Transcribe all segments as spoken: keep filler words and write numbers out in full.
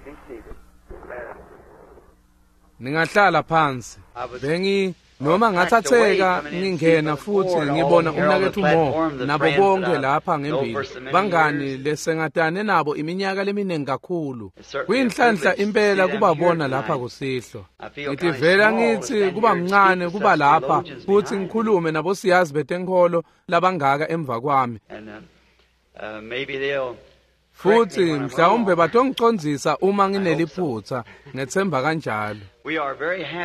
Be seated. Ningahlala phansi. Bengi noma ngathatheka ngingena futhi ngibona umnakethu Mo nabo bonke lapha ngembili bangani lesengatane nabo iminyaka leminingi kakhulu. Kuyinhlanhla impela kubabona lapha kusihlwa. Ngitivela ngithi kuba mncane kuba lapha futhi ngikhulume nabo siyazi betenkholo labangaka emva kwami. Futhi mhlawumbe batongicondzisa uma ngineliphutha, ngethemba kanjalo.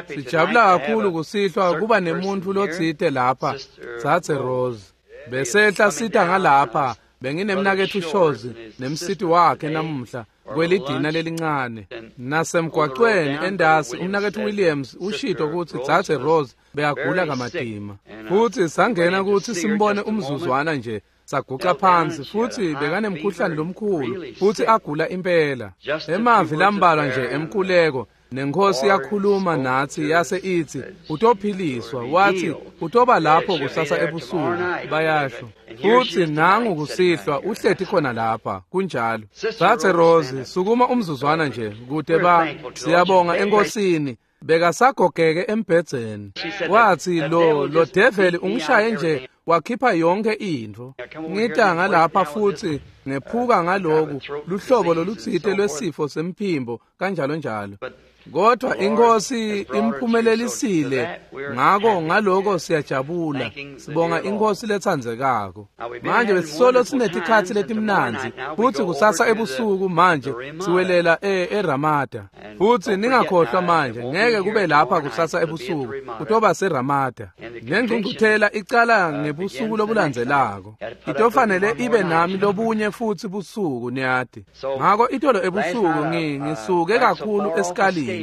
Sijabula kakhulu kusihlwa kuba nemuntu lotsite lapha, Dzadze Rose. Besehla sita ngalapha, benginemnaketfu Shozi nemsiti wakhe namuhla kwelidina lelincane. Nasemgwacweni endasi umnaketfu Williams ushito kutsi Dzadze Rose beyagula kamatima. Futhi sangena kutsi simbone umzuzwana nje. Saguca phansi futhi bekanemkhuhlane lomkhulu futhi agula impela. Emavi lambalwa nje emkhuleko nenkosi yakhuluma nathi yase ithi utophiliswa, wathi utoba lapho kusasa ebusuku, bayasho. Futhi nangu kusihlwa uhleti khona lapha, kunjalo. Dzadze Rose, sukuma umzuzwana nje kude ba siyabonga enkosini. Bekasagogeke embhedzeni. Wathi lo lo devil ungishaye nje wakhipha yonke intfo. Ngita ngalapha futhi ngephuka ngaloku luhlobo lolutsite lwesifo semphimbo kanjalo njalo. Kodwa inkosi imphumelelisile, ngako ngaloko siyajabula, sibonga inkosi letsandzekako. Manje besisolo sinetikhatsi letimnandzi futhi kusasa ebusuku manje siwelela eRamada. Futhi ningakhohlwa manje, ngeke kube lapha kusasa ebusuku, kutoba seRamada. Lengcungcuthela icala ngebusuku lobulandzelako. Itofanele ibe nami lobunye futhi busuku, niyati. Ngako itolo ebusuku ngisuke kakhulu esikalini.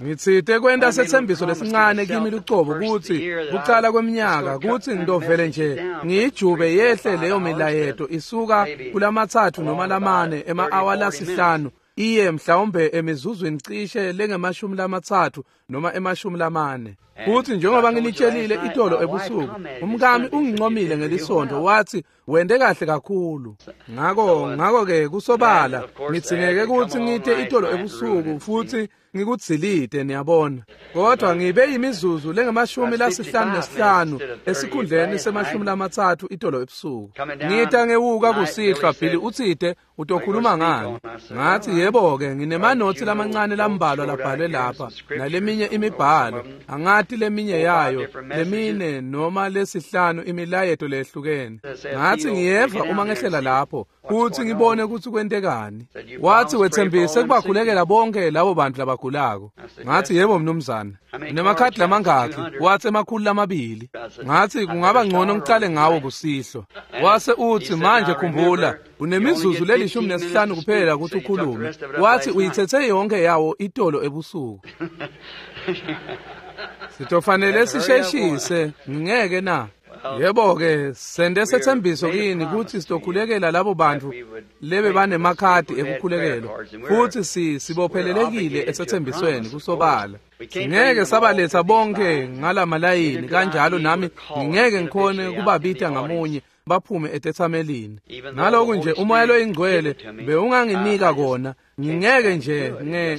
Ngitsite kwenta setsembiso lesincane kimi lucobo kutsi kucala kweminyaka kutsi ngitovele nje ngiyijube yehle leyo milayeto isuka kulamatsatfu noma lamane ema-awa lasihlanu iye mhlawumbe emizuzwini cishe lengemashumi lamatsatfu noma emashumi lamane. Futhi njengoba nginitshelile itolo ebusuku, umkami ungincomile ngelisonto wathi wende kahle kakhulu. Ngako ngako-ke kusobala ngitsingeke kutsi ngite itolo ebusuku futhi ngikudzilite, niyabona. Kodwa ngibe yimizuzu lengemashumi lasihlanu nesihlanu esikhundleni semashumi lamatsatfu itolo ebusuku. Ngita ngewuka kusihlwa, Billy utsite utokhuluma ngani. Ngathi yebo-ke nginemanothi lamancane lambalwa labhalwe lapha naleminye imibhalo, angati leminye yayo lemine noma lesihlanu imilayeto lehlukene. Ngathi ngiyeva uma ngehlela lapho futhi ngibone kutsi kwentekani. Wathi wetsembise kubakhulekela bonke labo bantu labagulako. Ngathi yebo mnumzane. Unemakhadi lamangakhi? Wathi emakhulu lamabili. Ngathi kungaba ngcono ngicale ngawo kusihlwa. Wase uthi manje khumbula unemizuzu lelishumi nesihlanu kuphela ukuthi ukhulume. Wathi uyithethe yonke yawo itolo ebusuku. Sitofanele sisheshise, ngeke na? Yebo-ke sende setsembiso kini kutsi sitokhulekela labo bantu lebe banemakhadi ekukhulekelwa futhi si sibophelelekile esethembisweni kusobala. Ngeke sabaletha bonke ngalamalayini kanjalo, nami ngingeke ngikhone kubabita ngamunye baphume etethamelini. Naloku nje umoya loyingcwele bewunganginika kona, ngingeke nje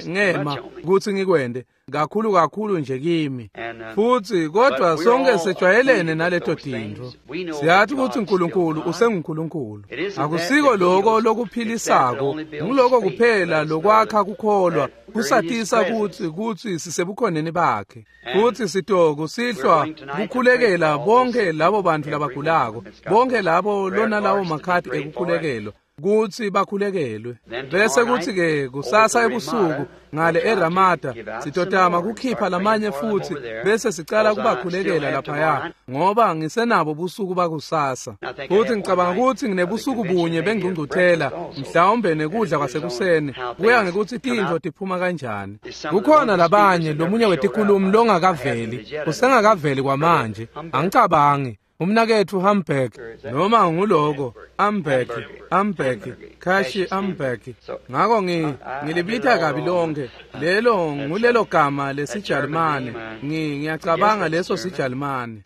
ngema kutsi ngikwende kakhulu kakhulu nje kimi. Futhi kodwa sonke sejwayelene naleto tintfo. Siyathi kutsi uNkulunkulu usenguNkulunkulu. Akusiko lokho lokuphilisako, nguloko kuphela lokwakha kukholwa, kusatisa kutsi kutsi sisebukhoneni bakhe. Futhi sitokusihlwa kukhulekela bonke labo bantu labagulako, bonke labo lona lawo makhadi ekukhulekelwa kutsi bakhulekelwe. Bese kuthi-ke kusasa ebusuku ngale eRamada sitotama kukhipha lamanye futhi bese sicala kubakhulekela laphaya, ngoba ngisenabo busuku bakusasa. Futhi ngicabanga kutsi nginebusuku bunye bengcungcuthela, mhlawumbe nekudla kwasekuseni, kuya ngekutsi tintfo tiphuma kanjani. Kukhona labanye lomunye wetikhulumi longakaveli, usengakaveli kwamanje, angicabangi. Umnaketfu Hamburg noma nguloko Amberg Amberg Kashi Amberg. Ngako ngi ngilibita kabi lonke lelo ngulelo gama lesiJalimane, ngi ngiyacabanga leso siJalimane.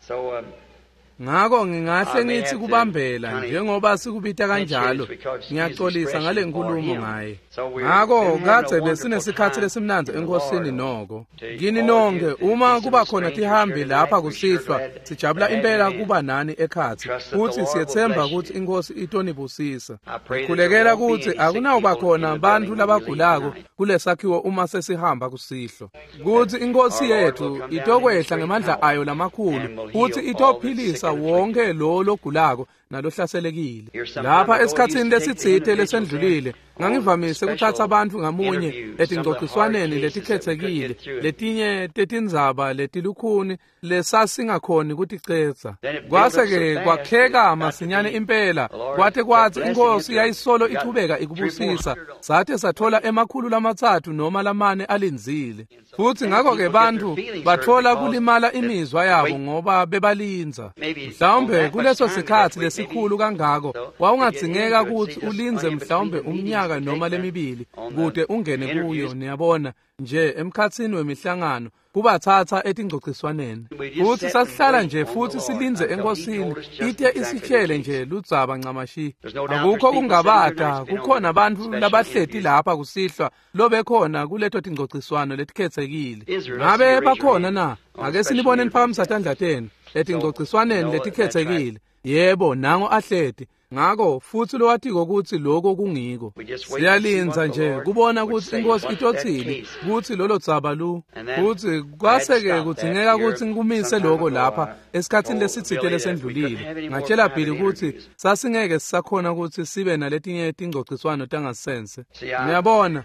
Ngako ngingahle ngithi kubambela njengoba sikubita kanjalo, ngiyaxolisa ngale nkulumo ngaye. Ngako kadze besinesikhatsi lesimnandzi enkosini noko. Kini nonke uma kuba khona tihambi lapha kusihlwa, sijabula impela kuba nani ekhatsi, futsi siyetsemba kutsi inkosi itonibusisa. Ngikhulekela kutsi akunawuba khona bantfu labagulako kulesakhiwo uma sesihamba kusihlwa, kutsi inkosi yethu itokwehla ngemandla ayo lamakhulu futsi itophilisa wonke lo logulako nalohlaselekile. Lapha esikhatsini lesitsite lesendlulile ngangivamise kuthatha bantfu ngamunye etingcociswaneni letikhethekile, letinye tetindzaba letilukhuni lesasingakhoni kuticedza. Kwase-ke kwakheka masinyane impela, kwate kwatsi inkosi yayisolo ichubeka ikubusisa, sate sathola emakhulu lamatsatfu noma lamane alindzile. Futsi ngako-ke bantfu batfola kulimala imizwa yabo ngoba bebalindza. Mhlawumbe kuleso sikhatsi lesikhulu kangako wawungadzingeka kutsi ulindze mhlawumbe umnyaka noma lemibili kute ungene kuyo, niyabona nje emkhatsini wemihlangano kubatsatsa etingcociswaneni. Futsi sasihlala nje futsi silindze enkosini ite isitshele nje ludzaba ncamashi. Akukho kungabata kukhona bantfu labahleti lapha kusihlwa lobekhona kuleto tingcociswano letikhethekile. Ngabe bakhona na? Ake sinibone niphakamisa tandla tenu etingcociswaneni letikhethekile. Yebo, nango ahleti. Ngako futsi lowatiko kutsi lokho kungiko. Siyalindza nje kubona kutsi inkosi itotsini kutsi lolo dzaba lu. Futsi kwase-ke kudzingeka kutsi ngikumise loko lapha esikhatsini lesitsite lesendlulile. Ngatshela Billy kutsi sasingeke sisakhona kutsi sibe naletinye tingcociswano tangasense. Niyabona,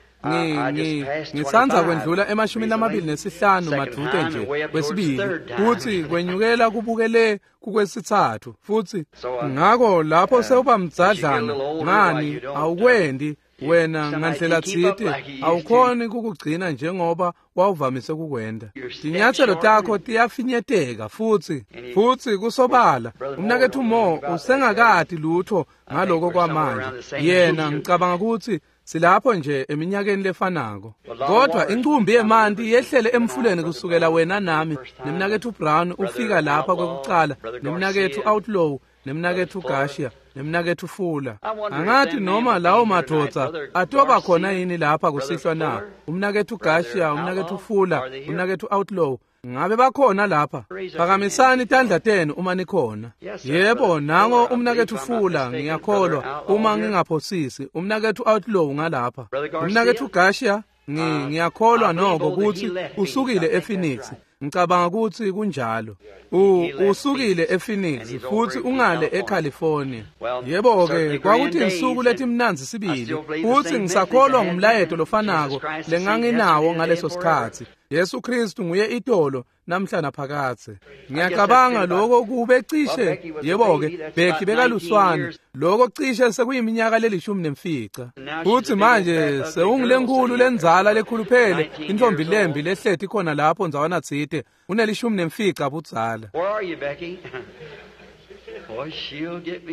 ngitsandza kwendlula emashumini lamabili nesihlanu madvute nje kwesibili, futsi kwenyukela kubukele kukwesitsatfu. Futsi ngako lapho sewuba mdzadlana ngani awukwendi wena ngandlela tsite, awukhoni kukugcina njengoba wawuvamise kukwenda. Tinyatselo takho tiyafinyeteka futsi futsi kusobala umnaketfu Mo usengakati lutho ngaloko kwamanje. Yena ngicabanga kutsi silapho nje eminyakeni lefanako. Kodwa incumbi yemanti yehlele emfuleni kusukela wena nami nemnaketfu Brown ufika lapha kwekucala, nemnaketfu Outlaw, nemnaketfu Garcia, nemnaketfu Fuller. Angathi noma lawo madvodza atoba khona yini lapha kusihlwa na? Umnaketfu Garcia, umnaketfu Fuller, umnaketfu Outlaw, ngabe bakhona lapha? Phakamisani tandla tenu uma nikhona. Yebo, nango umnaketfu Fuller, ngiyakholwa uma ngingaphosisi, umnaketfu Outlaw ngalapha. Umnaketfu Garcia, ngiyakholwa noko kutsi usukile ePhoenix. Ngicabanga kutsi kunjalo. U usukile ePhoenix futsi ungale eCalifornia. Yebo-ke, kwakuthi insuku letimnandzi sibili, futsi ngisakholwa ngumlayeto lofanako lenganginawo ngaleso sikhatsi. Yesu Kristu nguye itolo namhla naphakadze. Ngiyacabanga lokho kube cishe, yebo-ke, Becky bekaluswane, lokho cishe sekuyiminyaka lelishumi nemfica. Futsi manje sewungilenkulu lendzala lekhuluphele, intfombi lembi lehleti khona lapho ndzawana tsite, unelishumi nemfica budzala.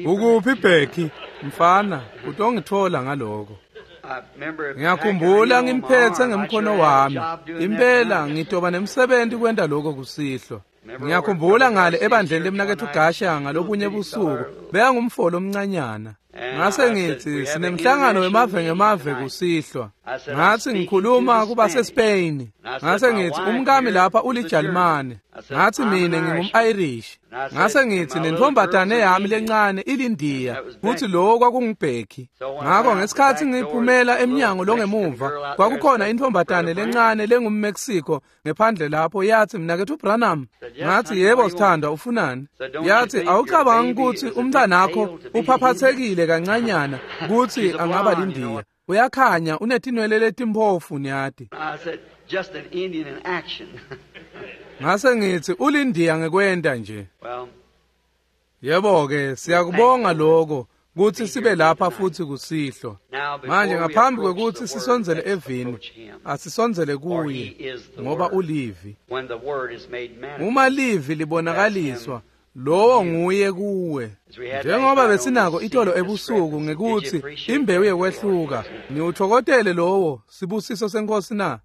Ukuphi Becky? Mfana, utongithola ngaloko. Ngiyakhumbula ngimphetse ngemkhono wami. Impela ngitoba nemsebenzi kwenta lokho kusihlwa. Ngiyakhumbula ngale ebandleni lemnaketfu Gasha ngalobunye busuku, bekangumfolo omncanyana. Ngase ngithi sinemhlangano wemave ngemave kusihlwa. Ngathi ngikhuluma kuba seSpain. Ngase ngithi umkami lapha uliJalimane. Ngathi mina ngingum-Irish. Ngase ngithi nentombatane yami lencane ilindiya, futhi lo kwakunguBecky. Ngakho ngesikhathi ngiphumela emnyango longemuva, kwakukhona intombatane lencane lengumMexico ngephandle lapho, yathi mnaketfu Branham. Ngathi yebo sithandwa, ufunani? Yathi awucabangi ukuthi umntanakho uphaphathekile kancanyana ukuthi angaba lindiya. Uyakhanya, unetinwele letimphofu niyati. Ngase ngithi ulindiya ngekwenta nje. Yebo-ke, siyakubonga lokho kutsi sibe lapha futhi kusihlwa. Manje ngaphambi kwekutsi sisondzele evini, asisondzele kuye, ngoba ulivi. Uma livi libonakaliswa, lowo nguye kuwe. Njengoba besinako itolo ebusuku ngekutsi imbewu yekwehluka, ngiwutfokotele lowo sibusiso senkosi na?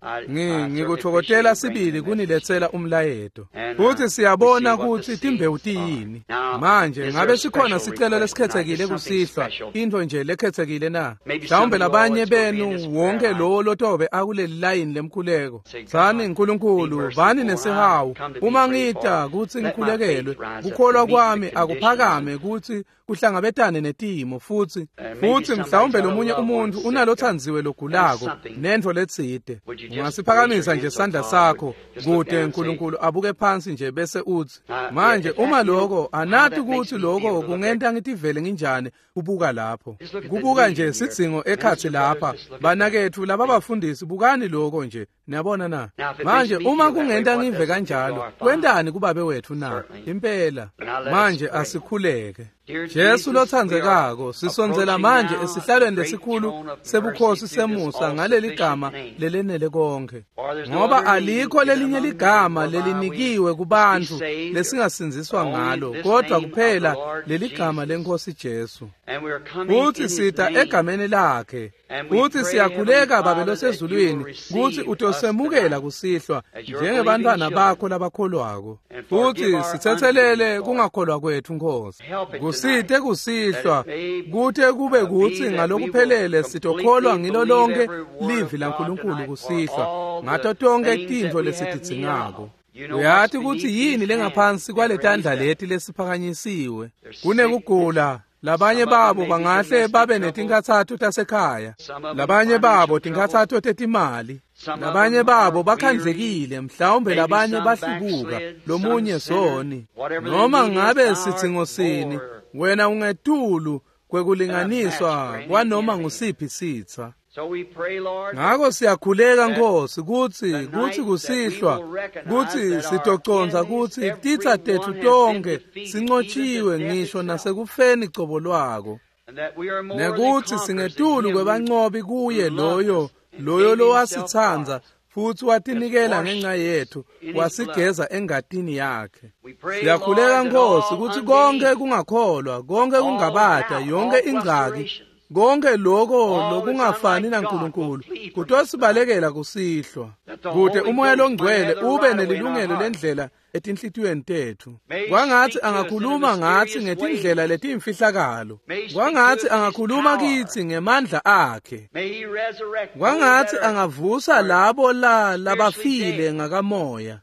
Ngikutfokotela sibili kuniletsela umlayeto. Futsi siyabona kutsi timbewu tiyini. Manje ngabe sikhona sicelo lesikhethekile kusihlwa, intfo nje lekhethekile na? Mhlawumbe labanye benu wonke lowo lotobe akuleli layini lemkhuleko. Tsani Nkulunkulu, bani nesihawu. Uma ngita kutsi ngikhulekelwe, kukholwa kwami akuphakame kutsi kuhlangabetane netimo futsi futsi mhlawumbe lomunye umuntu unalothandziwe logulako nentfo letsite. Ungasiphakamisa nje sandla sakho kute Nkulunkulu abuke phansi nje bese utsi, manje uma lokho anati kutsi lokho kungenta ngitivele nginjani kubuka lapho. Kubuka nje sidzingo ekhatsi lapha, banaketfu laba bafundisi bukani lokho nje. Niyabona na? Manje uma kungenta ngive kanjalo, kwentani kubabe wetfu na? Impela. Manje asikhuleke. Jesu lotsandzekako, sisondzela manje esihlalweni lesikhulu sebukhosi semusa ngaleli gama lelenele konke. Ngoba alikho lelinye ligama lelinikiwe kubantfu lesingasindziswa ngalo, kodwa kuphela leli gama lenkosi Jesu. Futsi sita egameni lakhe. Futsi siyakhuleka Babe losezulwini kutsi utosemukela kusihlwa njengebantfwana bakho labakholwako. Futsi sitsetselele kungakholwa kwetfu Nkosi. Kusite kusihlwa kute kube kutsi ngalokuphelele sitokholwa ngilo lonke livi laNkulunkulu kusihlwa ngato tonkhe tintfo lesitidzingako. Uyati kutsi yini lengaphansi kwaletandla leti lesiphakanyisiwe. Kunekugula. Labanye babo bangahle babe netinkhatsato tasekhaya, labanye babo tinkhatsato tetimali, labanye babo bakhandlekile, mhlawumbe labanye bahlubuka, lomunye soni. Noma ngabe sidzingo sini, wena ungetulu kwekulinganiswa kwanoma ngusiphi sitsa. Ngako siyakhuleka Nkosi kutsi kutsi kusihlwa kutsi sitocondza kutsi titsa tetfu tonkhe sinqotshiwe ngisho nasekufeni cobo lwako, nekutsi singetulu kwebanqobi kuye loyo loyo lowasitsandza futsi watinikela ngenxa yetfu, wasigeza engatini yakhe. Siyakhuleka Nkosi kutsi konke kungakholwa, konke kungabata, yonke ingcaki, konke lokho lokungafani naNkulunkulu kutosibalekela kusihlwa, kute umoya longcwele ube nelilungelo lendlela etinhlitiyweni tetfu. Kwangatsi angakhuluma ngatsi ngetindlela letimfihlakalo, kwangatsi angakhuluma kitsi ngemandla akhe, kwangatsi angavusa labo la labafile ngakamoya,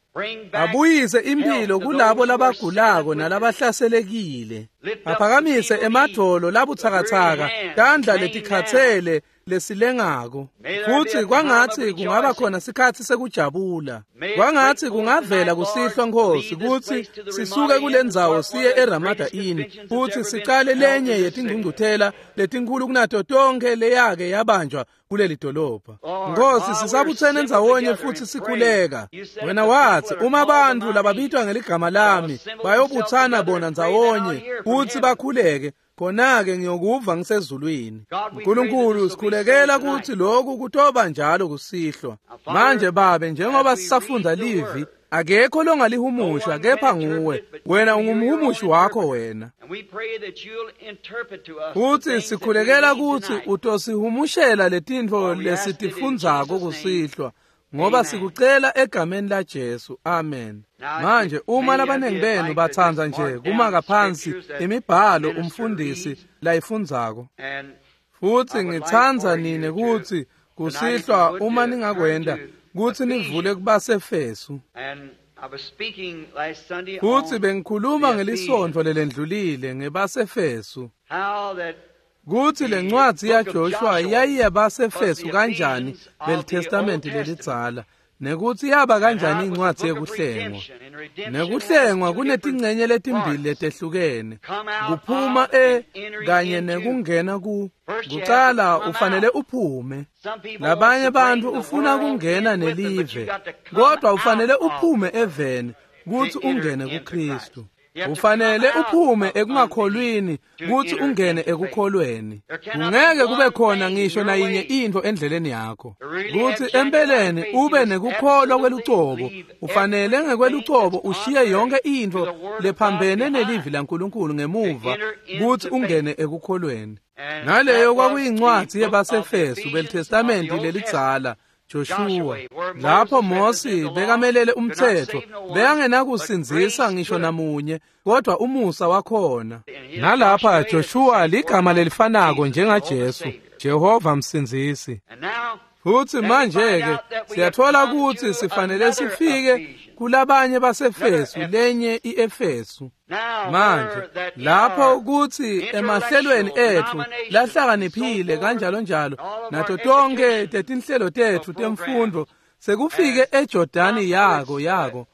abuyise imphilo kulabo labagulako nalabahlaselekile, aphakamise emadvolo labutsakatsaka, tandla letikhatsele lesilengako. Futsi kwangatsi kungaba khona sikhatsi sekujabula, kwangatsi kungavela kusihlwa Nkosi kutsi sisuke kulendzawo siye eRamada Inn futsi sicale lenye yetingcungcuthela letinkhulu kunato tonkhe leyake yabanjwa kuleli dolobha. Nkosi, sisabutsene ndzawonye futsi sikhuleka. Wena watsi uma bantfu lababitwa ngeligama lami bayobutsana bona ndzawonye futsi bakhuleke, khona-ke ngiyokuva ngisezulwini. Nkulunkulu, sikhulekela kutsi lokhu kutoba njalo kusihlwa. Manje Babe, njengoba sisafundza livi, akekho longalihumusha kepha nguwe. Wena ungumhumushi wakho wena. Futsi sikhulekela kutsi utosihumushela letintfo lesitifundzako kusihlwa, ngoba sikucela egameni la Jesu. Amen. Manje uma labanengi benu batsandza nje kumaka phansi imibhalo umfundisi layifundzako, futsi ngitsandza nine kutsi kusihlwa uma ningakwenta kutsi nivule kubaseFesu. Futsi bengikhuluma ngelisontfo lelendlulile ngebaseFesu, kutsi lencwadzi yaJoshua yayiyabaseFesu kanjani leliTestamenti lelidzala, nekutsi yaba kanjani incwadzi yekuhlengwa. Nekuhlengwa kunetingcenye letimbili letehlukene, kuphuma e kanye nekungena ku. Kucala ufanele uphume. Labanye bantfu ufuna kungena nelive, kodwa ufanele uphume eveni kutsi ungene kuKristu. Ufanele uphume ekungakholwini kutsi ungene ekukholweni. Kungeke kube khona ngisho nayinye intfo endleleni yakho. Kutsi empeleni ube nekukholwa kwelucobo, ufanele ngekwelucobo ushiye yonke intfo lephambene nelivi laNkulunkulu ngemuva kutsi ungene ekukholweni. Naleyo kwakuyincwadzi yebaseFesu beliTestamenti lelidzala. Joshua lapho Mosi bekamelele umtsetfo bekangenakusindzisa ngisho namunye kodwa umusa wakhona. Nalapha Joshua ligama lelifanako njengaJesu, Jehova msindzisi. Futsi manje-ke siyatfola kutsi sifanele sifike kulabanye baseFesu, lenye iEfesu. Manje lapho kutsi emahlelweni etfu lahlakaniphile kanjalo njalo nato tonke tetinhlelo tetfu temfundvo sekufike eJordani yako yako.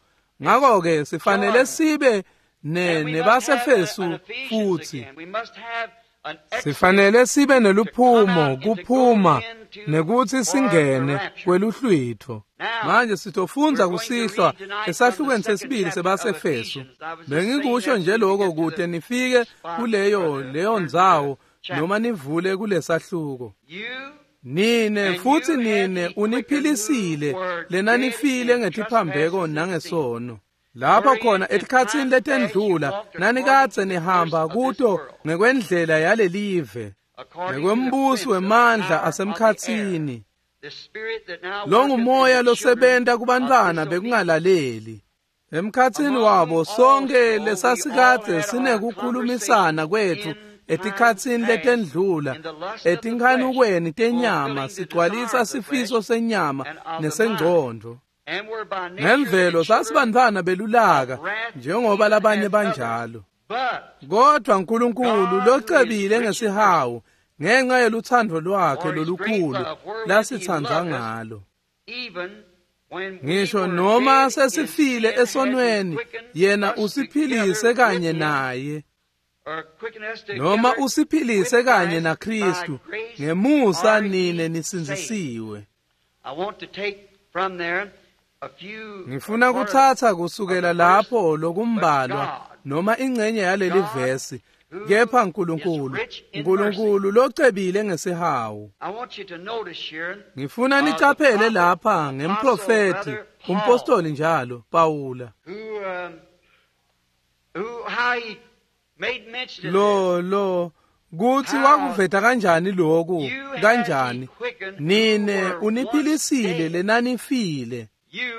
Ngakho-ke sifanele sibe ne nebaseFesu futsi. Sifanele sibe neluphumo kuphuma nekutsi singene kweluhlwitfo. Manje sitofundza kusihlwa esahlukweni sesibili sebaseFesu. Bengikusho nje lokho kute nifike kuleyo leyo ndzawo noma nivule kulesahluko. Nine futsi nine uniphilisile lenanifile ngetiphambeko nangesono. Lapho khona etikhatsini letendlula nanikadze nihamba kuto ngekwendlela yalelive, ngekwembuso wemandla asemkhatsini. Lo ngumoya losebenta kubantfwana bekungalaleli. Emkhatsini wabo sonke lesasikadze sinekukhulumisana kwetfu etikhatsini letendlula, etinkhanukweni tenyama sigcwalisa sifiso senyama nesengcondvo. Ngemvelo sasibantfwana belulaka njengoba labanye banjalo. Kodwa uNkulunkulu locebile ngesihawu ngenxa yelutsandvo lwakhe lolukhulu lasitsandza ngalo. Ngisho noma sesifile esonweni, yena usiphilise kanye naye. Noma usiphilise kanye naKristu, ngemusa nine nisindzisiwe. Ngifuna kutsatsa kusukela lapho lokumbalwa noma ingcenye yaleli vesi. Kepha uNkulunkulu, uNkulunkulu locebile ngesihawu. Ngifuna nicaphele lapha ngemprofeti, umpostoli njalo, Pawula. Lo lo kutsi wakuveta kanjani lokhu, kanjani nine uniphilisile lenanifile.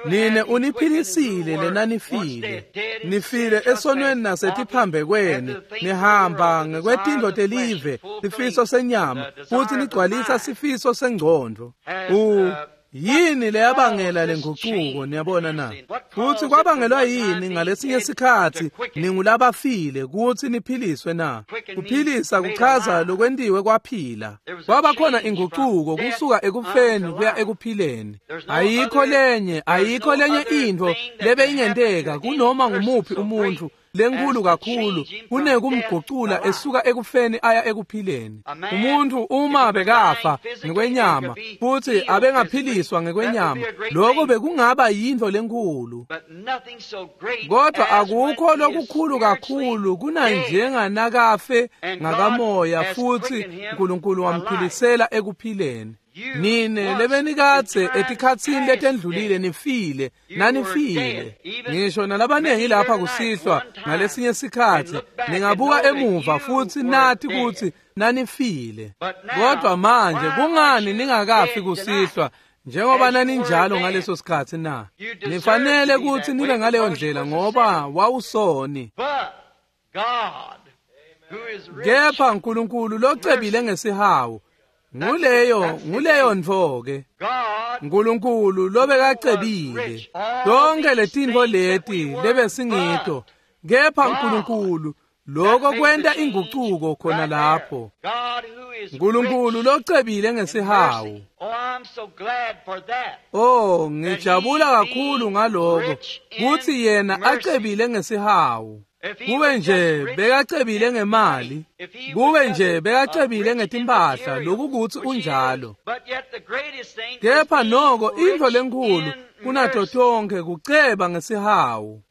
Nine uniphilisile lenanifile. Nifile esonweni nasetiphambekweni, nihamba ngekwetindlo telive, sifiso senyama, futsi nigcwalisa sifiso sengcondvo. U yini leyabangela lenguquko, niyabona na? Futsi kwabangelwa yini ngalesinye sikhatsi ningulabafile kutsi niphiliswe na? Kuphilisa kuchaza lokwentiwe kwaphila. Kwaba khona inguquko kusuka ekufeni kuya ekuphileni. Ayikho lenye, ayikho lenye intfo lebeyingenteka kunoma ngumuphi umuntfu lenkulu kakhulu kunekumgucula esuka ekufeni aya ekuphileni. Umuntu uma bekafa ngekwenyama futsi abengaphiliswa ngekwenyama, lokho bekungaba yintfo lenkulu. Kodwa akukho lokukhulu kakhulu kunanjenganakafe ngakamoya futsi uNkulunkulu wamphilisela ekuphileni. Nine lebenikadze etikhatsini letendlulile nifile, nanifile. Ngisho nalabanengi lapha kusihlwa ngalesinye sikhatsi ningabuka emuva futsi nati kutsi nanifile. Kodwa manje kungani ningakafi kusihlwa njengoba naninjalo ngaleso sikhatsi na? Nifanele kutsi nibe ngaleyo ndlela ngoba wawusoni. Kepha uNkulunkulu locebile ngesihawu, nguleyo nguleyo ntfo-ke. uNkulunkulu lobekacebile tonke letintfo leti lebesingito, kepha uNkulunkulu lokho kwenta inguquko khona lapho. uNkulunkulu locebile ngesihawu. Oh, ngijabula kakhulu ngaloko kutsi yena acebile ngesihawu. Kube nje bekacebile ngemali, kube nje bekacebile ngetimpahla, lokukutsi unjalo. Kepha noko intfo lenkhulu kunato tonke kuceba ngesihawu.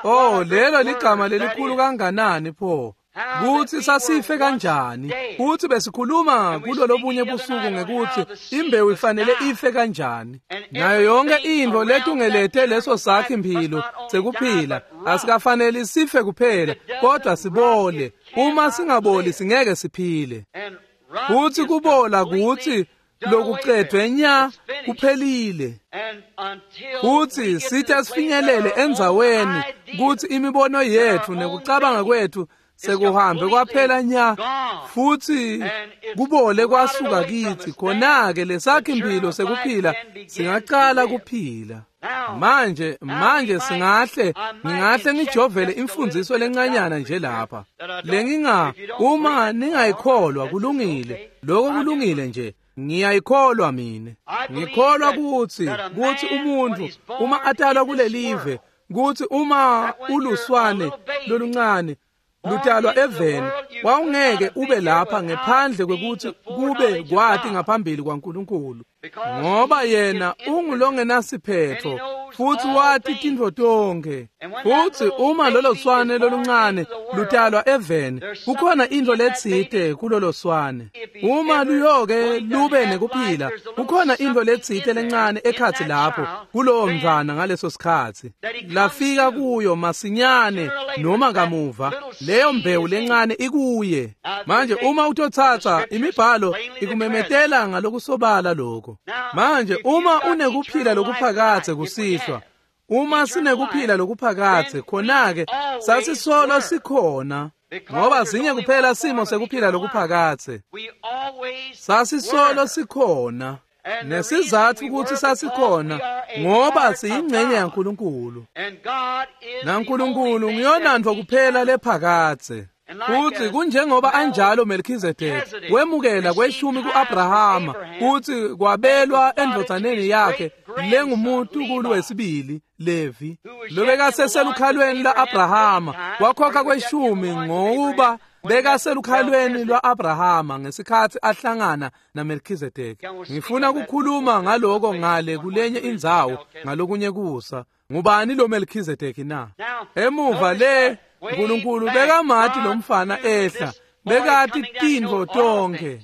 Oh, lelo ligama lelikhulu kanganani pho! Kutsi sasife kanjani, kutsi besikhuluma kulo lobunye busuku ngekutsi imbewu ifanele ife kanjani, nayo yonke intfo letungelete leso sakhi mphilo sekuphila asikafaneli sife kuphela, kodwa sibole. Uma singaboli singeke siphile. Kutsi kubola kutsi lokucedvwe nya kuphelile. Kutsi sithe sifinyelele endzaweni kutsi imibono yetfu nekucabanga kwetfu sekuhambe kwaphela nya, futsi kubole kwasuka kitsi, khona-ke lesakhi mphilo sekuphila singacala kuphila. Manje manje singahle ngingahle ngijovele imfundiso lencanyana nje lapha lenginga, uma ningayikholwa kulungile, lokho kulungile nje. Ngiyayikholwa mine. Ngikholwa kutsi kutsi umuntfu uma atalwa kulelive, kutsi uma uluswane loluncane lutalwa eveni, wawungeke ube lapha ngephandle kwekutsi kube kwati ngaphambili kwaNkulunkulu, ngoba yena ungulongenasiphetho futsi wati tintfo tonkhe. Futsi uma lolo swane loluncane lutalwa eveni, kukhona intfo letsite kulolo swane. Uma luyoke lube nekuphila, kukhona intfo letsite lencane ekhatsi lapho kulowo mntfwana ngaleso sikhatsi lafika kuyo masinyane noma kamuva, leyo mbewu lencane ikuye. Manje uma utotsatsa imibhalo ikumemetela ngalokusobala lokho. Manje uma unekuphila lokuphakadze kusihlwa, uma sinekuphila lokuphakadze, khona-ke sasisolo sikhona, ngoba sinye kuphela simo sekuphila lokuphakadze. Sasisolo sikhona. Nesizatfu kutsi sasikhona ngoba siyingcenye yaNkulunkulu, naNkulunkulu ngiyonantfo kuphela lephakadze. Futsi kunjengoba anjalo Melchizedek wemukela kweshumi ku-Abrahama, kutsi kwabelwa endvodzaneni yakhe lengumuntukulu wesibili Levi, lobekaseselukhalweni lwa-Abrahama, wakhokha kweshumi ngokuba bekaselukhalweni lwa-Abrahama ngesikhatsi ahlangana naMelchizedek. Ngifuna ukukhuluma ngaloko ngale kulenye indzawo ngalokunye kusa. Ngubani lo Melchizedek na? Emuva le Nkulunkulu bekamati lomfana ehla, bekati tintfo tonkhe.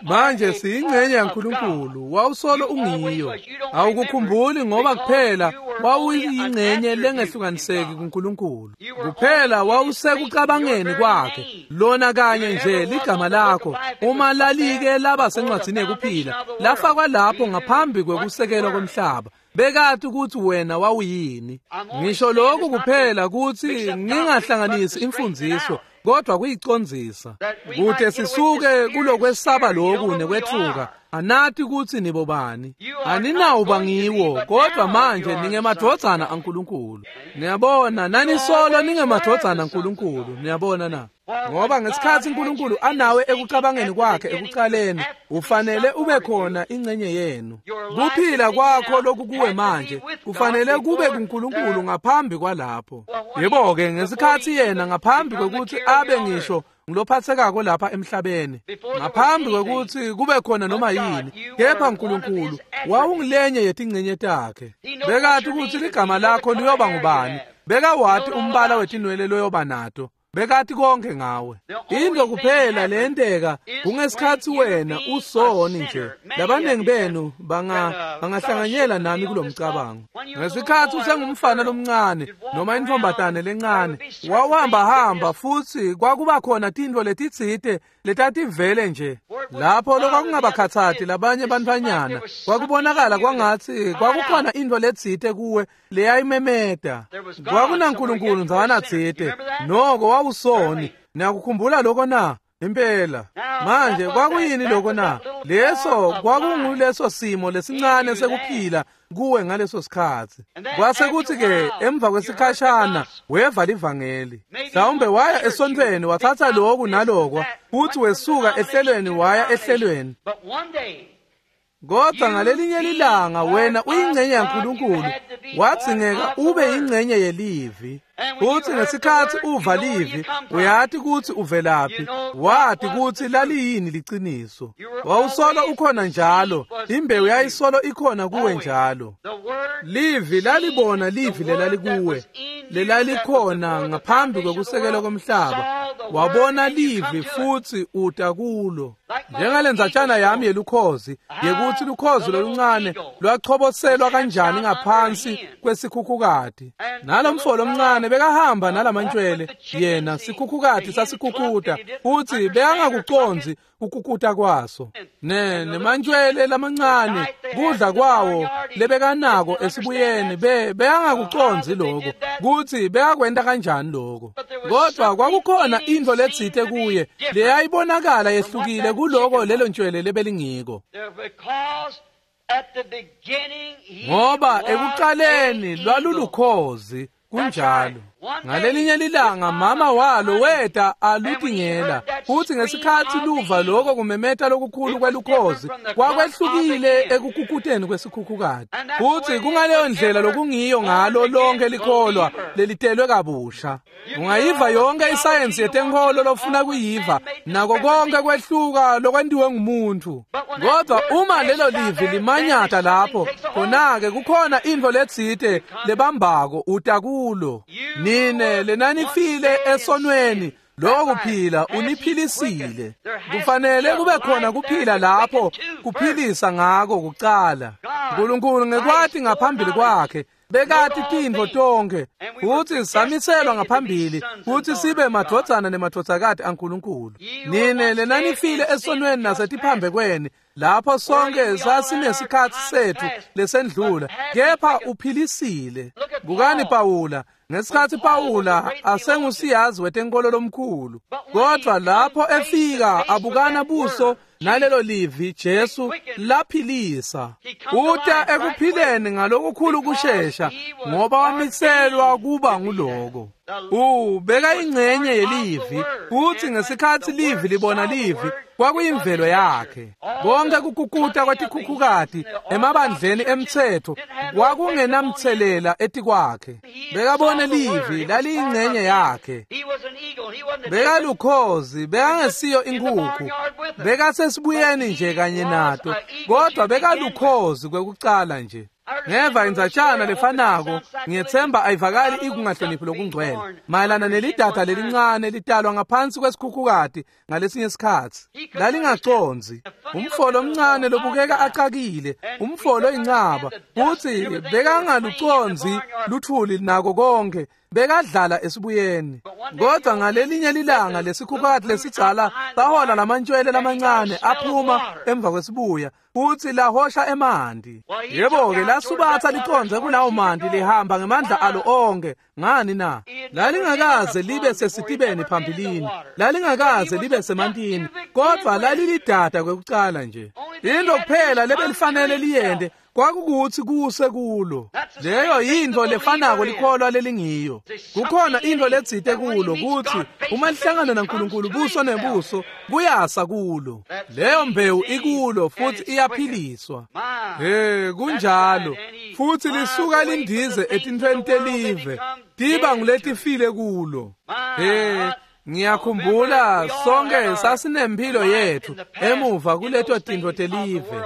Manje siyingcenye yaNkulunkulu, wawusolo ungiyo. Awukukhumbuli ngoba kuphela wawuyingcenye lengehlukaniseki kuNkulunkulu. Kuphela wawusekucabangeni kwakhe, lona kanye nje ligama lakho uma lalike laba sencwadzini yekuphila, lafakwa lapho ngaphambi kwekusekelwa komhlaba. Bekati ukuthi wena wawuyini. Ngisho lokhu kuphela kutsi ngingahlanganisi imfundiso, kodwa kuyicondzisa kute sisuke kulokwesaba loku nekwetfuka. Anati kutsi nibobani, aninawuba ngiwo, kodwa manje ningemadvodzana aNkulunkulu. Niyabona, nanisolo ningemadvodzana aNkulunkulu. Niyabona na? Ngoba ngesikhatsi uNkulunkulu anawe ekucabangeni kwakhe ekucaleni, ufanele ube khona ingcenye yenu. Kuphila kwakho lokukuwe manje kufanele kube kuNkulunkulu ngaphambi kwalapho. Yebo-ke, ngesikhatsi yena ngaphambi kwekutsi abe ngisho ngilophathekako lapha emhlabeni, ngaphambi kwekutsi kube khona noma yini, kepha uNkulunkulu wawungilenye yetingcenye takhe. Bekati kutsi ligama lakho liyoba ngubani, bekawati umbala wetinwele loyoba nato, bekati konke ngawe. Into kuphela leyenteka kungesikhatsi wena usoni nje. Labaningi benu banga bangahlanganyela nami kulomcabango. Ngesikhatsi usengumfana lomncane noma intfombatane lencane, wawuhamba hamba futsi kwakuba khona tintfo letitsite letativele nje lapho lokwakungabakhatsati labanye bantfwanyana. Kwakubonakala kwangatsi kwakukhona intfo letsite kuwe leyayimemeta. KwakunaNkulunkulu ndzawana tsite, noko wawusoni. Niyakukhumbula lokho na? Impela. Manje kwakuyini lokho na? Leso kwakunguleso simo lesincane sekuphila kuwe ngaleso sikhatsi. Kwase kuthi-ke emva kwesikhashana weva livangeli, mhlawumbe waya esontfweni watsatsa loku nalokwa, futhi wesuka ehlelweni waya ehlelweni. Kodwa ngalelinye lilanga wena uyingcenye yaNkulunkulu, wadzingeka ube yingcenye yelivi. Futsi ngesikhatsi uva livi, uyati kutsi uvelaphi, wati kutsi laliyini liciniso. Wawusolo ukhona njalo, imbewu yayisolo ikhona kuwe njalo. Livi lalibona livi lelalikuwe, lelalikhona ngaphambi kwekusekelwa komhlaba. Wabona livi futsi uta kulo. Njengalendzatshana yami yelukhozi, yekutsi lukhozi loluncane lwachoboselwa kanjani ngaphansi kwesikhukhukati. Nalomfo lomncane bekahamba nalamantshwele, yena sikhukhukati sasikhukhuta, futsi bekangakucondzi ukukuta kwaso. Ne nemantshwele lamancane kudla kwawo lebekanako esibuyeni be bekangakucondzi lokho kutsi bekakwenta kanjani lokho. Kodwa kwakukhona intfo letsite kuye leyayibonakala yehlukile kuloko lelo ntshwele lebelingiko. Ngoba ekuqaleni lwalulukhozi kunjalo. Ngalelinye lilanga mama walo weta alutingela, futsi ngesikhatsi luva lokho kumemeta lokukhulu kwelukhozi kwakwehlukile ekukhukhuteni kwesikhukhukati. Futsi kungaleyo ndlela lokungiyo ngalo lonke likholwa lelitelwe kabusha. Ungayiva yonke isayensi yetenkholo lofuna kuyiva, nako konke kwehluka lokwentiwe ngumuntu. Kodwa uma lelo livi limanyata lapho, khona-ke kukhona intfo letsite lebambako uta kulo. Nine lenanifile esonweni, lokho kuphila uniphilisile. Kufanele kube khona kuphila lapho kuphilisa ngako kucala. Nkulunkulu ngekwati ngaphambili kwakhe bekati tintfo tonkhe, futsi samiselwa ngaphambili kutsi sibe madvodzana nemadvodzakati aNkulunkulu. Nine lenanifile esonweni nasetiphambekweni, lapho sonke sasinesikhatsi setfu lesendlula, kepha uphilisile. Bukani Pawula, ngesikhatsi Pawula asengusiyazi wetenkolo lomkhulu, kodwa lapho efika abukana buso nalelo livi Jesu laphilisa. Uta ekuphileni ngalokukhulu kushesha, ngoba wamiselwa kuba nguloko. Ubeka ingcenye yelivi, futsi ngesikhatsi livi libona livi, kwakuyimvelo yakhe. Konke kukukuta kwatikhukhukati emabandleni emtsetfo kwakungenamtselela etikwakhe. Bekabone livi laliyingcenye yakhe. Bekalukhozi, bekangesiyo inkhukhu, bekasesibuyeni nje kanye nato, kodwa bekalukhozi kwekucala nje. Ngeva indzatshana lefanako, ngiyetsemba ayivakali ikungahloniphi lokungcwele, mayelana nelidada lelincane litalwa ngaphansi kwesikhukhukati ngalesinye isikhatsi. Lalingacondzi, umfo lomncane lobukeka acakile, umfo loyincaba, futsi bekangalucondzi luthuli nako konke, bekadlala esibuyeni. Kodwa ngalelinye lilanga lesikhukhukati lesidzala sahola lamantshwele lamancane aphuma emva kwesibuya, futsi lahosha emanti. Yebo-ke lasubatsa licondze kulawo manti lihamba ngemandla alo onke. Ngani na? Lalingakaze libe sesitibeni phambilini, lalingakaze libe semantini, kodwa lalilidada kwekucala nje. Into kuphela lebelifanele liyente kwakukutsi kuse kulo. Leyo yintfo lefanako likholwa lelingiyo. Kukhona intfo letsite kulo kutsi uma lihlangana naNkulunkulu buso nebuso kuyasa kulo. Leyo mbewu ikulo futsi iyaphiliswa. He, kunjalo. Futsi lisuka lindize etintfweni telive, tiba nguletifile kulo. He, ngiyakhumbula sonke sasinempilo yethu emuva kuleto tintfo telive,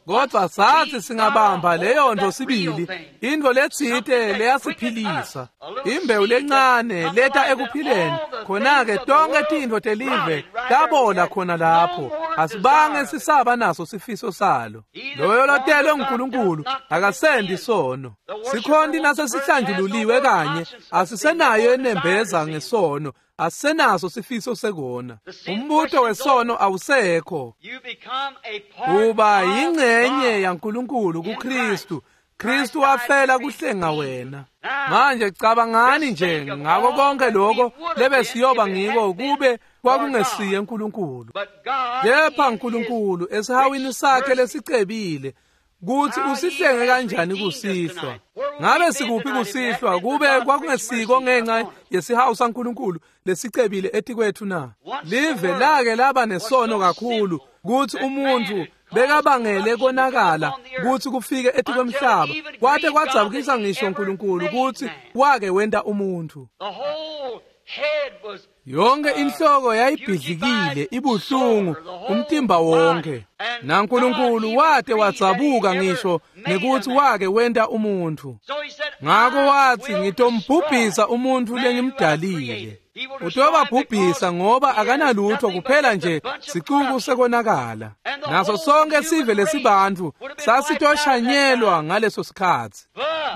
kodwa sathi singabamba leyo nto sibili, intfo letsite leyasiphilisa, imbewu lencane leta ekuphileni. Khona-ke tonke tintfo telive tabola khona lapho, asibange sisaba naso sifiso salo. Loyo lotelwe nguNkulunkulu akasendi sono. Sikhonti naso sihlanjululiwe kanye, asisenayo enembeza ngesono, asisenaso sifiso sekona. Umbuto wesono awusekho. Uba yingcenye yaNkulunkulu kuKristu. Kristu wafela kuhlenga wena. Manje cabangani nje ngako konke lokho lebesiyoba ngiko kube kwakungesiye uNkulunkulu. Kepha uNkulunkulu esihawini sakhe lesicebile kutsi usihlenge kanjani kusihlwa. Ngabe sikuphi kusihlwa kube kwakungesiko ngenxa yesihawu saNkulunkulu lesicebile etikwethu na? Live lake laba nesono kakhulu kutsi umuntfu bekabangele konakala kutsi kufike etikwemhlaba kwate kwadzabukisa ngisho uNkulunkulu kutsi wake wenta umuntfu. Yonke inhloko yayibhidlikile ibuhlungu umtimba wonke, naNkulunkulu wate wadzabuka ngisho nekutsi wake wenta umuntfu. Ngako watsi, ngitombhubhisa umuntfu lengimdalile. Utobabhubhisa ngoba akanalutho kuphela nje sicuku sekonakala. Naso sonke sive lesibantfu sasitoshanyelwa ngaleso sikhatsi.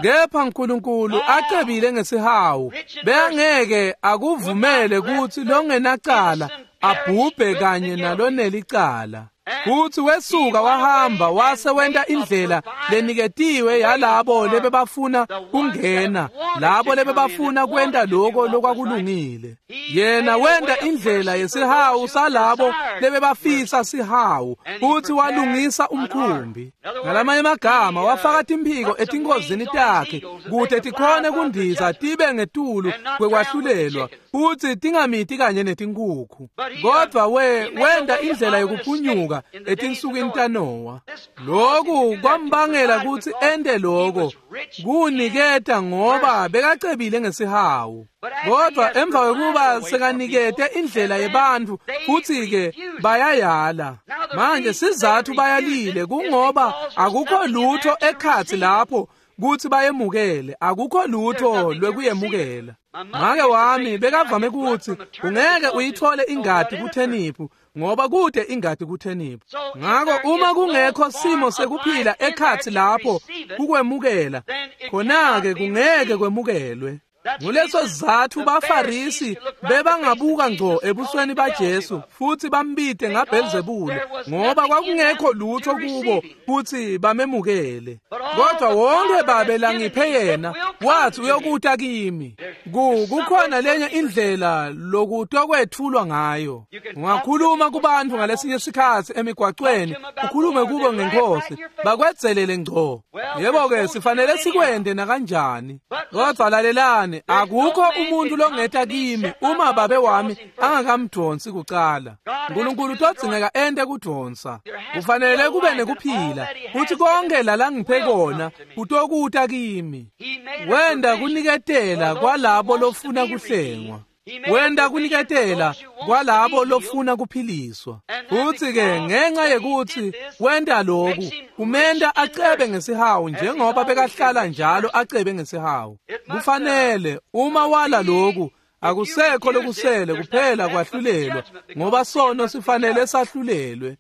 Kepha uNkulunkulu acebile ngesihawu, bengeke akuvumele kutsi longenacala abhubhe kanye nalonelicala. Futsi wesuka wahamba wase wenta indlela leniketiwe yalabo lebebafuna kungena, labo lebebafuna kwenta lokho lokwakulungile. Yena wenta indlela yesihawu salabo lebebafisa sihawu, futsi walungisa umkhumbi. Ngalamanye amagama wafaka timphiko etinkhozini takhe kute tikhone kundiza tibe ngetulu kwekwahlulelwa futsi tingamiti kanye netinkhukhu. Kodvwa we wenta indlela yokuphunyuka etinsukwini taNowa. Lokhu kwambangela kutsi ente lokho kuniketa ngoba bekacebile ngesihawu. Kodwa emva kwekuba sekanikete indlela yebantfu futsi-ke bayayala. Manje sizathu bayalile kungoba akukho lutho ekhatsi lapho kutsi bayemukele, akukho lutho lwekuyemukela. Make wami bekavame kutsi ungeke uyithole ingadi kutheniphu ngoba kude ingadi kutheniphu. Ngako uma kungekho simo sekuphila ekhatsi lapho kukwemukela, khona-ke kungeke kwemukelwe. Nguleso sizatfu baFarisi bebangabuka ngco ebusweni baJesu futsi bambite ngaBhelzebule ngoba kwakungekho lutho kubo kutsi bamemukele. Kodwa wonke Babe langiphe yena wathi uyokuta kimi. Ku kukhona lenye indlela lokutokwetfulwa ngayo. Ungakhuluma kubantfu ngalesinye sikhatsi emigwacweni, ukhulume kubo ngeNkhosi, bakwedzelele ngco. Yebo-ke sifanele sikwente nakanjani. Kodwa lalelani, akukho umuntu longeta kimi uma Babe wami angakamdonsi kucala. uNkulunkulu utodzingeka ente kudonsa. Kufanele kube nekuphila futsi konke lalangiphe kona kutokuta kimi. Wenda kuniketela kwalabo lofuna kuhlengwa. Wenda kuniketela kwalabo lofuna kuphiliswa. Futsi-ke ngenxa yekutsi wenta lokhu, kumenta acebe ngesihawu njengoba bekahlala njalo acebe ngesihawu. Kufanele uma wala lokhu, akusekho lokusele kuphela kwahlulelwa, ngoba sono sifanele sahlulelwe.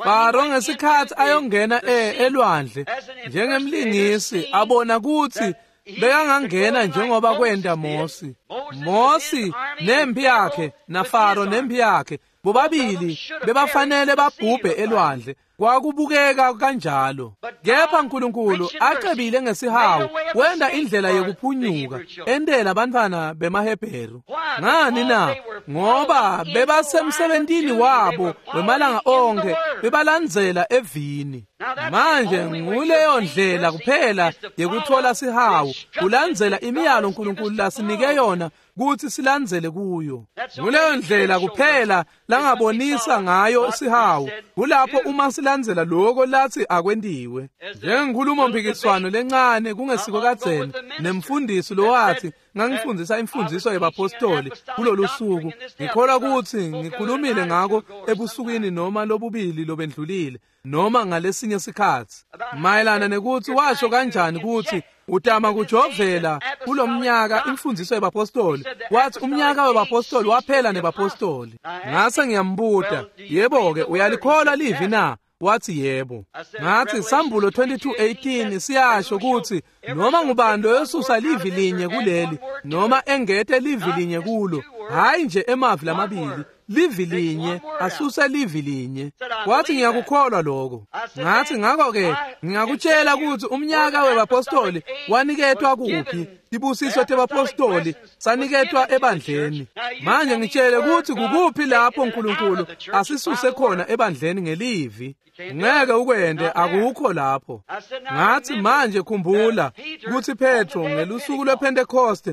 Faro ngesikhatsi ayongena elwandle njengemlingisi abona kutsi bekangangena njengoba kwenta Mosi. Mosi nempi yakhe naFaro nempi yakhe bobabili bebafanele babhubhe elwandle, kwakubukeka kanjalo. Kepha uNkulunkulu acebile ngesihawu wenta indlela yekuphunyuka entela bantfwana bemaHebheru. Ngani na? Ngoba bebasemsebentini wabo wemalanga onke, bebalandzela evini. Manje nguleyo ndlela kuphela yekuthola sihawu, kulandzela imiyalo uNkulunkulu lasinike yona kutsi silandzele kuyo. Nguleyo ndlela kuphela langabonisa ngayo sihawu, kulapho uma silandzela lokho lathi akwentiwe. Njengenkhulumo mpikiswano lencane kungesiko kadzeni nemfundisi lowathi ngangifundzisa imfundziso yebapostoli kulolu suku, ngikholwa kutsi ngikhulumile ngako ebusukwini noma lobubili lobendlulile noma ngalesinye sikhatsi, mayelana nekutsi washo kanjani kutsi utama kujovela kulomnyaka imfundziso yebapostoli. Wathi umnyaka webapostoli waphela nebapostoli. Ngase ngiyambuta, yebo-ke uyalikholwa livi na? Wathi yebo. Ngathi Sambulo twenty-two eighteen siyasho kutsi noma ngubani loyosusa livi linye kuleli noma engete livi linye kulo, hayi nje emavi lamabili, livi linye, asuse livi linye. Wathi ngiyakukholwa lokho. Ngathi ngakho-ke ngingakutshela kutsi umnyaka webapostoli waniketwa kuphi Tibusiso tebapostoli saniketwa ebandleni. Manje ngitshele kutsi kukuphi lapho uNkulunkulu asisuse khona ebandleni ngelivi. Ngeke ukwende, akukho lapho. Ngathi manje khumbula kutsi Petro ngelusuku lwePentecost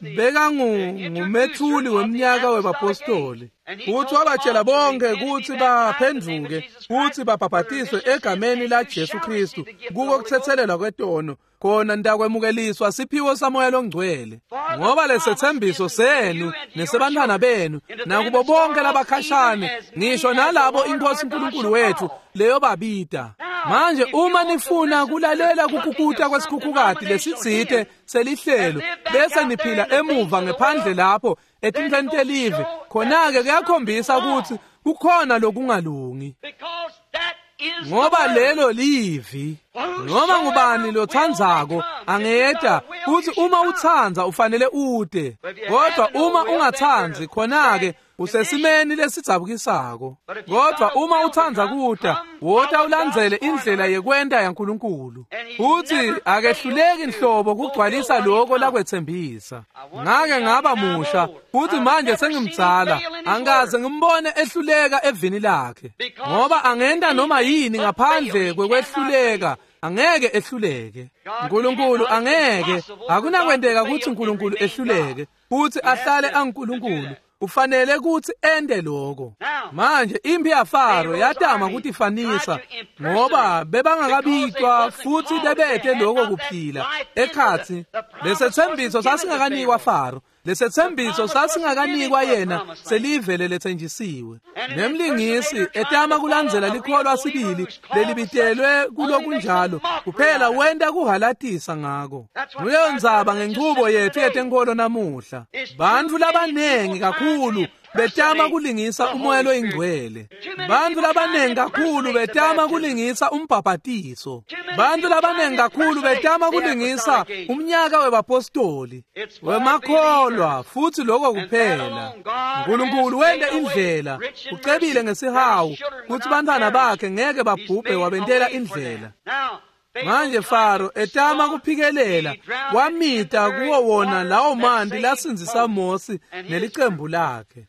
bekangumethuli weminyaka webapostoli. Futhi wabatshela bonke kutsi baphenduke futhi babhabhatiswe egameni la Jesu Kristu kuko kuthethelelwa kwetono, khona nitakwemukeliswa siphiwo saMoya loNgcwele. Ngoba lesethembiso senu nesebantwana benu nakubo bonke labakhashane, ngisho nalabo iNkosi uNkulunkulu wethu leyo babita. Manje uma nifuna kulalela kukukuta kwesikhukhukati lesitsite selihlelo bese niphila emuva ngephandle lapho etintfweni telive, khona-ke kuyakhombisa kutsi kukhona lokungalungi, ngoba lelo livi. Noma ngubani lotsandzako angeta, futhi uma utsandza ufanele ute, kodwa uma ungatsandzi khona-ke usesimeni lesidzabukisako. Kodwa uma utsandza kuta, wota ulandzele indlela yekwenta yaNkulunkulu. Futhi akehluleki nhlobo kugcwalisa lokho lakwetsembisa. Ngake ngaba musha futhi manje sengimdzala, angikaze ngimbone ehluleka evini lakhe, ngoba angenta noma yini ngaphandle kwekwehluleka. Angeke ehluleke uNkulunkulu, angeke. Akunakwenteka kutsi uNkulunkulu ehluleke futhi ahlale anguNkulunkulu. Ufanele kutsi ente lokho. Manje imphi yaFaro yatama kutifanisa, ngoba bebangakabitwa futhi bebete lokho kuphila ekhatsi. Lesethembiso sasingakanikwa Faro, lesethembiso sasingakanikwa yena, selivele lethenjisiwe. Nemlingisi etama kulandzela likholwa sibili lelibitelwe kulokunjalo, kuphela wenta kuhalatisa ngako. Nguleyo ndzaba ngenchubo yethu yetenkholo namuhla. Bantfu labanengi kakhulu betama kulingisa uMoya loyiNgcwele. Bantfu labanengi kakhulu betama kulingisa umbhabhatiso. Bantfu labanengi kakhulu betama kulingisa umnyaka webapostoli wemakholwa, futhi lokho kuphela. uNkulunkulu wente indlela, ucebile ngesihawu kutsi bantfwana bakhe ngeke babhubhe, wabentela indlela. Manje Faro etama kuphikelela, wamita kuwo wona lawo manti lasindzisa Mosi nelicembu lakhe.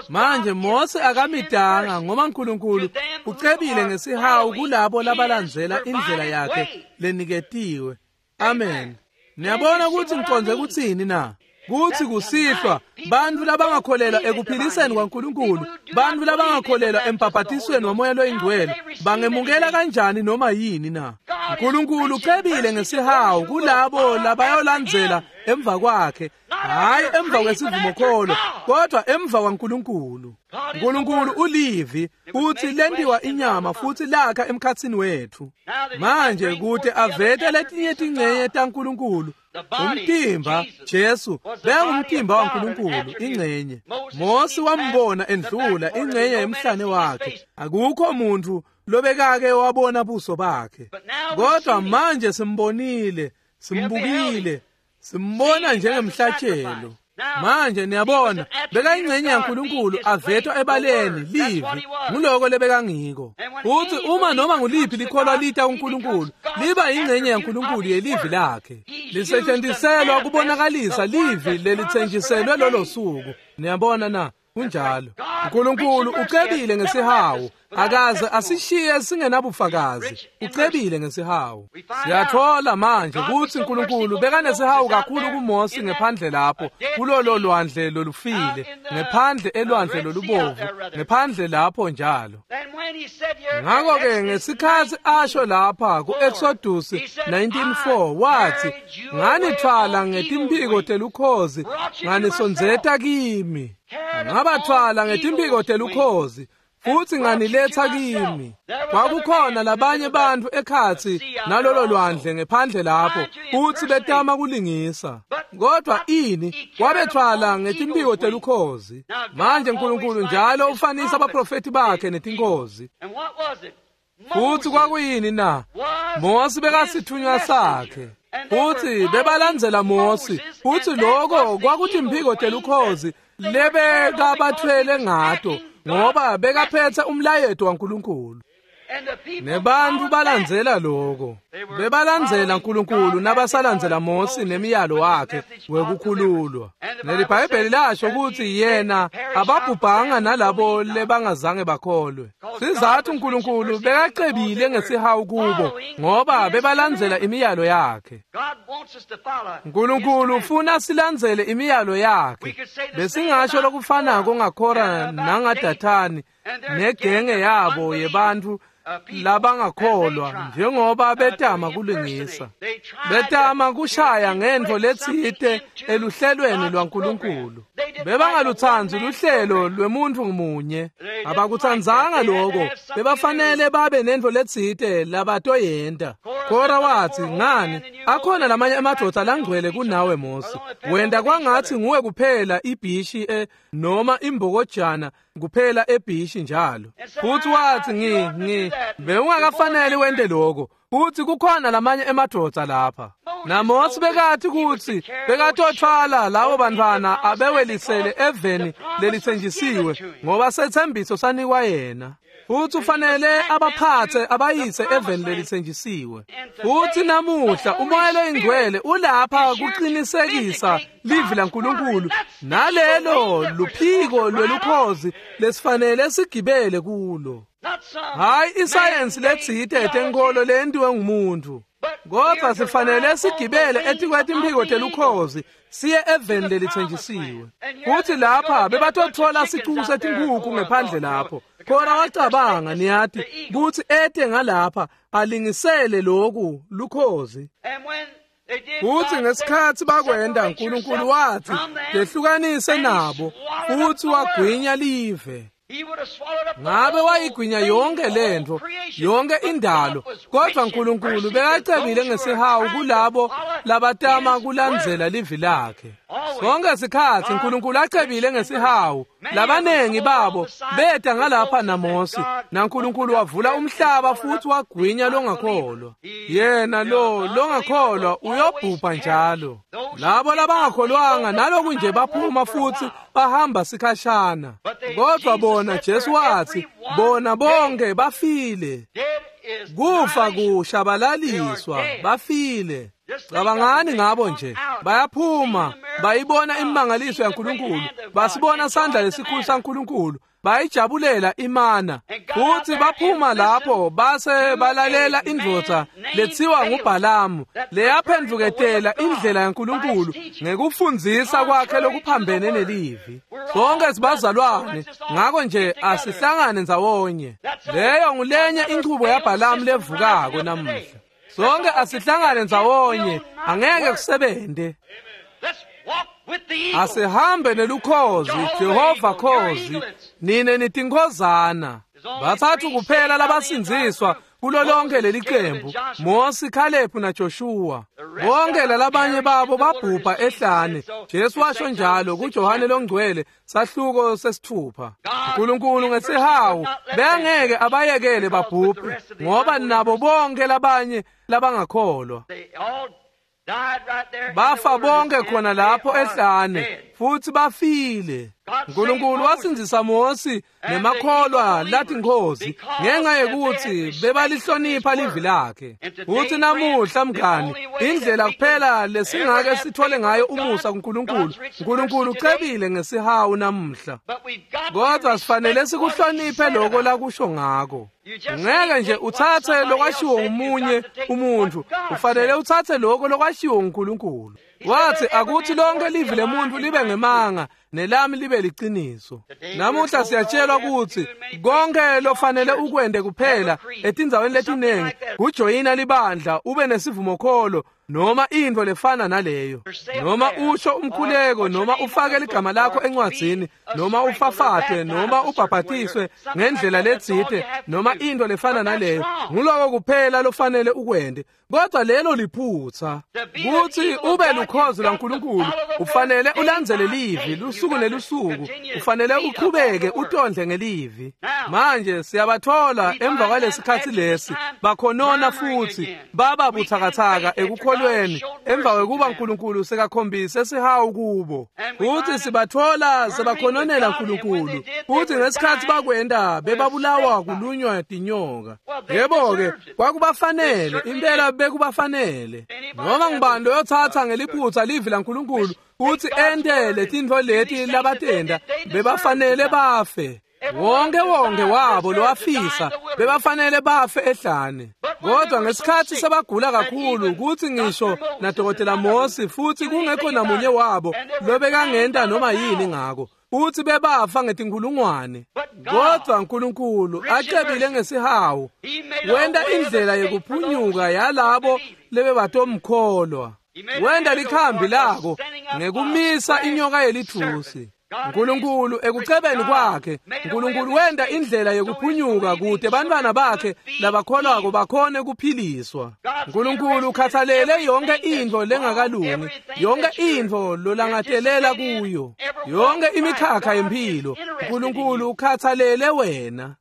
Manje Mose akamitanga, ngoba uNkulunkulu ucebile ngesihawu kulabo labalandzela indlela yakhe leniketiwe. Amen. Niyabona kutsi ngicondze kutsini na? Kutsi kusihlwa bantfu labangakholelwa ekuphiliseni kwaNkulunkulu, bantfu labangakholelwa embhabhatisweni waMoya loyiNgcwele, bangemukela kanjani noma yini na? uNkulunkulu ucebile ngesihawu kulabo labayolandzela emva kwakhe, hhayi emva kwesivumokholo, kodwa emva kwaNkulunkulu. uNkulunkulu ulivi, futhi lentiwa inyama futhi lakha emkhatsini wethu. Manje kute avete letinye tincenye taNkulunkulu, umtimba Jesu bekangumtimba waNkulunkulu ingcenye. Mosi wambona endlula ingcenye yemhlane wakhe. Akukho muntu lobekake wabona buso bakhe, kodwa manje simbonile, simbukile, simbona njengemhlatshelo. Manje niyabona, bekayingcenye yaNkulunkulu avetwa ebaleni, livi, nguloko lebekangiko. Futhi uma noma nguliphi likholwa lita kuNkulunkulu, liba ingcenye yaNkulunkulu yelivi lakhe. Lisetshenziselwa kubonakalisa livi lelitsenjiselwe lolo suku. Niyabona na? Kunjalo. uNkulunkulu ucebile ngesihawu, akaze asishiye singenabufakazi. Ucebile ngesihawu. Siyathola manje kutsi uNkulunkulu bekanesihawu kakhulu kuMose ngephandle lapho kulolo lwandle lolufile, ngephandle elwandle lolubovu, ngephandle lapho njalo. Ngakho-ke ngesikhatsi asho lapha ku-Exodus nineteen four wathi, nganithwala ngetimphiko telukhozi nganisondzeta kimi. Ngabathwala ngetimphiko telukhozi futhi nganiletha kimi. Kwakukhona labanye bantfu ekhatsi nalolo lwandle ngephandle lapho, futhi betama kulingisa, kodwa ini wabethwala ngetimphiko telukhozi. Manje uNkulunkulu njalo ufanisa abaprofeti bakhe netinkozi. Futhi kwakuyini na? Mosi bekasithunywa sakhe, futhi bebalandzela Mosi, futhi lokho kwakutimphiko telukhozi lebekabathwele ngato, ngoba bekaphethe umlayeto waNkulunkulu. Nebantfu balandzela loko. Bebalandzela Nkulunkulu nabasalandzela Mosi nemiyalo wakhe wekukhululwa. NeliBhayibheli lasho kutsi yena ababhubhanga nalabo lebangazange bakholwe. Sizathu Nkulunkulu bekacebile ngesihawu kubo ngoba bebalandzela imiyalo yakhe. Nkulunkulu ufuna silandzele imiyalo yakhe. Besingasho lokufanako ngaKhora nangaDathani negenge yabo yebantfu labangakholwa njengoba betama kulungisa. Betama kushaya ngentfo letsite eluhlelweni lwaNkulunkulu. Bebangalutsandzi luhlelo lwemuntfu munye. Abakutsandzanga loko. Bebafanele babe nentfo letsite labatoyenta. Khora watsi, ngani akhona lamanye emadvodza langcwele kunawe Mosi. Wenta kwangatsi nguwe kuphela ibhishi e noma imbokojana kuphela ebhishi njalo. Futhi watsi ngi ngi bewungakafanele wente lokho. Futhi kukhona lamanye emadvodza lapha. NaMosi bekathi kutsi bekatothwala labo bantfwana abewelisele eveni lelitsenjisiwe ngoba setsembiso sanikwa yena. Futhi ufanele abaphathe abayise eveni lelitsenjisiwe. Futhi namuhla umoya loyingcwele ulapha kuqinisekisa livi laNkulunkulu nalelo luphiko lwelukhozi lesifanele sigibele kulo. Hayi isayensi letsite yetenkolo lentiwe ngumuntu. Kodwa sifanele sigibele etikwetimpiko telukhozi siye eveni lelitsenjisiwe. Futhi lapha bebatothola sicuku setinkhukhu ngephandle lapho. Khora wacabanga niyati kutsi ete ngalapha alingisele loku lukhozi. Futhi ngesikhatsi bakwenta Nkulunkulu watsi tehlukanise nabo futhi wagwinya live. Ngabe wayigwinya yonke lentfo, yonke indalo, kodwa Nkulunkulu bekacebile ngesihawu kulabo labatama kulandzela livi lakhe. Sonke sikhatsi Nkulunkulu acebile ngesihawu, labanengi babo beta ngalapha naMosi, naNkulunkulu wavula umhlaba futhi wagwinya longakholwa. Yena lo longakholwa uyobhubha njalo. Labo labangakholwanga naloku nje baphuma futhi bahamba sikhashana. Kodwa bona Jesu watsi bona bonke bafile. Kufa kushabalaliswa, bafile. Cabangani ngabo nje, bayaphuma, bayibona imimangaliso yaNkulunkulu, basibona sandla lesikhulu saNkulunkulu, bayijabulela imana. Futhi baphuma lapho base balalela indvodza letsiwa nguBhalamu leyaphendvuketela indlela yaNkulunkulu ngekufundzisa kwakhe lokuphambene nelivi. Sonke sibazalwane, ngako nje asihlangane ndzawonye. Leyo ngulenye inchubo yaBhalamu levukako namuhla. Sonke asihlangane ndzawonye, angeke kusebente. Asihambe nelukhozi, Jehova khozi, nine nitinkhozana. Bathathu kuphela labasindziswa kulo lonke leli qembu, Mosi, Caleb naJoshua. Bonke lalabanye babo babhubha ehlane. Jesu washo njalo kuJohane longcwele sahluko sesithupha. Nkulunkulu ngesihawu bengeke abayekele babhubhe ngoba nabo bonke labanye labangakholwa bafa bonke khona lapho ehlane futhi bafile. Nkulunkulu wasindzisa Mosi nemakholwa latinkhozi ngenxa yekuthi bebalihlonipha livi lakhe. Futhi namuhla mngani, indlela kuphela lesingake sithole ngayo umusa kuNkulunkulu, uNkulunkulu ucebile ngesihawu namuhla. Kodwa sifanele sikuhloniphe lokho lakusho ngako. Ngeke nje uthathe lokwashiwo ngumunye umuntu, ufanele uthathe lokho lokwashiwo nguNkulunkulu. Wathi akuthi lonke livi lemuntu libe ngemanga nelami libe liciniso. Namuhla siyatshelwa ukuthi konke lofanele ukwende kuphela etindzaweni letinengi kujoyina libandla ube nesivumokholo noma intfo lefana naleyo, noma usho umkhuleko, noma ufake ligama lakho encwadzini, noma ufafatwe, noma ubhabhatiswe ngendlela letsite, noma intfo lefana naleyo. Nguloko kuphela lofanele ukwende. Kodwa lelo liphutha. Kuthi ube lukhozi lwaNkulunkulu ufanele ulandzele livi lusuku nelusuku, ufanele uqhubeke utondle ngelivi. Manje siyabathola emva kwalesikhatsi lesi bakhonona futhi baba buthakathaka ekukholweni ekukholweni emva kwekuba Nkulunkulu sekakhombise sihawu kubo. Futsi sibatfola sebakhononela Nkulunkulu, futsi ngesikhatsi bakwenta bebabulawa kulunywa tinyoka. Yebo-ke, kwakubafanele, impela bekubafanele. Noma ngubani loyotsatsa ngeliphutsa livi laNkulunkulu futsi ente letintfo leti labatenta, bebafanele bafe. Wonke wonke wabo lowafisa bebafanele bafe ehlane. Kodwa ngesikhatsi sebagula kakhulu kutsi ngisho nadokotela Mosi futsi kungekho namunye wabo lobekangenta noma yini ngako, futsi bebafa ngetinkhulungwane. Kodwa Nkulunkulu acebile ngesihawu wenta indlela yekuphunyuka yalabo lebebatomkholwa. Wenta likhambi lako ngekumisa inyoka yelitfusi. Nkulunkulu ekucebeni kwakhe, Nkulunkulu wenta indlela yekuphunyuka kute bantwana bakhe labakholwako bakhone kuphiliswa. Nkulunkulu ukhathalele yonke intfo lengakalungi, yonke intfo lolangatelela kuyo, yonke imikhakha yemphilo. Nkulunkulu ukhathalele wena.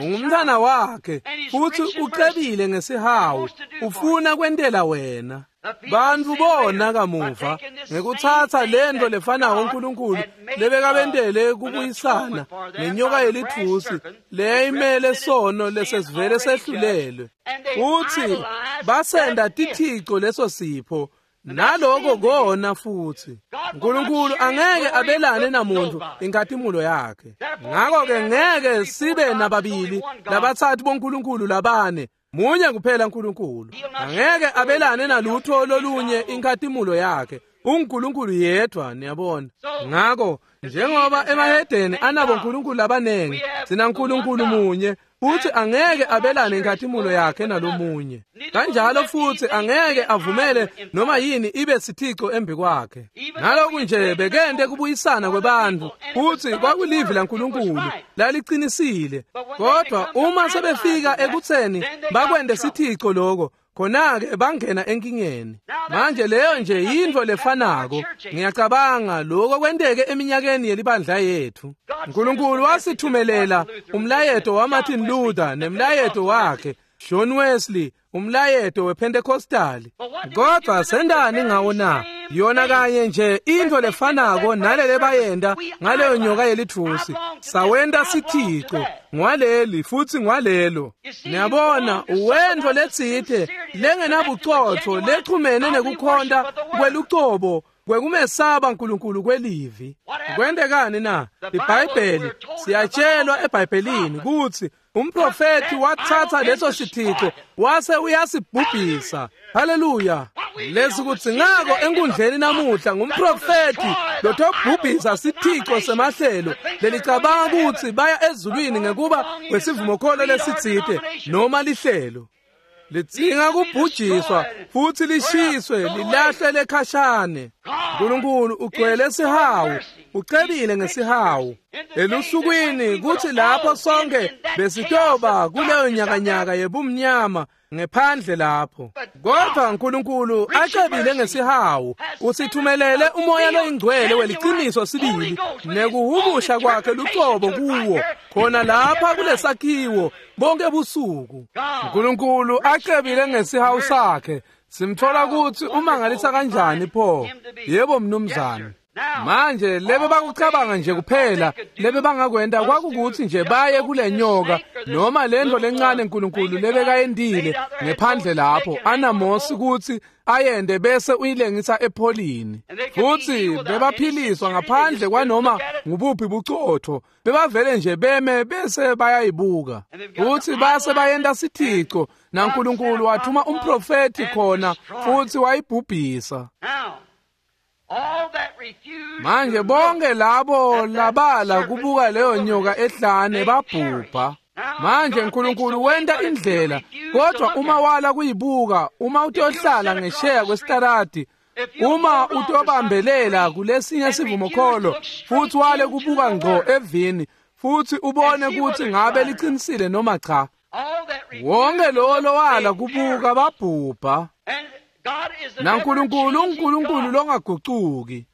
Ungumntwana wakhe futsi ucebile ngesihawu, ufuna kwentela wena. Bantfu bona kamuva ngekutsatsa lento lefanako uNkulunkulu lebekabentele kubuyisana ngenyoka yelitfusi leyayimele sono lesesivele sehlulelwe, futsi basenda tithico leso sipho. Naloko kona futsi Nkulunkulu angeke abelane namuntu inkhatimulo yakhe. Ngako-ke ngeke sibe nababili labatsatfu boNkulunkulu labane, munye kuphela uNkulunkulu. Angeke abelane nalutho lolunye inkhatimulo yakhe. UNkulunkulu yedwa, niyabona. Ngako njengoba emahedeni anabo uNkulunkulu labanengi, sina uNkulunkulu munye, futsi angeke abelane inkhatimulo yakhe nalomunye. Kanjalo futsi angeke avumele noma yini ibe sithico embi kwakhe. Naloku nje bekente kubuyisana kwebantfu, futsi kwakulivi laNkulunkulu lalicinisile. Kodwa uma sebefika ekutseni bakwente sithico loko, khona-ke bangena enkingeni. Manje leyo nje yintfo lefanako. Ngiyacabanga lokho kwenteke eminyakeni yelibandla yethu. Nkulunkulu wasithumelela umlayeto waMartin Luther nemlayeto wakhe, John Wesley, umlayeto wePentecostali. Kodwa sendani ngawo na? Yona kanye nje intfo lefanako nalele bayenta ngaleyo nyoka yelitfusi. Sawenta sithico ngwaleli futsi ngwalelo. Niyabona, uwentfo letsite lengenabucotfo lechumene nekukhonta kwelucobo kwekumesaba Nkulunkulu kwelivi. Kwentekani na? iBhayibheli siyatshelwa eBhayibhelini kutsi umprofethi watsatsa leso sithico wase uyasibhubhisa. Haleluya! Lesikudzingako enkundleni namuhla ngumprofethi lotobhubhisa sithico semahlelo lelicabanga kutsi baya ezulwini ngekuba kwesivumokholo lesitsite noma lihlelo. Lidzinga kubhujiswa futsi lishiswe lilahlwe lekhashane. Nkulunkulu ugcwele sihawu, ucebile ngesihawu. Elusukwini kutsi lapho sonke besitoba kuleyo nyakanyaka yebumnyama ngephandle lapho, kodwa Nkulunkulu acebile ngesihawu usithumelele umoya loyingcwele weliciniso sibili nekuhumusha kwakhe lucobo kuwo khona lapha kulesakhiwo bonke busuku. Nkulunkulu acebile ngesihawu sakhe. Simthola kutsi umangalisa kanjani pho? Yebo mnumzane. Manje lebe bakucabanga nje kuphela lebe bangakwenta kwakukuthi nje baye kule nyoka noma lento lencane uNkulunkulu lebekayendile ngephandle lapho anaMosi kutsi ayende bese uyilengisa epholini, futsi bebaphiliswa ngaphandle kwanoma ngubuphi bucotfo. Bebavele nje beme bese bayayibuka, futsi base bayenta sithico, naNkulunkulu wathuma umprofethi khona futsi wayibhubhisa. Manje bonke labo labala kubuka leyo nyoka ehlane babhubha. Manje uNkulunkulu wenta indlela, kodwa uma wala kuyibuka, uma utohlala ngesheya kwesitaradi, uma utobambelela kulesinye sivumokholo futsi wale kubuka ngco evini futsi ubone kutsi ngabe licinisile noma cha, wonke lowo lowala kubuka babhubha. NaNkulunkulu uNkulunkulu longagucuki.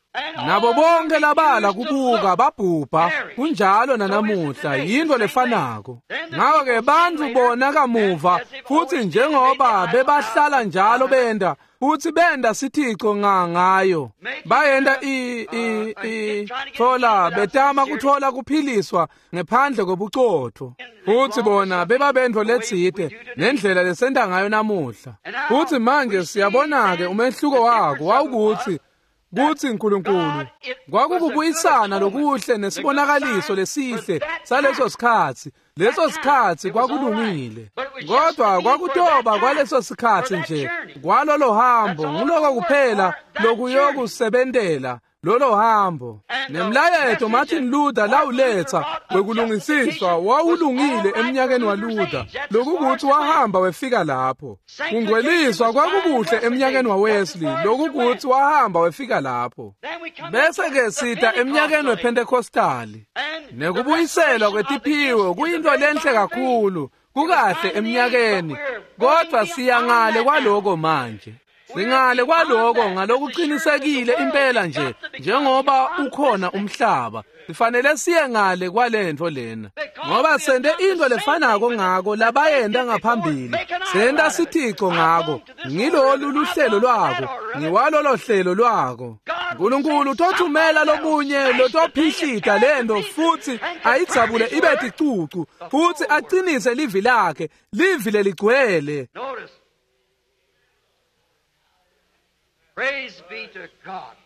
Nabo bonke labala kubuka babhubha, kunjalo nanamuhla, yinto lefanako. Ngako-ke bantfu bona kamuva, futsi njengoba bebahlala njalo benda, futsi benda sithico nga ngayo. Bayenda i i i thola betama kuthola kuphiliswa ngephandle kobucotho. Futsi bona bebabentfo letsite nendlela lesenta ngayo namuhla. Futsi manje siyabona-ke umehluko wako wawukutsi kutsi uNkulunkulu kwakukubuyisana lokuhle nesibonakaliso lesihle saleso sikhatsi. Leso sikhatsi kwakulungile, kodwa kwakutoba kwaleso sikhatsi nje kwalolo hambo. Nguloko kuphela lokuyokusebentela lolo hambo. Nemlayeto Martin Luther lawuletsa wekulungisiswa wawulungile eminyakeni waLuther, lokukuthi wahamba wefika lapho. Kungcweliswa kwakukuhle eminyakeni waWesley, lokukuthi wahamba wefika lapho. Bese-ke sita eminyakeni wePentecostali, nekubuyiselwa kwetiphiwo kuyinto lenhle kakhulu, kukahle eminyakeni, kodwa siya ngale kwaloko manje. Singale kwaloko ngalokuqinisekile impela nje njengoba ukhona umhlaba. Sifanele siye ngale kwalentfo lena, ngoba sente into lefanako ngako labayenta ngaphambili. Senta sithico ngako. Ngilolu luhlelo lwako, ngiwalolo hlelo lwako. uNkulunkulu utothumela lomunye lotophihlita lento futsi ayidzabule ibe ticucu, futsi acinise livi lakhe, livi leligcwele. Praise be to God.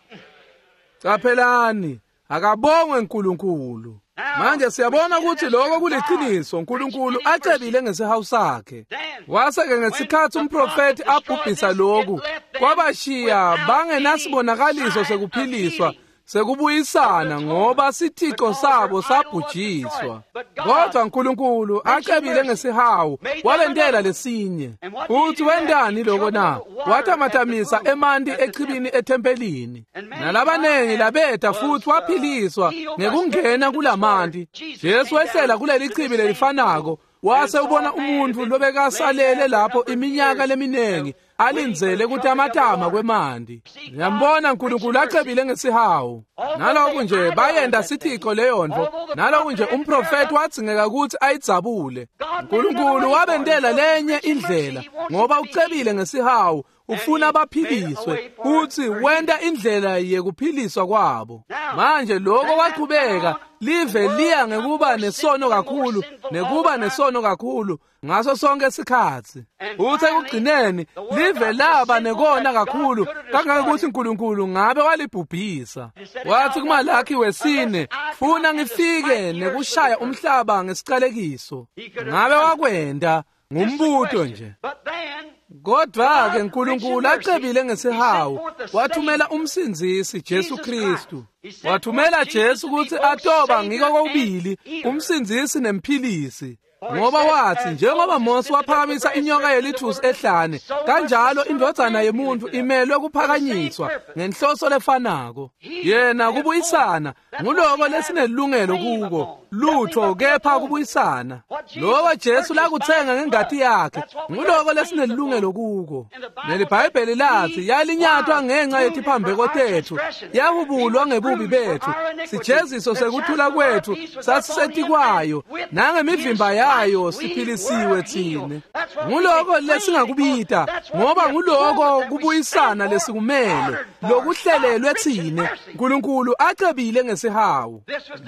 Caphelani, akabongwe uNkulunkulu. Manje siyabona ukuthi lokho kuliqiniso. uNkulunkulu acebile ngesihawu sakhe. Wase-ke ngesikhathi umprofethi abhubhisa lokhu, kwabashiya bangenasibonakaliso sekuphiliswa, sekubuyisana, ngoba sithico sabo sabhujiswa. Kodwa uNkulunkulu acebile ngesihawu wabentela lesinye. Futhi wentani lokho na? Watamatamisa emanti echibini ethempelini, nalabanengi labeta futhi waphiliswa ngekungena kulamanti. Jesu wehlela kuleli chibi lelifanako, wase ubona umuntu lobekasalele lapho iminyaka leminingi alindzele kutamatama kwemanti. Ngiyambona uNkulunkulu acebile ngesihawu. Naloku nje bayenda sithico leyontfo, naloku nje umprofethi wadzingeka ukuthi ayidzabule. uNkulunkulu wabentela lenye indlela, ngoba ucebile ngesihawu, ufuna baphiliswe, futhi wenta indlela yekuphiliswa kwabo. Manje lokho kwachubeka, live liya ngekuba nesono kakhulu nekuba nesono kakhulu ngaso sonke isikhatsi. Futhi ekugcineni live laba nekona kakhulu kangangokuthi uNkulunkulu ngabe walibhubhisa. Wathi kuMalaki wesine, funa ngifike nekushaya umhlaba ngesicalekiso. Ngabe wakwenda ngumbuto nje. Kodwa-ke uNkulunkulu acebile ngesihawu wathumela umsindzisi Jesu Kristu. Wathumela Jesu ukuthi atoba ngiko kokubili umsindzisi nemphilisi. Ngoba wathi njengoba Mose waphakamisa inyoka yelithusi ehlane, kanjalo indvodzana yemuntu imelwe kuphakanyiswa ngenhloso lefanako. Yena kubuyisana nguloko lesinelungelo kuko, lutho kepha kubuyisana. Lokho Jesu lakuthenga ngengati yakhe nguloko lesinelungelo kuko. NeliBhayibheli lathi yalinyatwa ngenxa yetiphambeko tethu, yahubulwa ngebubi bethu, sijeziso sekuthula kwethu sasisetikwayo, nangemivimba yayo siphilisiwe thine. Nguloko lesingakubita, ngoba nguloko kubuyisana lesikumele, lokuhlelelwe thine. uNkulunkulu acebile ngesihawu.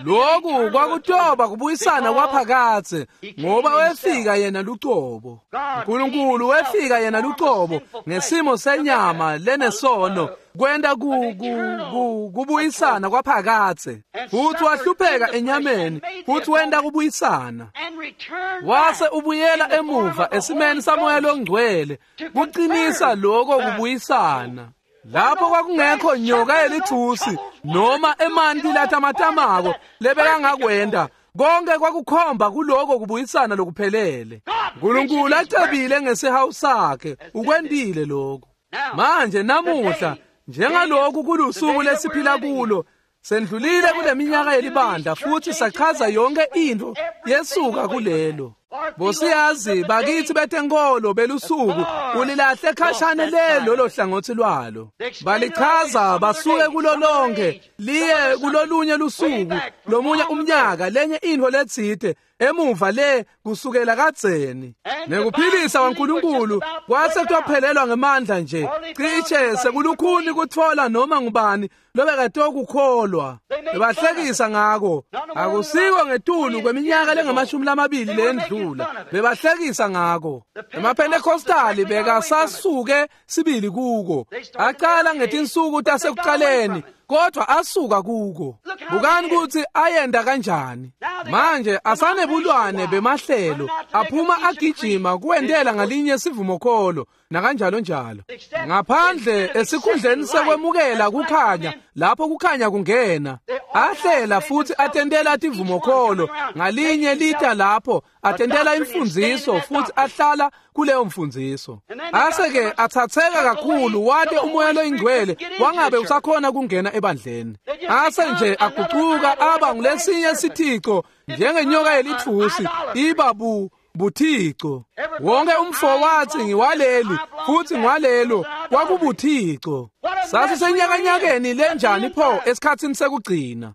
Lokhu kwakutoba kubuyisana kwaphakadze, ngoba wefika yena lucobo. uNkulunkulu wefika yena lucobo ngesimo senyama lenesono, kwenta ku ku kubuyisana kwaphakadze. Futhi wahlupheka enyameni, futhi wenta kubuyisana. Wase ubuyela emuva esimeni saMoya loNgcwele kuqinisa lokho kubuyisana. Lapho kwakungekho nyoka yelithusi noma emanti latamatamako lebekangakwenta, konke kwakukhomba kuloko kubuyisana lokuphelele. uNkulunkulu acebile ngesihawu sakhe ukwentile lokho. Manje namuhla njengaloku kulusuku lesiphila kulo, sendlulile kule minyaka yelibandla futhi sachaza yonke into yesuka kulelo. Bosiyazi bakithi betenkolo belusuku ulilahle khashane le lolo hlangothi lwalo. Balichaza basuke kulo lonke liye kulolunye lusuku lomunye umnyaka lenye intfo letsite emuva le kusukela kadzeni. Nekuphilisa kwaNkulunkulu kwase kutophelelwa ngemandla nje cishe sekulukhuni kutfola noma ngubani lobekatokukholwa. Bebahlekisa ngako akusiko ngetulu kweminyaka lengamashumi lamabili lendlula bebahlekisa ngako. EmaPentecostali bekasasuke sibili kuko aqala ngetinsuku tasekuqaleni kodwa asuka kuko. Bukani kutsi ayenda kanjani manje asanebulwane bemahlelo aphuma agijima kuwentela ngalinye sivumokholo nakanjalo njalo ngaphandle esikhundleni sekwemukela kukhanya lapho kukhanya kungena ahlela futhi atentela tivumokholo ngalinye lita lapho atentela imfundziso futhi ahlala kuleyo mfundziso. Ase-ke athatheka kakhulu wate umoya loyingcwele wangabe usakhona kungena ebandleni. Ase nje agucuka aba ngulesinye sithico njengenyoka yelitfusi iba bu buthixo. Wonke umfo wathi ngiwaleli futhi ngiwalelo kwakubuthixo. Sasisenyakanyakeni lenjani pho esikhatsini sekugcina.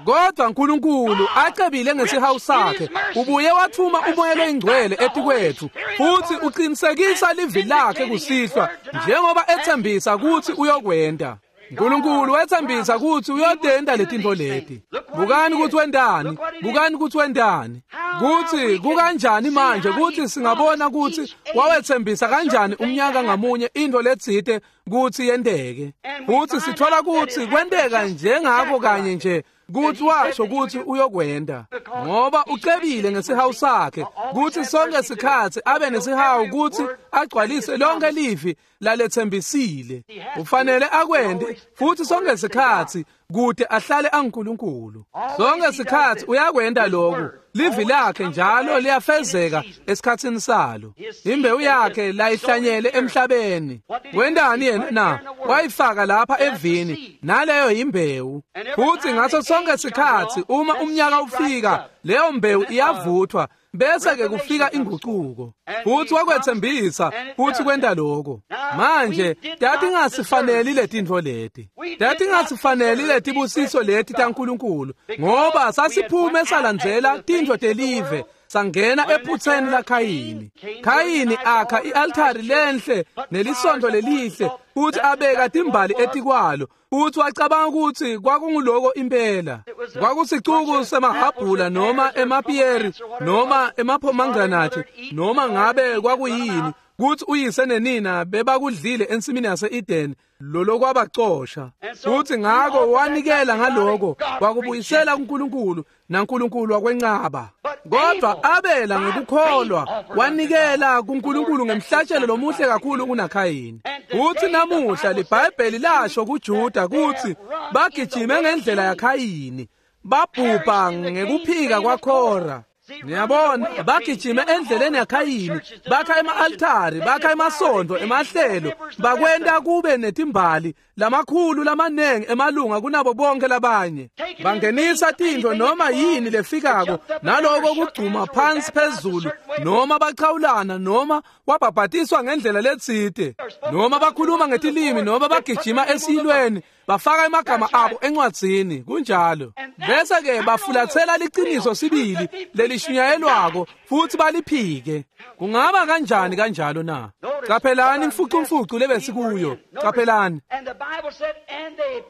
Kodwa uNkulunkulu acebile ngesihawu sakhe ubuye wathuma umoya loyingcwele etikwethu futhi uqinisekisa livi lakhe kusihlwa njengoba ethembisa ukuthi uyokwenda. uNkulunkulu wethembisa ukuthi uyotenda letintfo leti. Bukani ukuthi wendani, bukani ukuthi wendani. Kuthi kukanjani manje ukuthi singabona ukuthi wawethembisa kanjani umnyaka ngamunye into letsite kuthi yenteke. Futhi sithola ukuthi kwenteka njengako kanye nje kuthi washo ukuthi uyokwenda ngoba ucebile ngesihawu sakhe kuthi sonke sikhatsi abe nesihawu kuthi agcwalise lonke livi lalethembisile. Ufanele akwende futhi sonke sikhatsi kude ahlale anguNkulunkulu. Sonke sikhatsi uyakwenda lokhu. Livi lakhe njalo liyafezeka esikhatsini salo. Imbewu yakhe layihlanyele emhlabeni. Wendani yena na? Wayifaka lapha evini naleyo imbewu. Futhi ngaso sonke sikhatsi uma umnyaka ufika leyo mbewu iyavuthwa bese ke kufika inguquko. Futhi wakwethembisa futhi kwenta lokho. Manje tatingasifaneli letintfo leti. Tatingasifaneli letibusiso leti taNkulunkulu ngoba sasiphume salandzela tintfo telive sangena ephutseni laKhayini. Khayini akha i-altari lenhle nelisonto lelihle futhi abeka timbali etikwalo futhi wacabanga ukuthi kwakunguloko impela. Kwakusicuku semahabhula noma emapiyeri noma emapomegranate noma ngabe kwakuyini kuthi uyise nenina bebakudlile ensimini yase-Eden lolo kwabacosha. Futhi ngako wanikela ngaloko wakubuyisela kuNkulunkulu naNkulunkulu wakwenqaba. Kodwa Abela ngekukholwa wanikela kuNkulunkulu ngemhlatshelo lomuhle kakhulu kunaKhayini. Futhi namuhla liBhayibheli lasho kuJuda kuthi bagijime ngendlela yaKhayini babhubha ngekuphika kwaKhora. Niyabona bagijime endleleni yaKhayini bakha ema-altari bakha emasondo emahlelo bakwenta kube netimbali lamakhulu lamanengi emalunga kunabo bonke labanye. Bangenisa tintfo noma yini lefikako naloko kugcuma phansi phezulu noma bachawulana noma wabhabhatiswa ngendlela letsite noma bakhuluma ngetilimi noma bagijima esiyilweni bafaka emagama abo encwadzini kunjalo. Bese ke bafulathela liciniso sibili lelishunyayelwako futhi baliphike. Kungaba kanjani kanjalo na? Qaphelani imfucumfucu lebesikuyo. Qaphelani.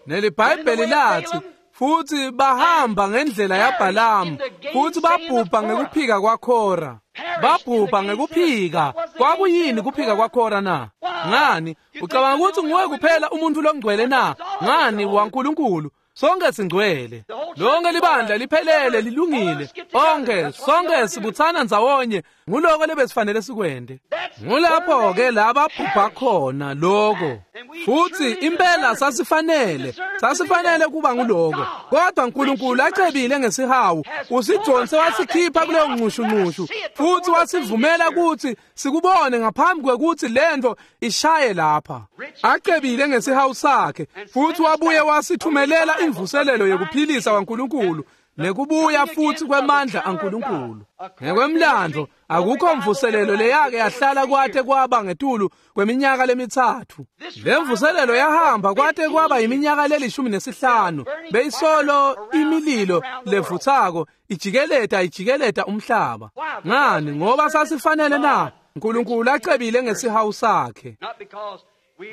NeliBhayibheli lathi futhi bahamba ngendlela yaBhalamu futhi babhubha ngekuphika kwaKhora. Babhubha ngekuphika. Kwakuyini kuphika kwaKhora na? Ngani? Ucabanga ukuthi nguwe kuphela umuntu longcwele na? Ngani waNkulunkulu? Sonke singcwele. Lonke libandla liphelele lilungile. Onke sonke sibuthana ndzawonye nguloko lebesifanele sikwende. Ngulapho ke lababhubha khona lokho. Futhi impela sasifanele, sasifanele kuba nguloko. Kodwa uNkulunkulu acebile ngesihawu, usijonse wasikhipha kuleyo nxushunxushu futhi wasivumela ukuthi sikubone ngaphambi kwekuthi lento ishaye lapha. Acebile ngesihawu sakhe futhi wabuye wasithumelela imvuselelo yokuphilisa kwaNkulunkulu Nekubuya futsi kwemandla aNkulunkulu. Ngekwemlandvo akukho mvuselelo leyake yahlala kwate kwaba ngetulu kweminyaka lemitsatfu. Le mvuselelo yahamba kwate kwaba iminyaka lelishumi nesihlanu. Beyisolo imililo levutsako ijikeleta ijikeleta umhlaba. Ngani? Ngoba sasifanele na? uNkulunkulu acebile ngesihawu sakhe.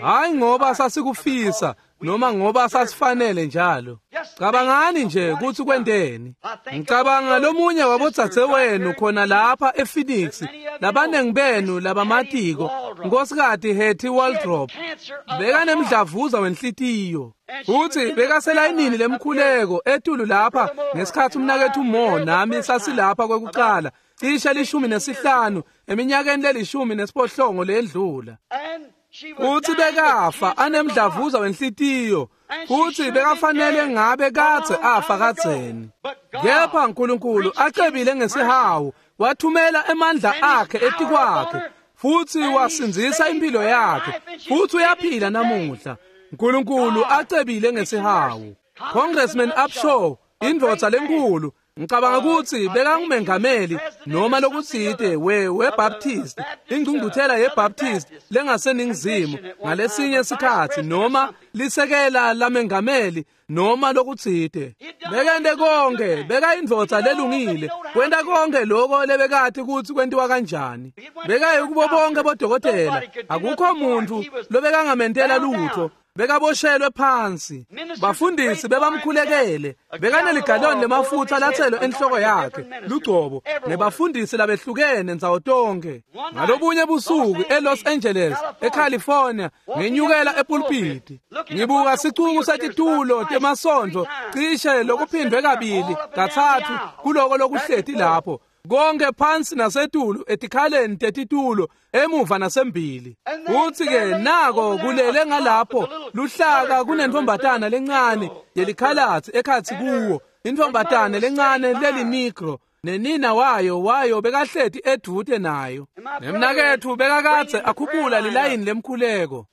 Hayi ngoba sasikufisa noma ngoba sasifanele njalo. Cabangani nje kutsi kwenteni. Ngicabanga lomunye wabodzadze wenu khona lapha ePhoenix, labanengi benu labamatiko, Nkosikazi Hattie Waldrop, bekanemdlavuza wenhlitiyo. Futsi bekaselayinini lemkhuleko etulu lapha ngesikhatsi umnaketfu Mo nami sasilapha kwekucala, cishe lishumi nesihlanu eminyakeni lelishumi nesiphohlongo lendlula. Futsi bekafa anemdlavuza wenhlitiyo, futsi bekafanele ngabe kadze afa kadzeni. Kepha uNkulunkulu acebile ngesihawu, wathumela emandla akhe etikwakhe, futsi wasindzisa impilo yakhe, futsi uyaphila namuhla. uNkulunkulu acebile ngesihawu. Congressman Upshaw, indvodza lenkulu, ngicabanga kutsi bekangumengameli noma lokutsite we weBaptist, ingcungcuthela yeBaptist lengaseningizimu ngalesinye sikhatsi, noma lisekela lamengameli noma lokutsite. Bekente konke, bekayindvodza lelungile, kwenta konke lokho lebekati kutsi kwentiwa kanjani. Bekaye kubo bonke bodokotela, akukho muntu lobekangamentela lutho. Bekaboshelwe phansi. Bafundisi bebamkhulekele. Bekaneligaloni lemafutsa latselwe enhloko yakhe, lugcobo, nebafundisi labehlukene ndzawo tonke. Ngalobunye busuku eLos Angeles, eCalifornia, ngenyukela epulpiti. Ngibuka sicuku setitulo temasondvo cishe lokuphindwe kabili, katsatfu kuloko lokuhleti lapho. Konke phansi nasetulu etikhaleni tetitulo emuva nasembili. Futsi-ke nako kulele ngalapho luhlaka kunentfombatana lencane yelikhalatsi ekhatsi kuwo, intfombatane lencane lelinigro, nenina wayo wayo bekahleti edvute nayo. Nemnaketfu bekakadze akhuphula lilayini lemkhuleko.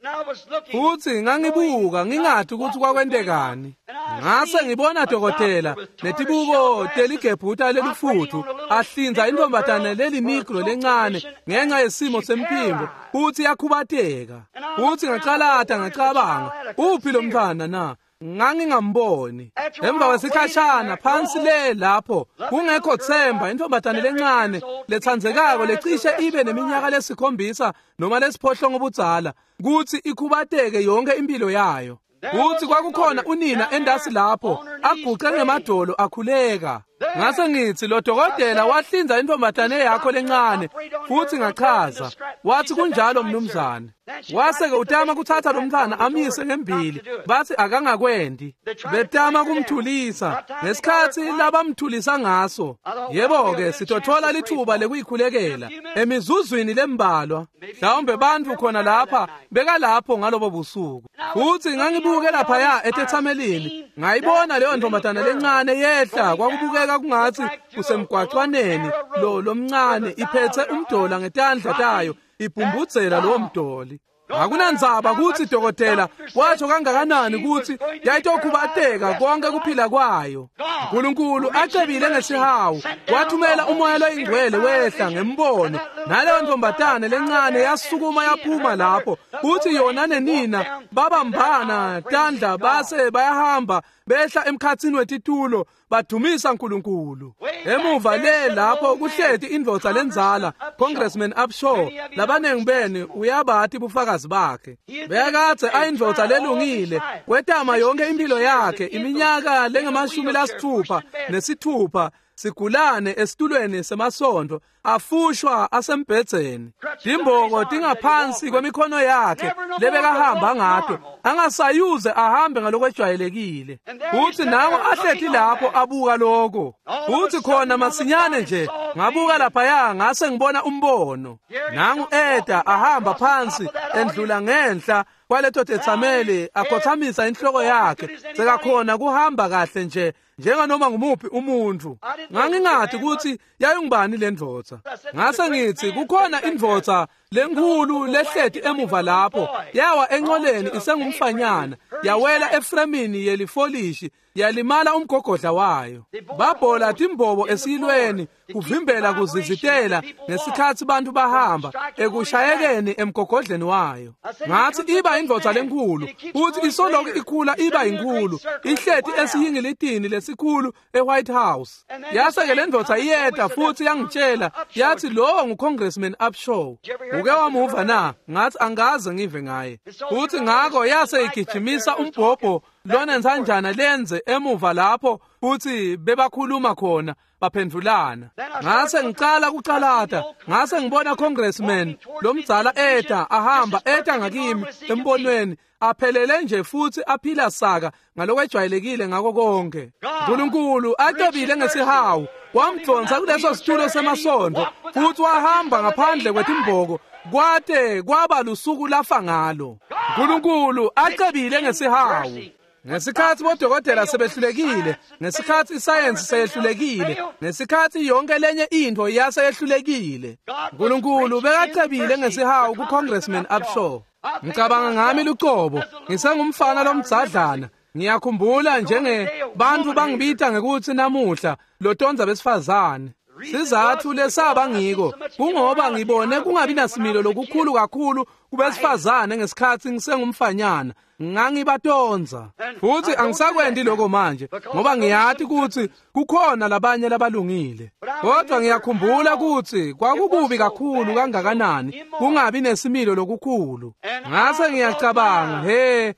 Futsi ngangibuka ngingati kutsi kwakwentekani. Ngase ngibona dokotela netibuko teligebhuta lelifuthu ahlinza intfombatane lelinigro lencane ngenxa yesimo semphimbo, futsi yakhubateka. Futsi ngacalata ngacabanga, uphi lo mntfwana na? Ngangingamboni. Emva kwesikhashana phansi le lapho kungekho themba, intfombatane lencane letsandzekako lecishe ibe neminyaka lesikhombisa noma lesiphohlongo budzala, kutsi ikhubateke yonke impilo yayo. Kutsi kwakukhona unina endasi lapho aguqe ngemadolo akhuleka. Ngase ngitsi lo dokotela wahlinza intfombatane yakho lencane, futsi ngachaza. Watsi kunjalo mnumzane. Wase-ke utama kutsatsa lo mntfwana amyise ngembili, batsi akangakwendi. Betama kumthulisa ngesikhatsi labamthulisa ngaso. Yebo-ke sitotfola litfuba lekuyikhulekela emizuzwini lembalwa. Mhlawumbe bantfu khona lapha bekalapho ngalobo busuku. Futsi ngangibuke laphaya etetsamelini, ngayibona leyo ntfombatana lencane yehla, kwakubukeka kungatsi kusemgwacwaneni lo lomncane, iphetse umdola ngetandla tayo, ibhumbudzela lowo mdoli. Akunandzaba kutsi dokotela watsho kangakanani kutsi yayitokhubateka konke kuphila kwayo. uNkulunkulu acebile ngesihawu, wathumela umoya loyingcwele wehla ngembono, naleyo ntombatane lencane yasukuma yaphuma lapho. Futsi yona nenina babambana tandla base bayahamba behla emkhatsini wetitulo badumisa uNkulunkulu. Emuva le lapho kuhleti indvodza lendzala, Congressman Upshaw, labanengi benu uyabati bufakazi bakhe. Bekadze ayindvodza lelungile, wetama yonke impilo yakhe iminyaka lengemashumi lasithupha nesithupha sigulane esitulweni semasondo, afushwa asembhedzeni, timboko tingaphansi kwemikhono yakhe lebekahamba ngato, angasayuze ahambe ngalokwejwayelekile. Futsi nango ahleti lapho abuka lokho. Futsi khona masinyane nje ngabuka laphaya ngase ngibona umbono. Nangu eta ahamba phansi endlula ngenhla kwaleto tetsameli, akhothamisa inhloko yakhe, sekakhona kuhamba kahle nje njenganoma ngumuphi umuntu. Ngangingati kutsi yayingubani le ndvodza. Ngase ngitsi kukhona indvodza lenkulu lehleti emuva lapho, yawa enqoleni isengumfanyana, yawela efremini yelifolishi Yalimala umgogodla wayo. Babhola timbobo esiyilweni kuvimbela kuzizitela ngesikhatsi bantu bahamba ekushayekeni emgogodleni wayo. Ngathi iba indvodza lenkhulu, futhi isoloku ikhula iba inkulu, ihleti esiyingilitini lesikhulu eWhite House. Yase-ke le ndvodza iyeta futhi yangitshela, yathi lowo nguCongressman Upshaw. Uke wamuva na? Ngathi angaze ngive ngaye. Futhi ngakho yase igijimisa umbhobho lonensanjana lenze emuva lapho futhi bebakhuluma khona baphendulana. Ngase ngicala kucalata, ngase ngibona Congressman lomdzala eta ahamba eta ngakimi embonweni, aphelele nje futhi aphila saka ngalokwejwayelekile ngako konke. uNkulunkulu acebile ngesihawu wamdonsa kuleso situlo semasondo futhi wahamba ngaphandle kwetimboko kwate kwaba lusuku lafa ngalo. uNkulunkulu acebile ngesihawu. Ngesikhathi bodokotela sebehlulekile, ngesikhathi isayensi seyehlulekile, ngesikhathi yonke lenye into yaseyehlulekile, uNkulunkulu bekacebile ngesihawu kuCongressman Upshaw. Ngicabanga ngami lucobo, ngisengumfana lomdzadlana. Ngiyakhumbula njenge bantu bangibita ngekuthi namuhla lotonza besifazane. Sizathu lesaba ngiko kungoba ngibone kungabi nasimilo lokukhulu kakhulu kubesifazane ngesikhathi ngisengumfanyana. Ngangibatonza futhi angisakwendi lokho manje ngoba ngiyathi ukuthi kukhona labanye labalungile. Kodwa ngiyakhumbula ukuthi kwakukubi kakhulu kangakanani kungabi nesimilo lokukhulu. Ngase ngiyacabanga, he,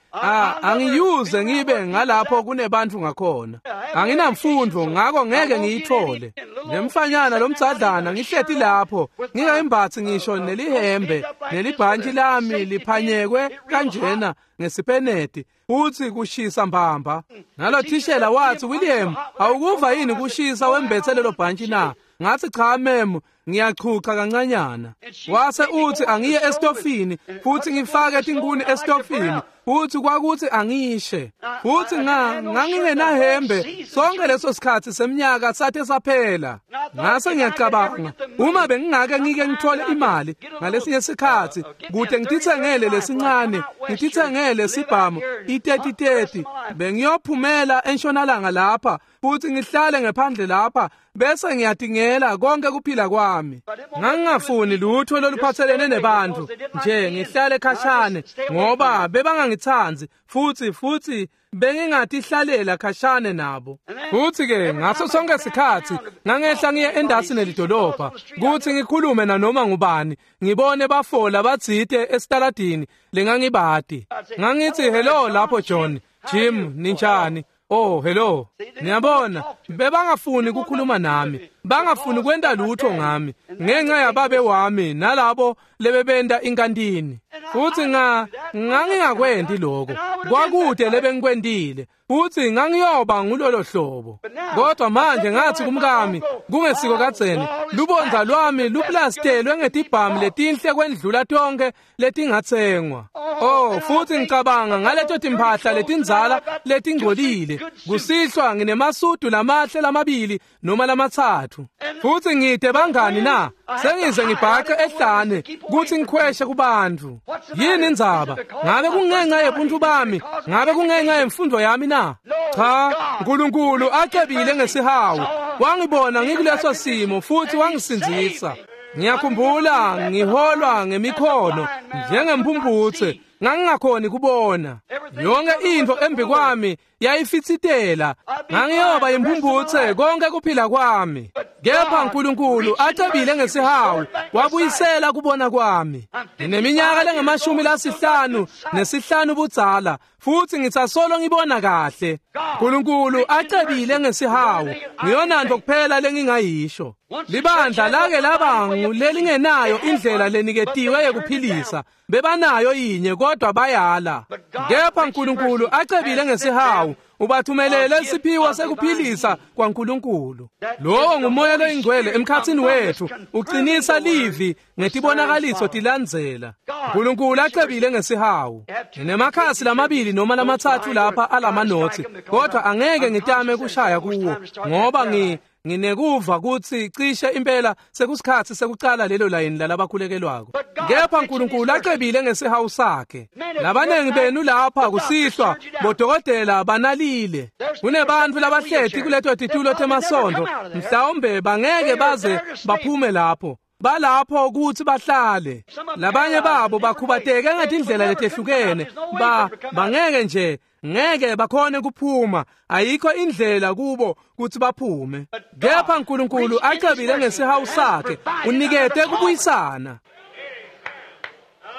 angiyuze ngibe ngalapho kunebantu ngakhona. Anginamfundo ngakho ngeke ngiyithole. Nemfanyana lomdzadlana ngihleti lapho ngingayimbathi ngisho nelihembe nelibhantshi lami liphanyekwe kanjena ngesipeneti futhi kushisa mbamba. Nalo thishela wathi, William, awukuva yini kushisa wembethe lelo bhantshi na? Ngathi cha mem, ngiyachucha kancanyana. Wase uthi angiye estofini futhi ngifake tinkuni estofini futhi kwakuthi angishe. Futhi nga ngangingenahembe sonke leso sikhathi seminyaka sathe saphela. Ngase ngiyacabanga, uma bengingake ngike ngithole imali ngalesinye sikhathi kude ngitithengele lesincane, ngitithengele sibhamu i-thirty thirty, bengiyophumela entshonalanga lapha futhi ngihlale ngephandle lapha bese ngiyatingela konke kuphila kwami. Ngangingafuni lutho loluphathelene nebantu nje, ngihlale khashane ngoba bebangangithandi futhi futhi bengingatihlalela khashane nabo. Futhi ke ngaso sonke sikhathi ngangehla ngiye endasi nelidolobha kuthi ngikhulume nanoma ngubani, ngibone bafola batsite esitaladini lengangibati. Ngangithi hello lapho John, Jim, ninjani? Oh hello. Niyabona, bebangafuni ukukhuluma nami, bangafuni kwenta lutho ngami ngenxa yababe wami nalabo lebebenta inkantini. Futhi nga ngangingakwendi lokho, kwakude lebengikwendile futhi ngangiyoba ngulolo hlobo. Kodwa manje ngathi kumkami, kungesiko kadzeni, lubondza lwami luplastelwe ngetibhamu letinhle kwendlula tonke letingatsengwa. Oh, futhi ngicabanga ngaleto timphahla letindzala letingcolile. Kusihlwa nginemasudu lamahle lamabili noma lamatsatfu. Futhi ngide bangani na? Sengize ngibhace ehlane kuthi ngikhweshe kubantu. Yini indzaba? Ngabe kungenxa yebuntu bami? Ngabe kungenxa yemfundo yami na? Cha, uNkulunkulu acebile ngesihawu. Wangibona ngikuleso simo futhi wangisindzisa. Ngiyakhumbula ngiholwa ngemikhono njengemphumphutse, ngangingakhoni kubona. Yonke into embi kwami yayifitsitela. Ngangiyoba imphumphutse konke kuphila kwami. Kepha uNkulunkulu acebile ngesihawu wabuyisela kubona kwami. Ngineminyaka lengamashumi lasihlanu nesihlanu budzala futhi ngitsasolo ngibona kahle. uNkulunkulu acebile ngesihawu, ngiyonanto kuphela lengingayisho. Libandla lake labangu lelingenayo indlela leniketiwe yekuphilisa, bebanayo yinye kodwa bayala. Kepha uNkulunkulu acebile ngesihawu ubathumelele isiphiwo sekuphilisa kwaNkulunkulu. Lowo ngumoya loyingcwele emkhathini wethu, uqinisa livi ngetibonakaliso tilandzela. uNkulunkulu acebile ngesihawu. Nginemakhasi lamabili noma lamatsatfu lapha alamanothi, kodwa angeke ngitame kushaya kuwo ngoba ngi Nginekuva kutsi cishe impela sekusikhatsi sekucala lelo layini lalabakhulekelwako. Kepha uNkulunkulu acebile ngesihawu sakhe. Labanengi benu lapha kusihlwa bodokotela banalile. Kunebantfu labahleti kuleto titulo temasondo, mhlawumbe bangeke baze baphume lapho. Balapho kutsi bahlale. Labanye babo bakhubateke ngetindlela letehlukene, ba bangeke nje ngeke bakhone kuphuma, ayikho indlela kubo kutsi baphume. Kepha uNkulunkulu acebile ngesihawu sakhe, unikete kubuyisana.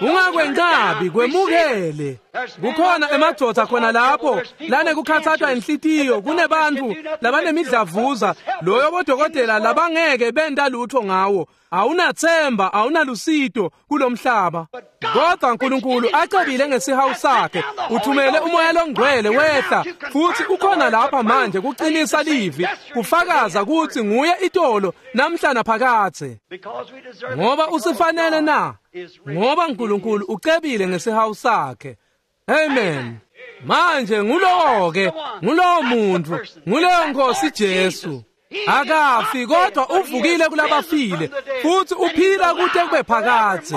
Ungakwenqabi, kwemukele. Kukhona emadvodza khona lapho lanekukhatsatwa inhlitiyo, kunebantfu labanemidlavuza loyo bodokotela labangeke benta lutho ngawo. Awunathemba, awunalusito kulomhlaba. Kodwa uNkulunkulu acebile ngesihawu sakhe, uthumele umoya longcwele wehla, futhi ukhona lapha manje kuqinisa livi, kufakaza kutsi nguye itolo namhla naphakadze. Ngoba usifanele na? Ngoba uNkulunkulu ucebile ngesihawu sakhe. Amen. Manje ngulowo ke, ngulowo muntu, nguleyo Nkosi Jesu. Akafi kodwa uvukile kulabafile, futhi uphila kute kube phakadze.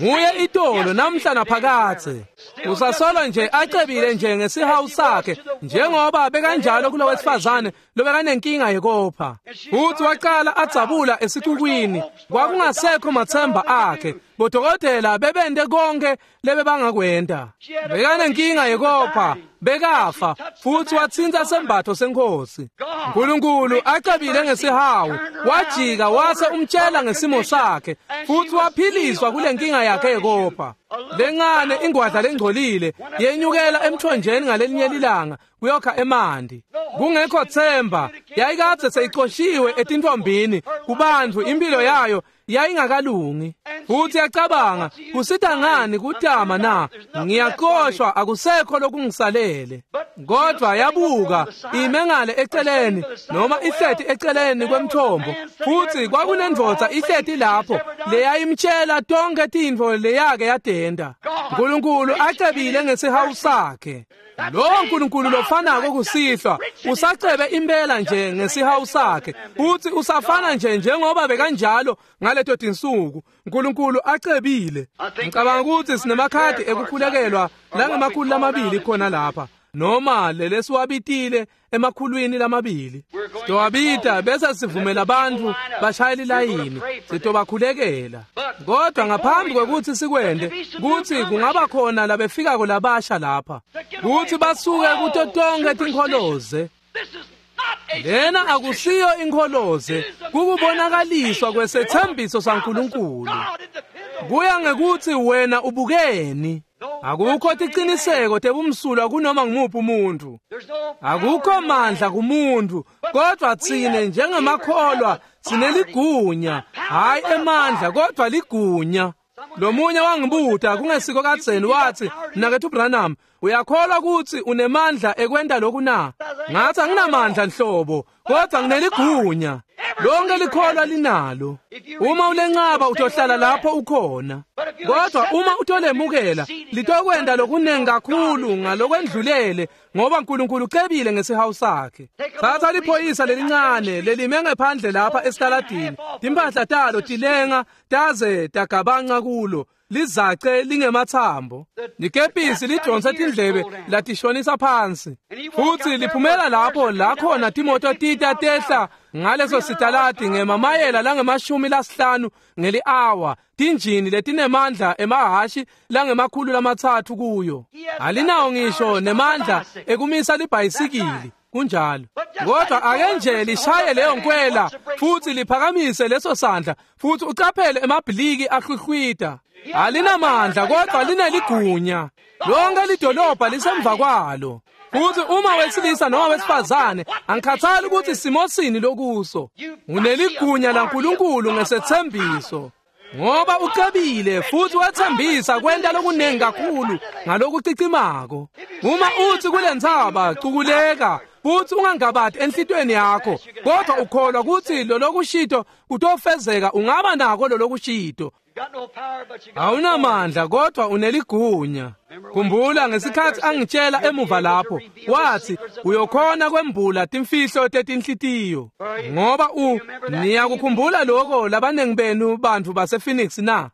Nguye itolo namhla naphakadze. Usasolo nje acebile nje ngesihawu sakhe, njengoba bekanjalo kulo wesifazane lobekanenkinga yekopha. Futhi waqala adzabula esixukwini, kwakungasekho mathemba akhe. Bodokotela bebente konke lebebangakwenta. Bekanenkinga yekopha, bekafa, futhi wathinta sembatho senkosi. uNkulunkulu acebile ngesihawu, wajika wase umtshela ngesimo sakhe, futhi waphiliswa kule nkinga yakhe yekopha. Lencane ingwadla lengcolile yenyukela emthonjeni ngalelinye lilanga kuyokha emanti. Kungekho themba, yayikadze seyixoshiwe etintombini kubantfu, impilo yayo yayingakalungi. Futhi yacabanga, kusita ngani kutama na? Ngiyaxoshwa, akusekho lokungisalele. Kodwa yabuka ime ngale eceleni, noma ihleti eceleni kwemthombo, futhi kwakunendvodza ihleti lapho leyayimtshela tonke tintfo leyake yadenda. uNkulunkulu acebile ngesihawu sakhe. Lo nkulunkulu lofanako kusihlwa usacebe impela nje ngesihawu sakhe, uthi usafana nje njengoba bekanjalo ngaleto tinsuku. uNkulunkulu acebile. Ngicabanga ukuthi sinemakhadi ekukhulekelwa langemakhulu lamabili khona lapha, noma lelesiwabitile emakhulwini lamabili. Sitowabita bese sivumela abantu bashayele ilayini, sitobakhulekela. Kodwa ngaphambi kwekuthi sikwende, kuthi kungaba khona labefikako labasha lapha, kuthi basuke kuto tonke tinkholoze. Lena akusiyo inkholoze, kukubonakaliswa kwesethembiso saNkulunkulu. Kuya ngekuthi wena ubukeni. Akukho tiqiniseko tebumsulwa kunoma ngumuphi umuntu. Akukho mandla kumuntu, kodwa tsine njengemakholwa sineligunya, hayi emandla kodwa ligunya. Lomunye wangibuta kungesiko kadzeni wathi, "Mnaketfu Branham, uyakholwa ukuthi unemandla ekwenta lokhu na?" Ngathi anginamandla nhlobo, kodwa ngineligunya. Lonke likholwa linalo. Uma ulencaba utohlala lapho ukhona. Kodwa uma utolemukela, litokwenda lokunengi kakhulu ngalokwendlulele, ngoba uNkulunkulu ucebile ngesihawu sakhe. Thatha liphoyisa lelincane lelime ngephandle lapha esitaladini, timpahla talo tilenga taze tagabanca kulo, lizace lingemathambo. Likepisi lidonsa tindlebe latishonisa phansi, futhi liphumela lapho la khona timoto tita tehla ngaleso sitaladi ngemamayela langemashumi lasihlanu ngeli-awa, tinjini letinemandla emahhashi langemakhulu lamatsatfu kuyo. Alinawo ngisho nemandla ekumisa libhayisikili. Kunjalo. Kodwa ake nje lishaye leyo nkwela futhi liphakamise leso sandla, futhi ucaphele emabhiliki ahluhlwita. Alinamandla kodwa lineligunya. Lonke lidolobha lisemva kwalo. Futhi uma wesilisa noma wesifazane, angikhathali ukuthi simo sini lokuso, uneligunya laNkulunkulu ngesethembiso. Ngoba ucebile futhi wethembisa kwenta lokunengi kakhulu ngalokucicimako. Uma uthi kule ntsaba cukuleka, futhi ungangabadi enhlitweni yakho, kodwa ukholwa ukuthi lolokushito kutofezeka, ungaba nako lolokushito. Awunamandla kodwa uneligunya. Khumbula ngesikhatsi angitshela emuva lapho, wathi uyokhona kwembula timfihlo tetinhlitiyo. Ngoba u niyakukhumbula lokho labanengi benu bantfu base-Phoenix na?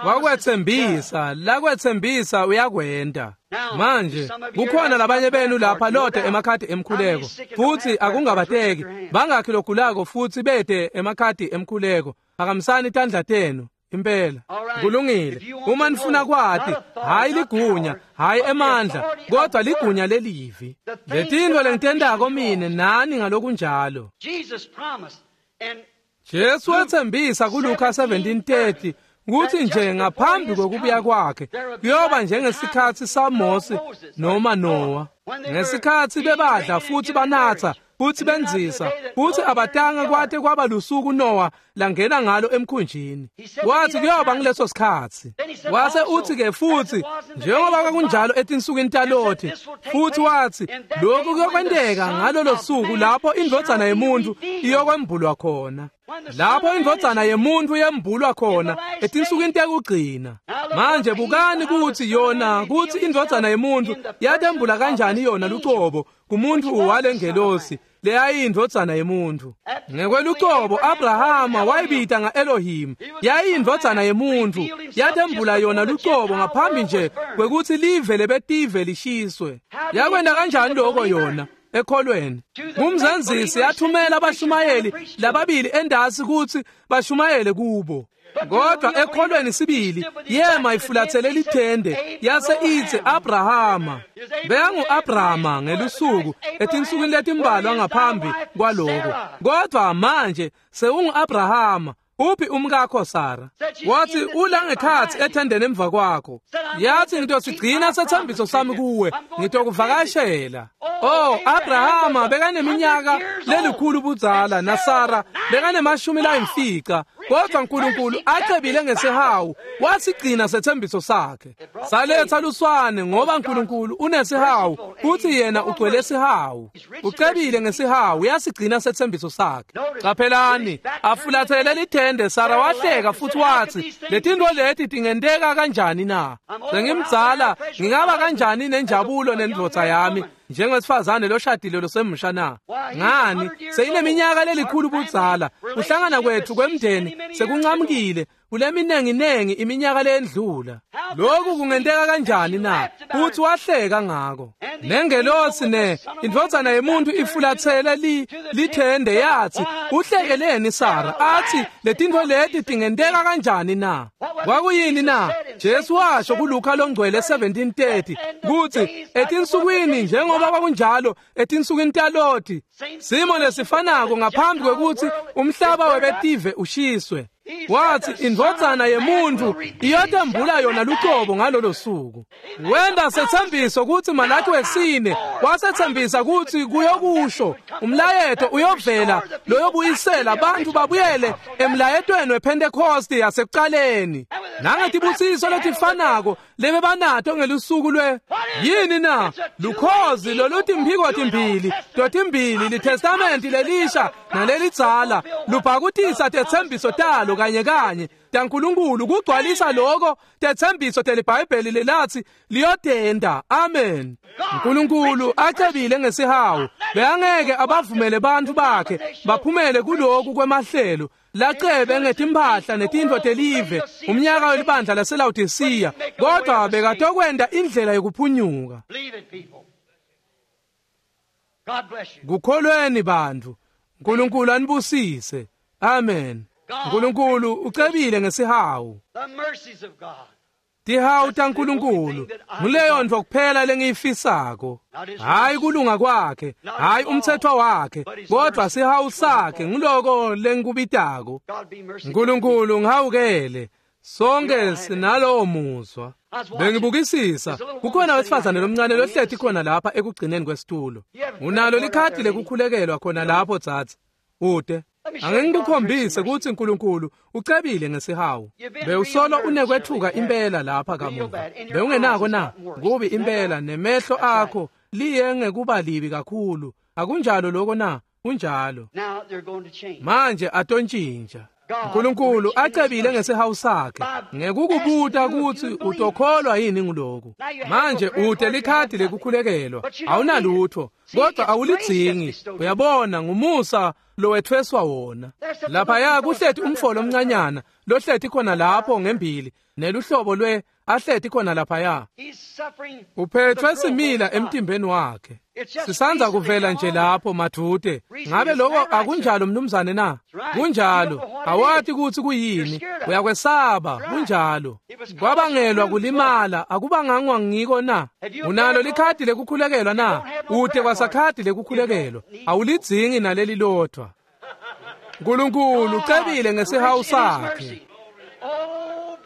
Wakwetsembisa, lakwetsembisa uyakwenta. Manje kukhona labanye benu lapha lote emakhadi emkhuleko, futsi akungabateki bangakhi logulako futsi bete emakhadi emkhuleko. Phakamisani tandla tenu. Impela kulungile. Uma nifuna kwati, hayi ligunya, hayi emandla, kodwa ligunya lelivi. Letintfo lengitentako mine nani ngalokunjalo. Jesu wetsembisa kuLuka seventeen thirty kutsi nje ngaphambi kokubuya kwakhe kuyoba njengesikhatsi saMose noma Noah, ngesikhatsi bebadla futsi banatsa futsi benzisa futsi abatanga kwate kwaba lusuku Noah langena ngalo emkhunjini. Wathi kuyoba ngileso sikhatsi. Wase uthi ke futsi njengoba kwakunjalo etinsukwini taLothi, futhi wathi lokhu kuyokwenteka ngalolo suku lapho indvodzana yemuntu iyokwembulwa khona. Lapho indvodzana yemuntu yembulwa khona etinsukwini tekugcina. Manje bukani kutsi yona kutsi indvodzana yemuntu yatembula kanjani yona lucobo kumuntu walengelosi leyayindvodzana yemuntu. Ngekwelucobo Abrahama wayibita nga-Elohim, yayindvodzana yemuntu, yatembula yona lucobo ngaphambi nje kwekutsi live lebetive lishiswe. Yakwenta kanjani lokho yona? Ekholweni. Ngumzenzisi yathumela abashumayeli lababili endasi kutsi bashumayele kubo. Kodwa ekholweni sibili yema ifulathele lithende yase itsi Abrahama. Beyangu-Abrahama ngelusuku etinsukwini letimbalwa ngaphambi kwaloko. Kodwa manje sewungu-Abrahama. Uphi umkakho Sara? Wathi ula ngekhatsi ethendeni emva kwakho. Yathi ngitosigcina setsembiso sami kuwe, ngitokuvakashela. Oh, Abrahama bekaneminyaka lelikhulu budzala naSara bekanemashumi layimfica. Kodwa uNkulunkulu acebile ngesihawu wasigcina setsembiso sakhe. Saletha luswane ngoba uNkulunkulu unesihawu futhi yena ugcwele sihawu. Ucebile ngesihawu uyasigcina setsembiso sakhe. Qaphelani, afulathele lithende Sara wahleka futhi wathi letintfo leti tingenteka kanjani na? Sengimdzala ngingaba kanjani nenjabulo nendvodza yami njengesifazane loshadile losemusha na? Ngani seyineminyaka lelikhulu budzala, kuhlangana kwethu kwemndeni sekuncamukile kuleminenginengi iminyaka lendlula. Lokhu kungenteka kanjani na? Futhi wahleka ngako. Nengelosi ne indvodzana yemuntu ifulathele li lithende yathi uhlekeleni Sara? Athi letintfo leti tingenteka kanjani na? Kwakuyini na? Jesu washo kuLuka longcwele seventeen thirty kutsi etinsukwini njengoba kwakunjalo etinsukwini taLothi, simo lesifanako ngaphambi kwekutsi umhlaba webetive ushiswe. Wathi indvodzana yemuntu iyotembula yona lucobo ngalolo suku. Wenda setsembiso kutsi Malaki wesine wasetsembisa kutsi kuyokusho umlayeto uyovela loyobuyisela abantu babuyele emlayetweni wePentecost yasekuqaleni. Nangetibusiso letifanako lebebanato ngelusuku lwe yini na? Lukhozi lolutimphiko timbili totimbili litestamenti lelisha nalelidzala lubhakutisa tetsembiso talo kanye kanye taNkulunkulu kugcwalisa lokho tetsembiso teliBhayibheli lelathi liyotenda. Amen. uNkulunkulu acebile ngesihawu beyangeke abavumele bantfu bakhe baphumele kuloku kwemahlelo lacebe ngetimphahla netintfo telive umnyaka welibandla laseLawodisiya, kodwa bekatokwenta indlela yokuphunyuka. Kukholweni bantfu. uNkulunkulu anibusise. Amen. uNkulunkulu ucebile ngesihawu. Tihawu taNkulunkulu nguleyo ntfo kuphela lengiyifisako. Hayi kulunga kwakhe, hayi umthetho wakhe, kodwa sihawu sakhe nguloko lengikubitako. uNkulunkulu ngihawukele. Sonke sinalowo muzwa. Bengibukisisa kukhona wesifazane lomncane lohleti khona lapha ekugcineni kwesitulo. Unalo likhadi lekukhulekelwa khona lapho dzadze? Ude Angengikukhombise ukuthi uNkulunkulu ucebile ngesihawu. Bewusolo unekwethuka impela lapha kamuva. Bewungenako na? Kubi impela nemehlo akho liye ngekuba libi kakhulu. Akunjalo lokho na? Kunjalo. Manje atontshintsha. Nkulunkulu acebile ngesihawu sakhe ngekukubuta kutsi utokholwa yini nguloku. Manje ute likhadi lekukhulekelwa, awunalutho, kodwa awulidzingi. Uyabona, ngumusa lowethweswa wona. Laphaya kuhleti umfolo omncanyana lohleti khona lapho ngembili neluhlobo lwe ahleti khona laphaya. Uphethwe simila emtimbeni wakhe. Sisanza kuvela nje lapho madvute. Ngabe lokho akunjalo mnumzane na? Kunjalo. Awati kutsi kuyini. Uyakwesaba. Kunjalo. Kwabangelwa kulimala akubangangwa ngiko na? Unalo likhadi lekukhulekelwa na? Ute kwasakhadi lekukhulekelwa. Awulidzingi naleli lodwa. Nkulunkulu ucebile ngesihawu sakhe.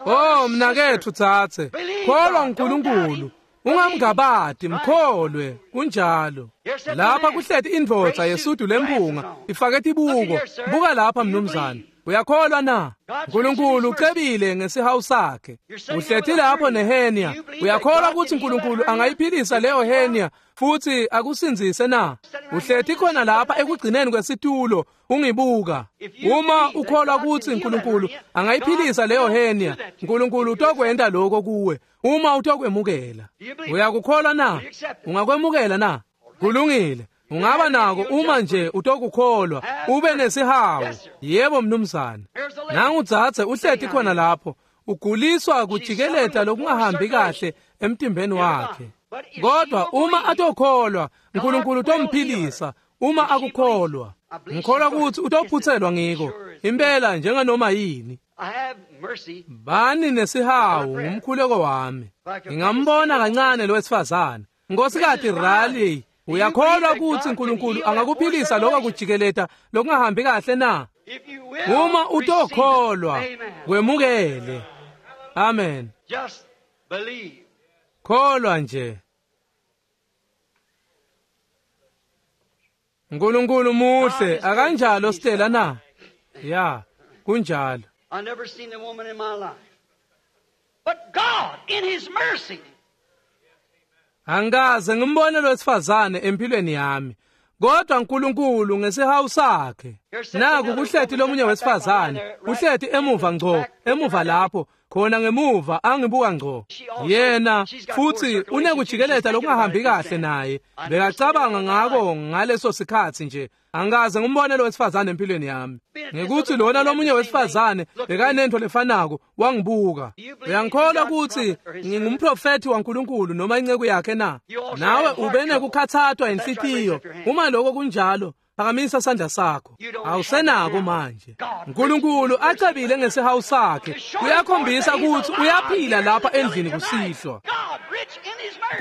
Oh mnaketfu tsatse, kholwa uNkulunkulu. Ungamngabati, mkholwe. Kunjalo. Lapha kuhleti indvodza yesudu lempunga ifake tibuko. Buka lapha mnumzane. Uyakholwa na? Nkulunkulu ucebile ngesihawu sakhe. Uhleti lapho nehenia. Uyakholwa kutsi Nkulunkulu angayiphilisa leyo henia futhi akusindzise na? Uhleti khona lapha ekugcineni kwesitulo ungibuka. Uma ukholwa kutsi Nkulunkulu angayiphilisa leyo henia, Nkulunkulu utokwenta lokho kuwe uma utokwemukela. Uyakukholwa na? Ungakwemukela na? Kulungile. Ungaba nako uma nje utokukholwa ube nesihawu. Yebo mnumzane. Nangu dzadze uhleti khona lapho uguliswa kujikeleta lokungahambi kahle emtimbeni wakhe. Kodwa uma atokholwa Nkulunkulu utomphilisa uma akukholwa. Ngikholwa kutsi utophutselwa ngiko impela njenganoma yini. Bani nesihawu ngumkhuleko wami. Ngingambona kancane lo wesifazane. Nkosikazi Raleigh, uyakholwa kutsi Nkulunkulu angakuphilisa lokho kujikeleta lokungahambi kahle na? Uma utokholwa kwemukele. Amen. Kholwa nje. Nkulunkulu muhle akanjalo Stella na? Ya, kunjalo. I never seen the woman in my life. But God in his mercy. Angikaze ngimbone lo wesifazane empilweni yami. Kodwa uNkulunkulu ngesihawu sakhe. Naku kuhleti lomunye wesifazane, uhleti emuva ngco, emuva lapho, khona ngemuva angibuka ngco. Yena futhi unekujikeleta lokungahambi kahle naye. Bekacabanga ngako ngaleso sikhathi nje. Angikaze ngimbone lo wesifazane empilweni yami. Ngekuthi lona lomunye wesifazane bekanento lefanako wangibuka. Uyangikholwa ukuthi ngingumprofeti waNkulunkulu noma inceku yakhe na? Nawe ube nekukhathathwa inhlitiyo. Uma lokho kunjalo, phakamisa sandla sakho. Awusenako manje. uNkulunkulu acebile ngesihawu sakhe. Uyakhombisa ukuthi uyaphila lapha endlini kusihlwa.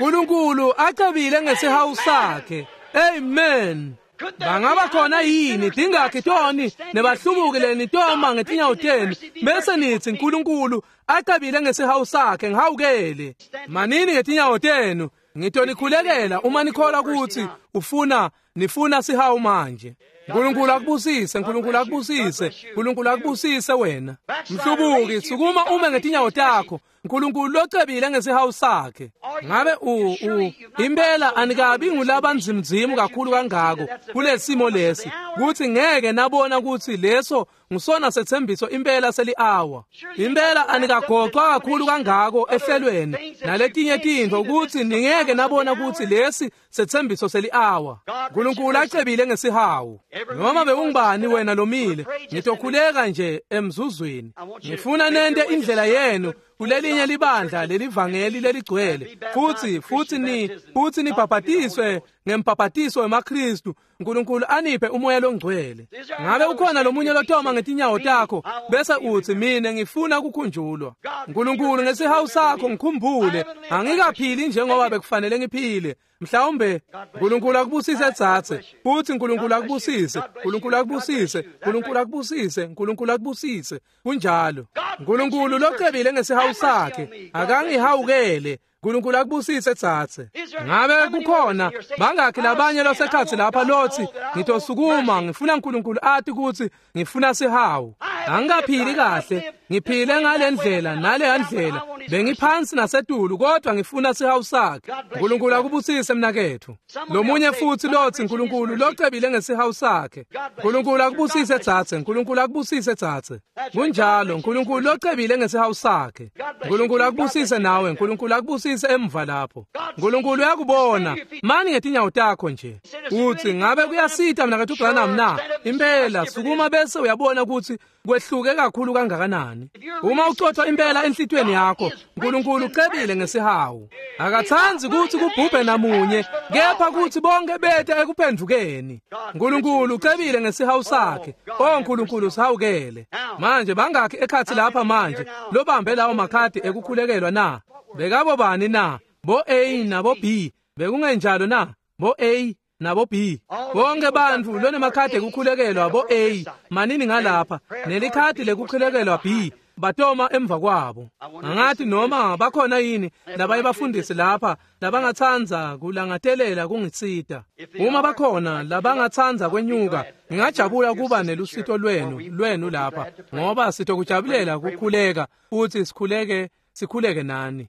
uNkulunkulu acebile ngesihawu sakhe. Amen. Bangaba khona yini tingakhi toni nebahlubukile nitoma ngetinyawo tenu bese nithi uNkulunkulu acebile ngesihawu sakhe ngihawukele. Manini ngetinyawo tenu ngitonikhulekela uma nikholwa ukuthi ufuna nifuna sihawu manje. uNkulunkulu akubusise, uNkulunkulu akubusise, uNkulunkulu akubusise wena. Mhlubuki, sukuma ume ngetinyawo takho. uNkulunkulu locebile ngesihawu sakhe. Ngabe u u impela anikabi ngulabanzimzimu kakhulu kangako kulesimo lesi kuthi ngeke nabona ukuthi leso ngusona sethembiso impela seli-hour. Impela anikagoqwa kakhulu kangako ehlelweni naletinye tintfo ukuthi ningeke nabona ukuthi lesi sethembiso seli-hour. uNkulunkulu acebile ngesihawu. Noma bewungubani wena lomile, ngitokhuleka nje emzuzwini. Ngifuna nente indlela yenu kulelinye libandla lelivangeli leligcwele futhi futhi ni futhi nibhabhatiswe ngembhabhatiso wemaKristu. uNkulunkulu aniphe umoya longcwele. Ngabe ukhona lomunye lotoma ngetinyawo takho bese uthi mina ngifuna ukukhunjulwa? uNkulunkulu ngesihawu sakho ngikhumbule, angikaphili njengoba bekufanele ngiphile. Mhlawumbe uNkulunkulu akubusise tsatse, futhi uNkulunkulu akubusise, uNkulunkulu akubusise, uNkulunkulu akubusise, uNkulunkulu akubusise. Kunjalo. uNkulunkulu locebile ngesihawu sakhe akangihawukele. uNkulunkulu akubusise tsatse. Ngabe kukhona bangakhi labanye losekhatsi lapha lothi ngitosukuma ngifuna uNkulunkulu athi ukuthi ngifuna sihawu. Angikaphili kahle, ngiphile ngale ndlela nale ndlela, Bengiphansi nasetulu kodwa ngifuna sihawu sakhe. Nkulunkulu akubusise mnaketfu. Lomunye futhi lotsi Nkulunkulu locebile ngesihawu sakhe. Nkulunkulu akubusise dzadze, Nkulunkulu akubusise dzadze. Kunjalo, Nkulunkulu locebile ngesihawu sakhe. Nkulunkulu akubusise nawe, Nkulunkulu akubusise emva lapho. Nkulunkulu uyakubona. Mani ngetinyawo takho nje. Uthi ngabe kuyasita mnaketfu Branham na? Impela sukuma bese uyabona ukuthi kwehluke kakhulu kangakanani. Uma ucotha impela enhlitiyweni yakho, Nkulunkulu ucebile ngesihawu. Akatsandzi kutsi kubhubhe namunye, kepha kutsi bonke bete ekuphendvukeni. Nkulunkulu ucebile ngesihawu sakhe. Oh Nkulunkulu sihawukele. Manje bangakhi ekhatsi lapha manje lobambe lawo makhadi ekukhulekelwa na? Bekabo bani na? Bo A nabo B. Bekungenjalo na? Bo A nabo B. Bonke bantfu lonemakhadi ekukhulekelwa bo A manini ngalapha nelikhadi lekukhulekelwa B batoma emva kwabo. Angathi noma bakhona yini labaye bafundisi lapha labangatsandza kulangatelela kungisita. Uma bakhona labangatsandza kwenyuka, ngingajabula kuba nelusito lwenu lwenu lapha, ngoba sitokujabulela kukhuleka futhi sikhuleke sikhuleke nani.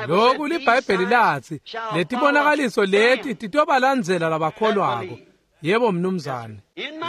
Lokhu liBhayibheli lathi letibonakaliso leti titobalandzela labakholwako. Yebo mnumzane.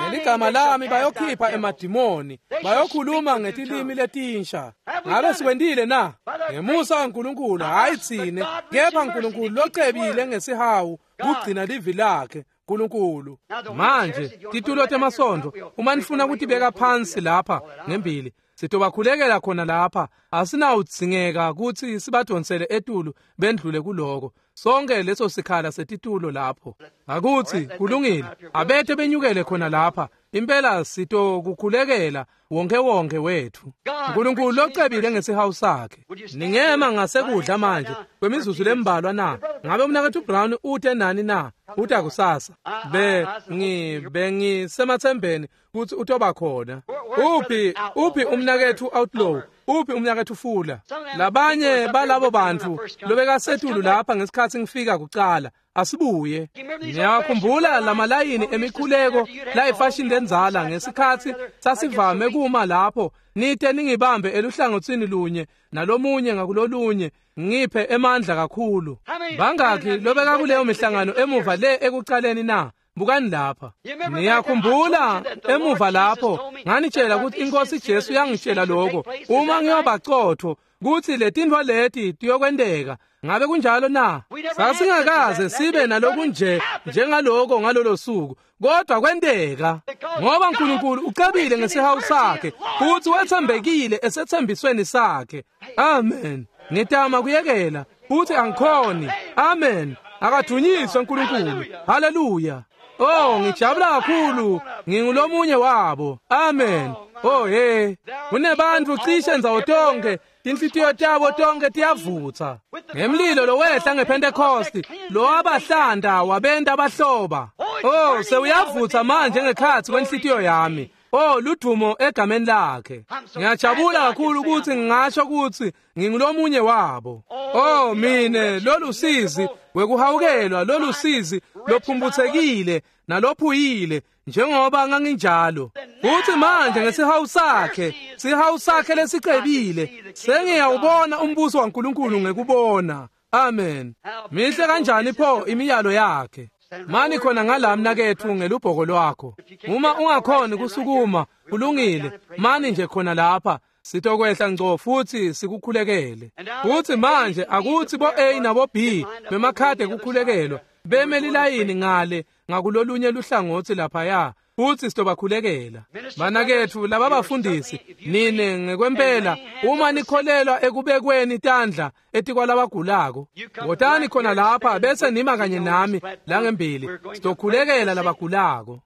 Ngeligama lami bayokhipha emadimoni, bayokhuluma ngetilimi letinsha. Ngabe sikwentile na? Ngemusa kaNkulunkulu, hayi tsine, kepha Nkulunkulu locebile ngesihawu kugcina livi lakhe. Nkulunkulu. Manje titulo temasontfo uma nifuna kutibeka phansi lapha ngembili, sitobakhulekela khona lapha. Asinawudzingeka kutsi sibadonsele etulu bendlule kuloko. Sonke leso sikhala setitulo lapho. Akutsi kulungile, abete benyukele khona lapha. Impela sitokukhulekela wonke wonke wethu. Nkulunkulu locebile ngesihawu sakhe. Ningema ngasekudla manje kwemizuzu lembalwa na? Ngabe umnaketfu Brown ute nani na? Uta kusasa. Be ngi bengisemathembeni kutsi utoba khona. Uphi uphi umnaketfu Outlaw? Uphi umnaketfu Fula? Labanye balabo bantfu lobekasetulu lapha ngesikhatsi ngifika kucala. Asibuye. Ngiyakhumbula lamalayini emikhuleko layifashini lendzala ngesikhatsi sasivame kuma lapho nite ningibambe eluhlangotsini lunye nalomunye ngakulolunye ngiphe emandla kakhulu. Bangakhi lobeka kuleyo mihlangano emuva le ekucaleni na? Bukani lapha. Niyakhumbula emuva lapho nganitshela ukuthi iNkosi Jesu yangitshela lokho uma ngiyobacotho kutsi letintfo leti tiyokwenteka. Ngabe kunjalo na? Sasingakaze sibe nalokunje njengaloko ngalolo suku, kodwa kwenteka ngoba Nkulunkulu ucebile ngesihawu sakhe futhi wethembekile esethembisweni sakhe. Amen. Ngitama kuyekela futhi angikhoni. Amen. Akadunyiswe Nkulunkulu. Haleluya. Oh, ngijabula kakhulu, ngingulomunye wabo. Amen. Oh hey, kunebantu cishe ndzawo tonke, tinhlitiyo tabo tonke tiyavutsa ngemlilo lowehla ngePentecost, lo wabahlanda wabenta bahloba. Oh, sewuyavutsa manje ngekhatsi kwenhlitiyo yami. Oh, ludumo egameni lakhe. Ngiyajabula kakhulu ukuthi ngingasho ukuthi ngingulomunye wabo. Oh, mine lolusizi wekuhawukelwa, lolusizi lophumbuthekile nalophuyile njengoba nganginjalo. Futhi manje ngesihawu sakhe, sihawu sakhe lesicebile, sengiyawubona umbuso waNkulunkulu ngekubona. Amen. Mihle kanjani pho imiyalo yakhe. Mani khona ngala mnaketfu ngelubhoko lwakho. Uma ungakhoni kusukuma, kulungile, mani nje khona lapha. Sitokwehla ngco futhi sikukhulekele. Futhi manje akuthi bo A nabo B bemakhadi ekukhulekelwa beme lilayini ngale ngakulolunye luhlangotsi laphaya, futhi sitobakhulekela. Banaketfu laba bafundisi, nine ngekwempela uma nikholelwa ekubekweni tandla etikwalabagulako, wotani khona lapha bese nima kanye nami la ngembili, sitokhulekela labagulako.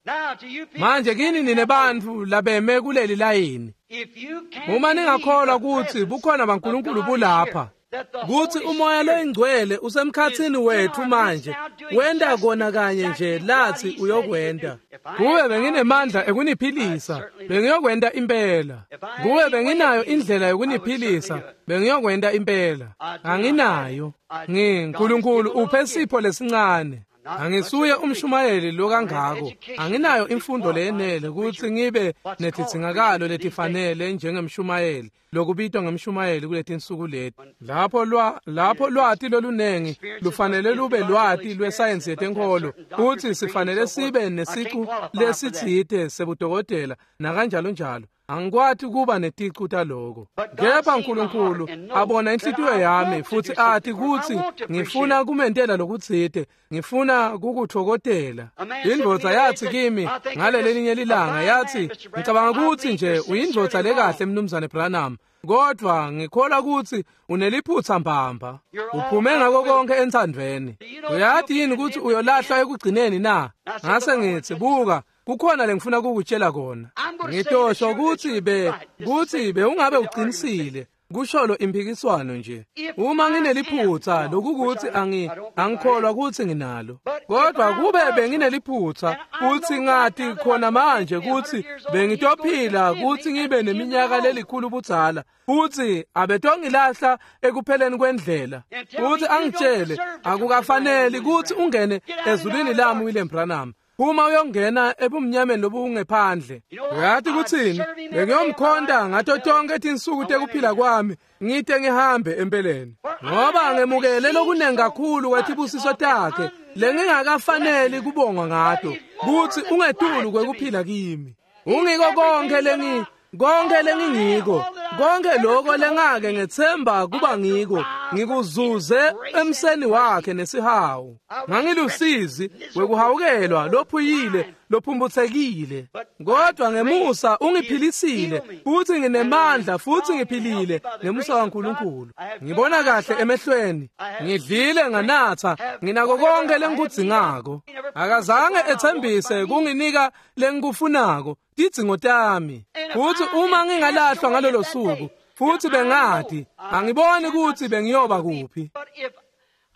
Manje kini nine bantfu labeme kuleli layini, uma ningakholwa kutsi bukhona baNkulunkulu bulapha, kutsi umoya loyingcwele usemkhatsini wetfu manje, wenta kona kanye nje lathi uyokwenta. Kube benginemandla ekuniphilisa, bengiyokwenta impela. Kube benginayo indlela yokuniphilisa, bengiyokwenta impela. Anginayo. NgiNkulunkulu uphe sipho lesincane. Angisuye umshumayeli lokangako, anginayo imfundo leyenele kutsi ngibe netidzingakalo letifanele njengemshumayeli lokubitwa ngemshumayeli kuletinsuku leti. Lapho lwa lapho lwati lolunengi lufanele lube lwati lwesayensi yetenkholo, futsi sifanele sibe nesicu lesitsite sebudokotela nakanjalo njalo. Angikwati kuba neticu taloko. Kepha uNkulunkulu abona inhlitiyo yami futsi ati kutsi ngifuna kumentela lokutsite, ngifuna kukutfokotela. Indvodza yathi kimi ngalelelinye lilanga, yathi, ngicabanga kutsi nje uyindvodza lekahle Mnumzane Branham, kodwa ngikholwa kutsi uneliphutsa mbamba. Uphume ngako konke entsandvweni. Uyati yini kutsi uyolahlwa ekugcineni na? Ngase ngithi, buka, kukhona lengifuna kukutshela kona. Ngitosho kutsi be kutsi bewungabe uqinisile, kusholo impikiswano nje. Uma ngineliphutsa lokukuthi angi angikholwa kutsi nginalo, kodwa kube bengineliphutsa kutsi ngati khona manje kutsi bengitophila kutsi ngibe neminyaka lelikhulu budzala, futsi abetongilahla ekupheleni kwendlela, futsi angitshele akukafaneli kutsi ungene ezulwini lami William Branham, uma uyongena ebumnyameni lobungephandle. Uyati kutsini? Bengiyomkhonta ngato tonke tinsuku tekuphila kwami, ngite ngihambe empeleni, ngoba ngemukele lokunengi kakhulu kwetibusiso takhe lengingakafaneli kubongwa ngato, kutsi ungetulu kwekuphila kimi. Ungiko konke lengi konke lengingiko, konke lokho lengake ngethemba kuba ngiko, ngikuzuze emseni wakhe nesihawu. Ngangilusizi wekuhawukelwa lophuyile lophumbuthekile, kodwa ngemusa ungiphilisile, futhi nginemandla futhi ngiphilile ngemusa waNkulunkulu. Ngibona kahle emehlweni, ngidlile nganatha, nginako konke lengikudzingako. Akazange ethembise kunginika lengikufunako, tidzingo tami. Futhi uma ngingalahlwa ngalolo suku, futhi bengati, angiboni kutsi bengiyoba kuphi.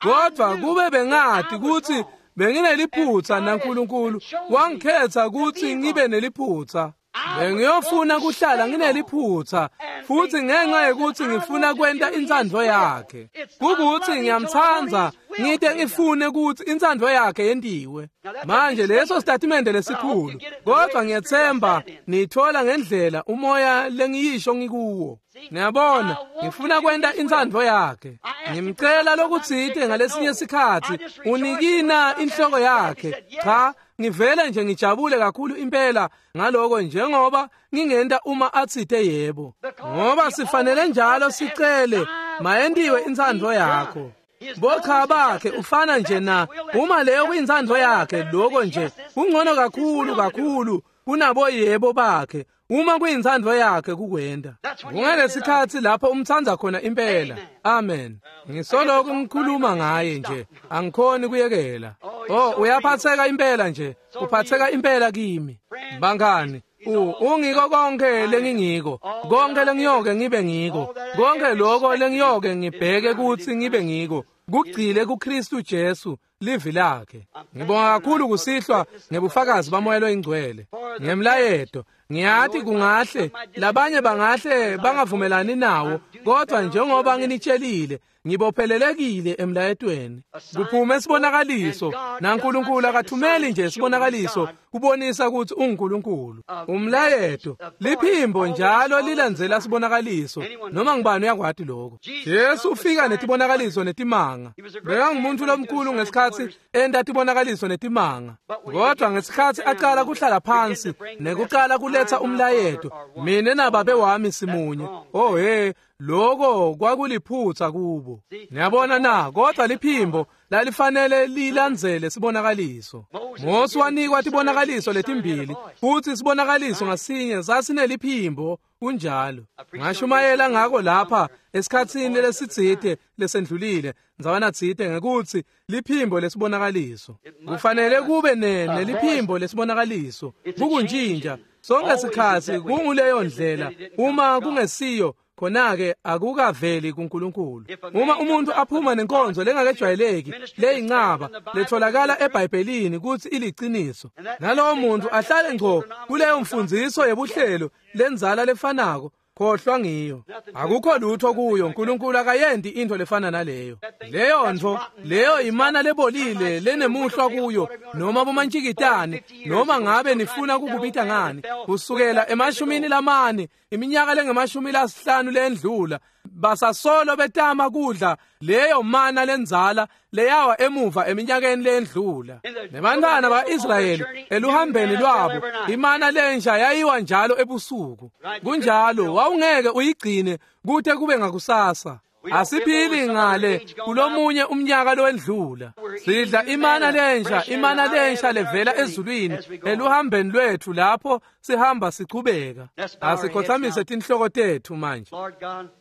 Kodwa kube bengati kutsi bengineliphutsa naNkulunkulu wangikhetha kutsi ngibe neliphutsa, bengiyofuna kuhlala ngineliphutsa, futhi ngenxa yekuthi ngifuna kwenta intsandvo yakhe. Kukuthi ngiyamtsandza, ngite ngifune kutsi intsandvo yakhe yentiwe. Manje leso sitatimende lesikhulu, kodwa ngiyethemba nithola ngendlela umoya lengiyisho ngikuwo. Niyabona, ngifuna kwenta intsandvo yakhe. Ngimcela lokutsite ngalesinye sikhatsi, unikina inhloko yakhe. Cha, ngivele nje ngijabule kakhulu impela ngaloko njengoba ngingenta uma atsite yebo. Ngoba sifanele njalo sicele mayentiwe intsandvo yakho. Bocha bakhe ufana nje na uma leyo kuyintsandvo yakhe, lokho nje kungcono kakhulu kakhulu kunabo yebo bakhe. Uma kuyintsandvo yakhe kukwenda. Kungalesikhatsi lapho umtsandza khona impela. Amen. Ngisoloko ngikhuluma ngaye nje, angikhoni kuyekela. Oh, uyaphatheka impela nje, uphatheka impela kimi. Bangani, ungiko konke lengingiko, konke lengiyoke ngibe ngiko, konke lokho lengiyoke ngibheke kutsi ngibe ngiko, kugcile kuKristu Jesu, livi lakhe. Ngibonga kakhulu kusihlwa ngebufakazi baMoya loyiNgcwele ngemlayeto. Ngiyati kungahle labanye bangahle bangavumelani nawo, kodwa njengoba nginitshelile, ngibophelelekile emlayetweni. Kuphume sibonakaliso, naNkulunkulu akathumeli nje sibonakaliso kubonisa kutsi unguNkulunkulu. Umlayeto liphimbo njalo lilandzela sibonakaliso, noma ngubani uyakwati lokho. Jesu ufika netibonakaliso netimanga. Bekangumuntu lomkhulu ngesikhatsi enta tibonakaliso netimanga, kodwa ngesikhatsi aqala kuhlala phansi nekuqala kuletha umlayeto, mina nababe wami simunye. Oh hey, lokho kwakuliphutsa kubo. Niyabona na? Kodwa liphimbo lalifanele lilandzele sibonakaliso. Mose wanikwa tibonakaliso letimbili, futhi sibonakaliso ngasinye sasineliphimbo. Kunjalo. Ngashumayela ngako lapha esikhatsini lesitsite lesendlulile, ndzawana tsite, ngekutsi liphimbo lesibonakaliso. Kufanele kube neliphimbo lesibonakaliso. Kukuntshintsha sonke sikhatsi kunguleyo ndlela. Uma kungesiyo, khona-ke akukaveli kuNkulunkulu. Uma umuntu aphuma nenkonzo lengakejwayeleki leyincaba letholakala eBhayibhelini kutsi iliciniso, nalowo muntu ahlale ngco kuleyo mfundziso yebuhlelo lenzala lefanako, Khohlwa ngiyo. Akukho lutho kuyo. uNkulunkulu akayendi into lefana naleyo. Leyo ntfo, leyo imana lebolile lenemuhlwa kuyo, noma bomantshikitane, noma ngabe nifuna kukubita ngani, kusukela emashumini lamane, iminyaka lengemashumi lasihlanu lendlula, basasolo betama kudla leyo mana lenzala leyawa emuva eminyakeni lendlula. Nebantwana ba-Israyeli eluhambeni lwabo, imana lensha yayiwa njalo ebusuku. Kunjalo, wawungeke uyigcine kute kube ngakusasa. Asiphili ngale kulomunye umnyaka lowendlula. Sidla imana lensha, imana lensha levela ezulwini eluhambeni lwethu lapho sihamba sichubeka. Asikhothamise tinhloko tethu manje.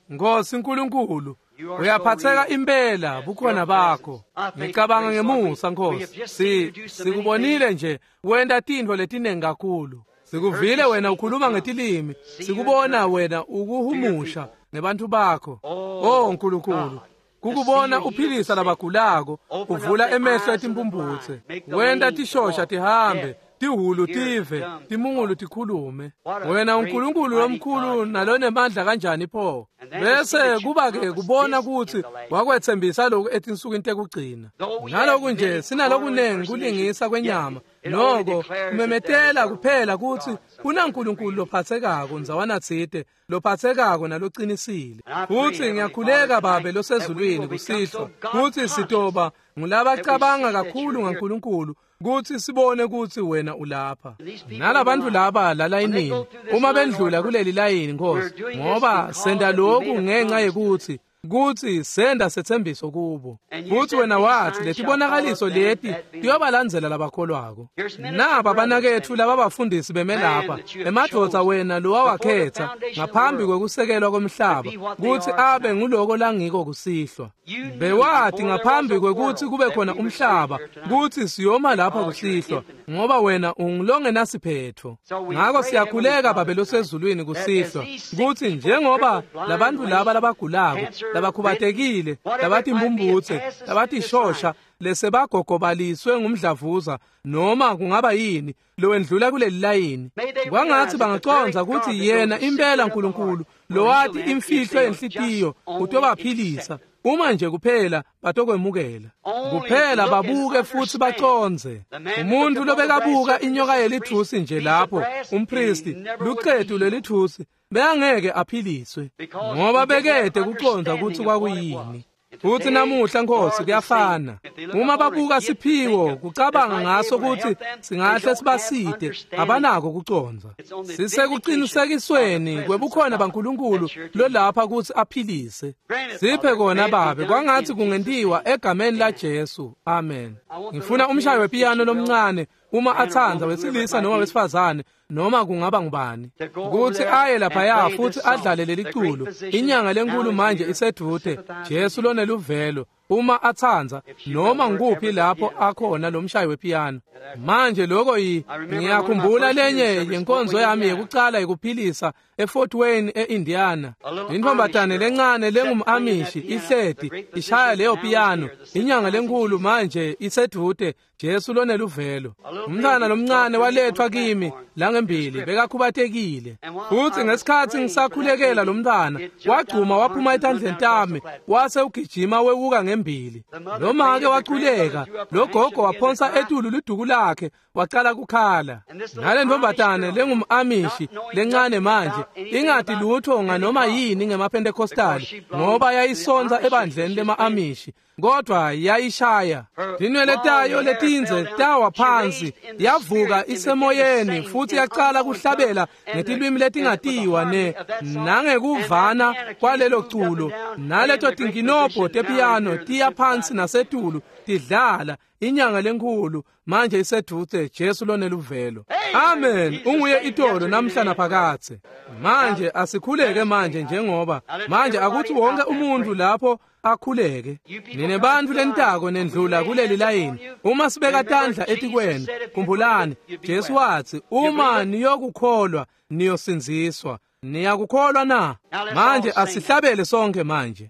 Nkosi uNkulunkulu, uyaphatheka impela bukhona bakho. Ngicabanga ngemusa Nkosi. Si sikubonile nje wenta tintfo letinengi kakhulu. Sikuvile wena ukhuluma ngetilimi, sikubona wena ukuhumusha ngebantu bakho. Oh uNkulunkulu, kukubona uphilisa labagulako, uvula emehlo etimphumphutse, wenta tishosha tihambe, tihulu tive, timungulu tikhulume. Wena uNkulunkulu lomkhulu nalonemandla kanjani pho? Bese kuba ke kubona ukuthi wakwethembisa lokhu etinsukwini tekugcina. Naloku nje sinalokunengi kulingisa kwenyama, noko kumemetela kuphela kutsi kunaNkulunkulu lophathekako ndzawana tsite, lophathekako nalocinisile. Futsi ngiyakhuleka Babe losezulwini kusihlwa kutsi sitoba ngulabacabanga kakhulu ngaNkulunkulu, kutsi sibone kutsi wena ulapha. Nalabantu laba lalayinini, uma bendlula kuleli layini Nkosi, ngoba senta lokhu ngenxa yekutsi kutsi senda setsembiso kubo. Futsi wena wathi letibonakaliso leti tiyobalandzela labakholwako. Naba banaketfu lababafundisi beme lapha, emadvodza wena lowawakhetha ngaphambi kwekusekelwa komhlaba kutsi abe nguloko langiko kusihlwa. Bewati ngaphambi kwekutsi kube khona umhlaba kutsi siyoma lapha kusihlwa, ngoba wena ungulongenasiphetfo. Ngako siyakhuleka Babe losezulwini kusihlwa kutsi njengoba labantu laba labagulako, labakhubatekile, labatimbumbutse, labatishosha, lesebagogobaliswe ngumdlavuza, noma kungaba yini lowendlula kuleli layini, kwangatsi bangacondza kutsi yena impela uNkulunkulu lowati imfihlo yenhlitiyo utobaphilisa uma nje kuphela batokwemukela. Kuphela babuke futsi bacondze. Umuntu lobekabuka inyoka yelithusi nje lapho, umpristi, lucetu lelithusi, beyangeke aphiliswe ngoba bekede kucondza kutsi kwakuyini. Futsi namuhla Nkosi kuyafana. Uma babuka siphiwo kucabanga ngaso kutsi singahle sibasite, abanako kucondza. Sisekuqinisekisweni kwebukhona baNkulunkulu lolapha kutsi aphilise. Siphe kona Babe, kwangatsi kungentiwa egameni la Jesu. Amen. Ngifuna umshayi wepiyano lomncane, uma atsandza, wesilisa noma wesifazane, noma kungaba ngubani, kutsi aye laphaya futsi adlale leli culo. Inyanga lenkulu manje isedvute, Jesu loneluvelo. Uma atsandza, noma nguphi lapho akhona lo mshayi wepiyano. Manje lokho yi ngiyakhumbula lenye yenkonzo yami yekucala yekuphilisa eFort Wayne eIndiana. Intombatane lencane lengumAmishi ihleti ishaya leyo piyano. Inyanga lenkulu manje isedvute, Jesu loneluvelo. Umntwana lomncane walethwa kimi langembili, bekakhubatekile. Futsi ngesikhatsi ngisakhulekela lo mntwana, wagcuma waphuma etandleni tami, wase ugijima wewuka ngembili. Lo make waculeka, lo gogo waphonsa etulu liduku lakhe, wacala kukhala. Nale ntombatane lengumAmishi lencane manje ingati lutho nganoma yini ngemaPentecostali, ngoba yayisonza ebandleni lema-Amishi, kodwa yayishaya. Tinwele tayo letindze tawa phansi, yavuka isemoyeni futsi yacala kuhlabela ngetilwimi letingatiwa ne nangekuvana kwalelo culo, naleto tinkinobho tepiyano tiya phansi nasetulu tidlala. Inyanga lenkulu manje isedvute, Jesu loneluvelo. Amen. Unguye itolo namhla naphakathe. Manje asikhuleke manje, njengoba manje akuthi wonke umuntu lapho akhuleke. Nine bantfu lentako nendlula kuleli layini, uma sibeka tandla etikwenu, khumbulani Jesu wathi uma niyokukholwa niyosindziswa. Niyakukholwa na? Manje asihlabele sonke manje.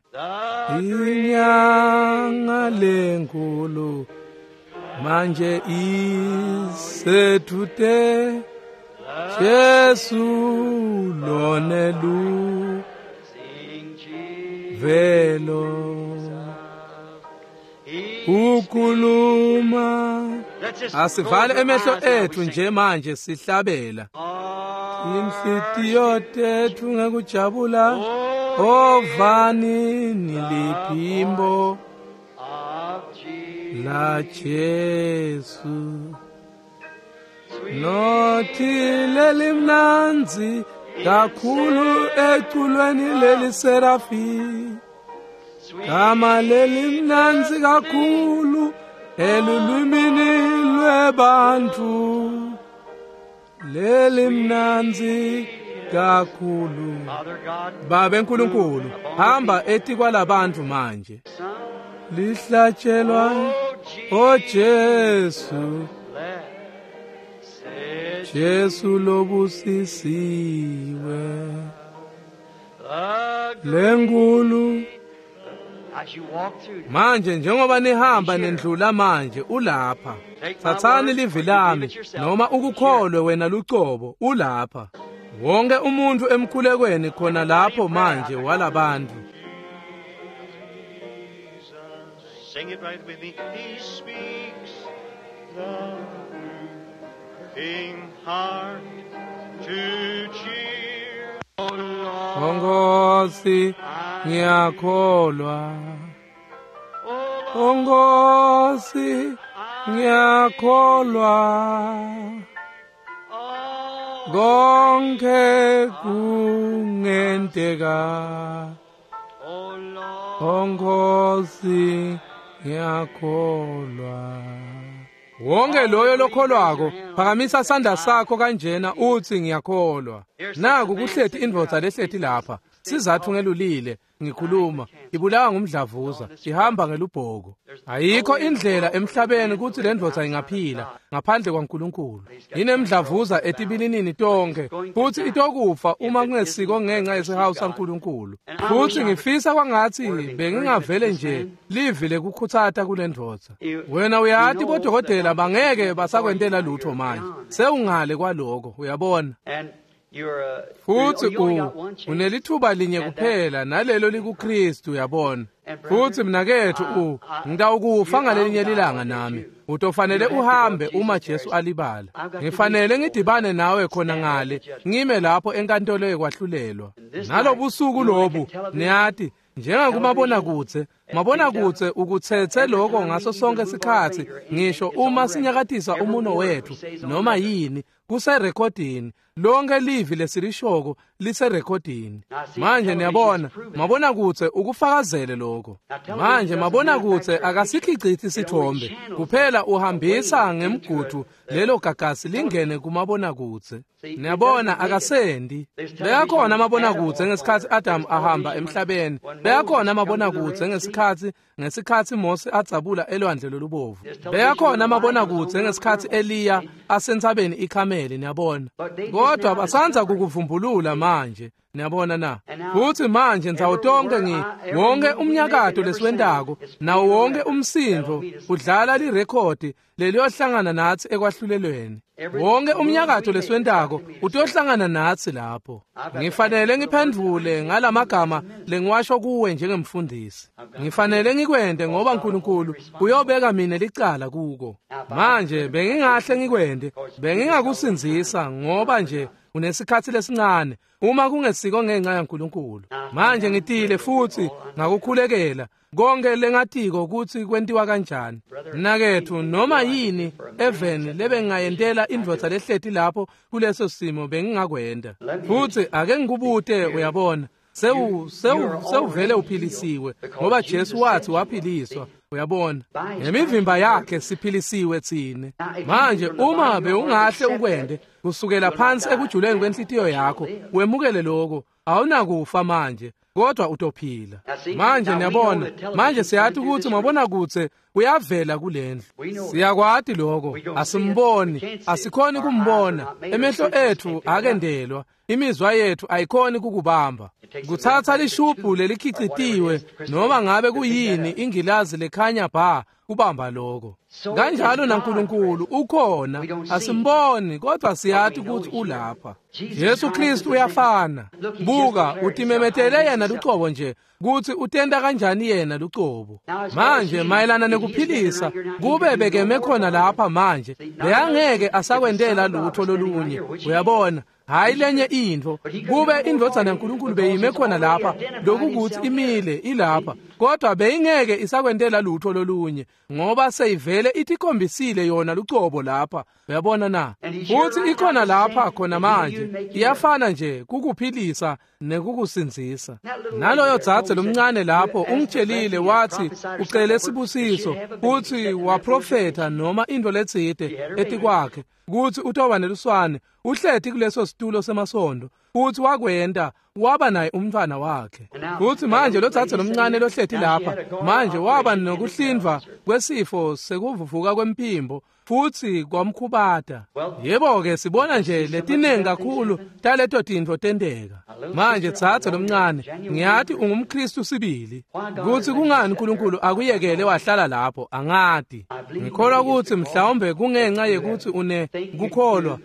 Inyanga lenkulu manje isedvute, Jesu loneluvelo. Velo ukhuluma. Asivale emehlo ethu nje manje sihlabela. Inhlitiyo tethu ngekujabula ovani niliphimbo la Jesu. Nothi lelimnandzi kakhulu eculweni leliserafi, gama lelimnandzi kakhulu elulwimini lwebantfu, lelimnandzi kakhulu. Babe Nkulunkulu, hamba etikwalabantfu manje. Lihlatshelwa o Jesu, Jesu lobusisiwe, lenkulu. Manje njengoba nihamba nendlula manje ulapha. Tsatsani livi lami noma ukukholwe wena lucobo, ulapha. Wonke umuntu emkhulekweni khona lapho manje walabantu. Sing it right with me. He speaks the moving heart to cheer. Onkosi ngiyakholwa, Onkosi ngiyakholwa, konke kungenteka. Onkosi ngiyakholwa. Wonke loyo lokholwako phakamisa sandla sakho kanjena uthi ngiyakholwa. Naku kuhleti indvodza lehleti lapha. Sizathu ngelulile ngikhuluma ibulawa ngumdlavuza, ihamba ngelubhoko. Ayikho indlela emhlabeni ukuthi le ndvodza ingaphila ngaphandle kwaNkulunkulu. Inemdlavuza etibilinini tonke futhi itokufa uma kungesiko ngenxa yesihawu saNkulunkulu. Futhi ngifisa kwangathi bengingavele nje livi lekukhutsata kule ndvodza. Wena uyati bodokotela bangeke basakwentela lutho manje, sewungale kwaloko, uyabona. Futhi unelithuba linye kuphela nalelo likuKristu, uyabona. Futhi mnakethu u ngitawukufa ngalelinye lilanga nami. Utofanele uhambe uma Jesu alibala. Ngifanele ngidibane nawe khona ngale, ngime lapho enkantolo yekwahlulelwa. Nalobusuku lobu, niyati, njengakumabonakudze, mabonakudze ukutsetse lokho ngaso sonke isikhathi, ngisho uma sinyakatisa umuno wethu noma yini kuserekhodini. Lonke livi lesilishoko liserekhodini. Manje niyabona, mabonakudze ukufakazele lokho. Manje mabonakudze akasikhicithi isithombe kuphela, uhambisa ngemgudu lelo gagasi lingene kumabonakudze. Niyabona, akasendi. Beyakhona amabonakudze ngesikhathi Adam ahamba emhlabeni. Beyakhona amabonakudze ngesikhathi ngesikhathi Mose adzabula elwandle lolubovu. Beyakhona amabonakudze ngesikhathi Eliya asentsabeni iKhameli, niyabona. Kodwa basanza kukuvumbulula manje, niyabona na. Futhi manje ndzawo tonke ngi wonke umnyakato lesiwentako nawo wonke umsindvo udlala lirekhodi leliyohlangana nathi ekwahlulelweni. Wonke umnyakato lesiwentako utohlangana nathi lapho. Ngifanele ngiphendvule ngalamagama lengiwasho kuwe njengemfundisi. Ngifanele ngikwente ngoba uNkulunkulu uyobeka mina licala kuko. Manje bengingahle ngikwente, bengingakusindzisa ngoba nje unesikhathi lesincane uma kungesiko ngenxa yaNkulunkulu. Manje ngitile futhi ngakukhulekela konke lengatiko ukuthi kwentiwa kanjani. Mnakethu, noma yini eveni lebengayentela indvodza lehleti lapho kuleso simo bengingakwenta. Futhi ake ngikubute, uyabona, sewu sewu sewuvele uphilisiwe ngoba Jesu wathi waphiliswa, uyabona. Ngemivimba yakhe siphilisiwe tsine. Manje uma bewungahle ukwente kusukela phansi ekujuleni kwenhlitiyo yakho wemukele lokho, awunakufa manje kodwa utophila. Manje niyabona, manje siyati ukuthi mabonakudze Uyavela kulendlu. Siyakwati lokho, asimboni, asikhoni kumbona. Emehlo ethu akendelwa, imizwa yethu ayikhoni kukubamba. Kuthatha lishubhu lelikhicitiwe noma ngabe kuyini ingilazi lekhanya bha kubamba lokho. Kanjalo naNkulunkulu ukhona, asimboni kodwa siyathi ukuthi ulapha. Jesu Kristu uyafana. Buka, utimemetele yena lucobo nje kuthi utenda kanjani yena lucobo. Manje mayelana nekuphilisa, kube bekeme khona lapha manje, beyangeke asakwendela lutho lolunye. Uyabona? Hayi lenye into, kube indvodzana yaNkulunkulu beyime khona lapha, lokukuthi imile ilapha, kodwa beyingeke isakwentela lutho lolunye, ngoba seyivele itikhombisile yona lucobo lapha. Uyabona na? Futhi ikhona lapha khona manje, iyafana nje kukuphilisa nekukusindzisa. Naloyo dzadze lomncane lapho ungitshelile wathi ucele sibusiso, futhi waprofetha noma into letsite etikwakhe kuthi utoba neluswane, uhleti kuleso situlo semasondo, futhi wakwenta waba naye umntwana wakhe. Futhi manje lo dzadze lomncane lohleti lapha manje waba nokuhlindvwa kwesifo sekuvuvuka kwemphimbo, futhi kwamkhubata. Yebo-ke, sibona nje letiningi kakhulu taleto tintfo tenteka. Manje dzadze lomncane, ngiyathi ungumKristu sibili. Kuthi kungani uNkulunkulu akuyekele wahlala lapho, angati. Ngikholwa ukuthi mhlawumbe kungenxa yekuthi une kukholwa,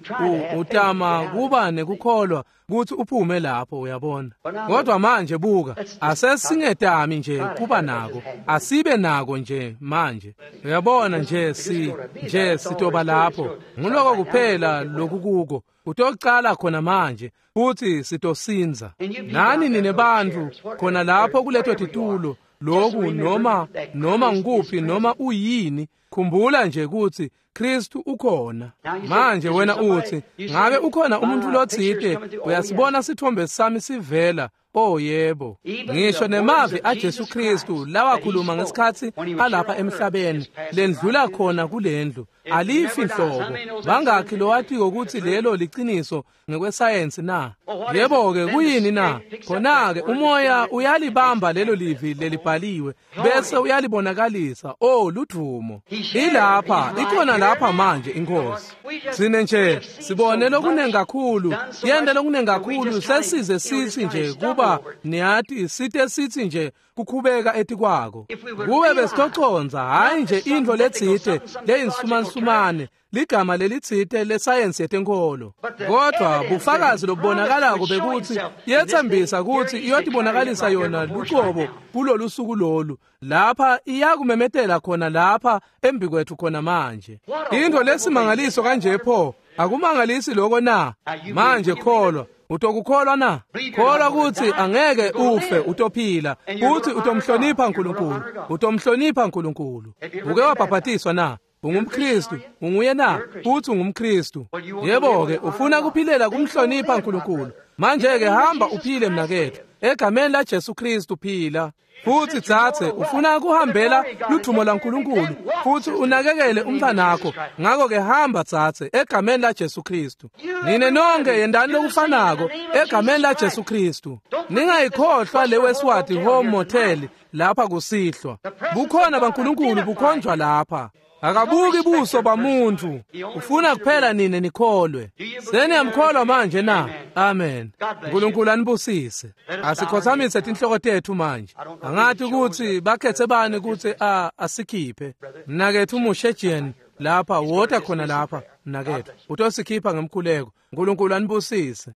utama kuba nekukholwa kuthi uphume lapho, uyabona. Kodwa manje buka, asesingetami nje kuba nako, asibe nako nje manje. Uyabona nje si nje sitoba lapho. Nguloko kuphela lokukuko. Utocala khona manje futhi sitosinza. Nani nine bantfu khona lapho kuleto titulo, loku noma noma ngikuphi noma uyini, khumbula nje ukuthi Kristu ukhona. Manje wena uthi, ngabe ukhona umuntu lotsite, uyasibona sithombe sami sivela? Oh yebo. Ngisho nemavi aJesu Kristu lawakhuluma ngesikhathi alapha emhlabeni, lendlula khona kulendlu, alifi nhlobo. Bangakhi lowatiko ukuthi lelo liciniso ngekwesayensi na? Yebo-ke, kuyini na? Khona-ke umoya uyalibamba lelo livi lelibhaliwe bese uyalibonakalisa. Oh, ludvumo. Ilapha, ikhona lapha manje inkosi. Sine nje sibone lokunengi kakhulu, yende lokunengi kakhulu, sesize sithi nje kuba niyathi site sithi nje kukhubeka etikwako. Kube besitoconza hayi nje intfo letsite leyinsumansumane, ligama lelitsite lesayensi yetenkolo, kodwa bufakazi lobubonakalako bekuthi yethembisa ukuthi iyotibonakalisa yona lucobo kulolu suku lolu. Lapha iyakumemetela khona lapha embikwethu khona manje. Into lesimangaliso kanje pho, akumangalisi lokho na? Manje kholwa. Utokukholwa na? Kholwa ukuthi angeke ufe, utophila, futhi utomhlonipha uNkulunkulu. Utomhlonipha uNkulunkulu. Uke wabhaphatiswa na? UngumKristu, unguye na? Futhi ungumKristu. Yebo-ke, ufuna kuphilela kumhlonipha uNkulunkulu. Manje-ke hamba uphile mnakethu. Egameni la Jesu Kristu phila. Futhi dzadze, ufuna kuhambela ludvumo laNkulunkulu, futhi unakekele umntwanakho. Ngakho-ke hamba dzadze, egameni la Jesu Kristu. Nine nonke yendani lokufanako egameni la Jesu Kristu. Ningayikhohlwa le Westward Home Motel lapha kusihlwa. Bukhona baNkulunkulu bukhonjwa lapha. Akabuki buso bamuntu, ufuna kuphela nine nikholwe. Seniyamkholwa manje na? Amen. uNkulunkulu anibusise. Asikhothamise tinhloko tethu manje. Angathi ukuthi bakhethe bani ukuthi a asikhiphe. Mnakethu Mushejian lapha, wota khona lapha mnakethu. Utosikhipha ngemkhuleko. uNkulunkulu anibusise.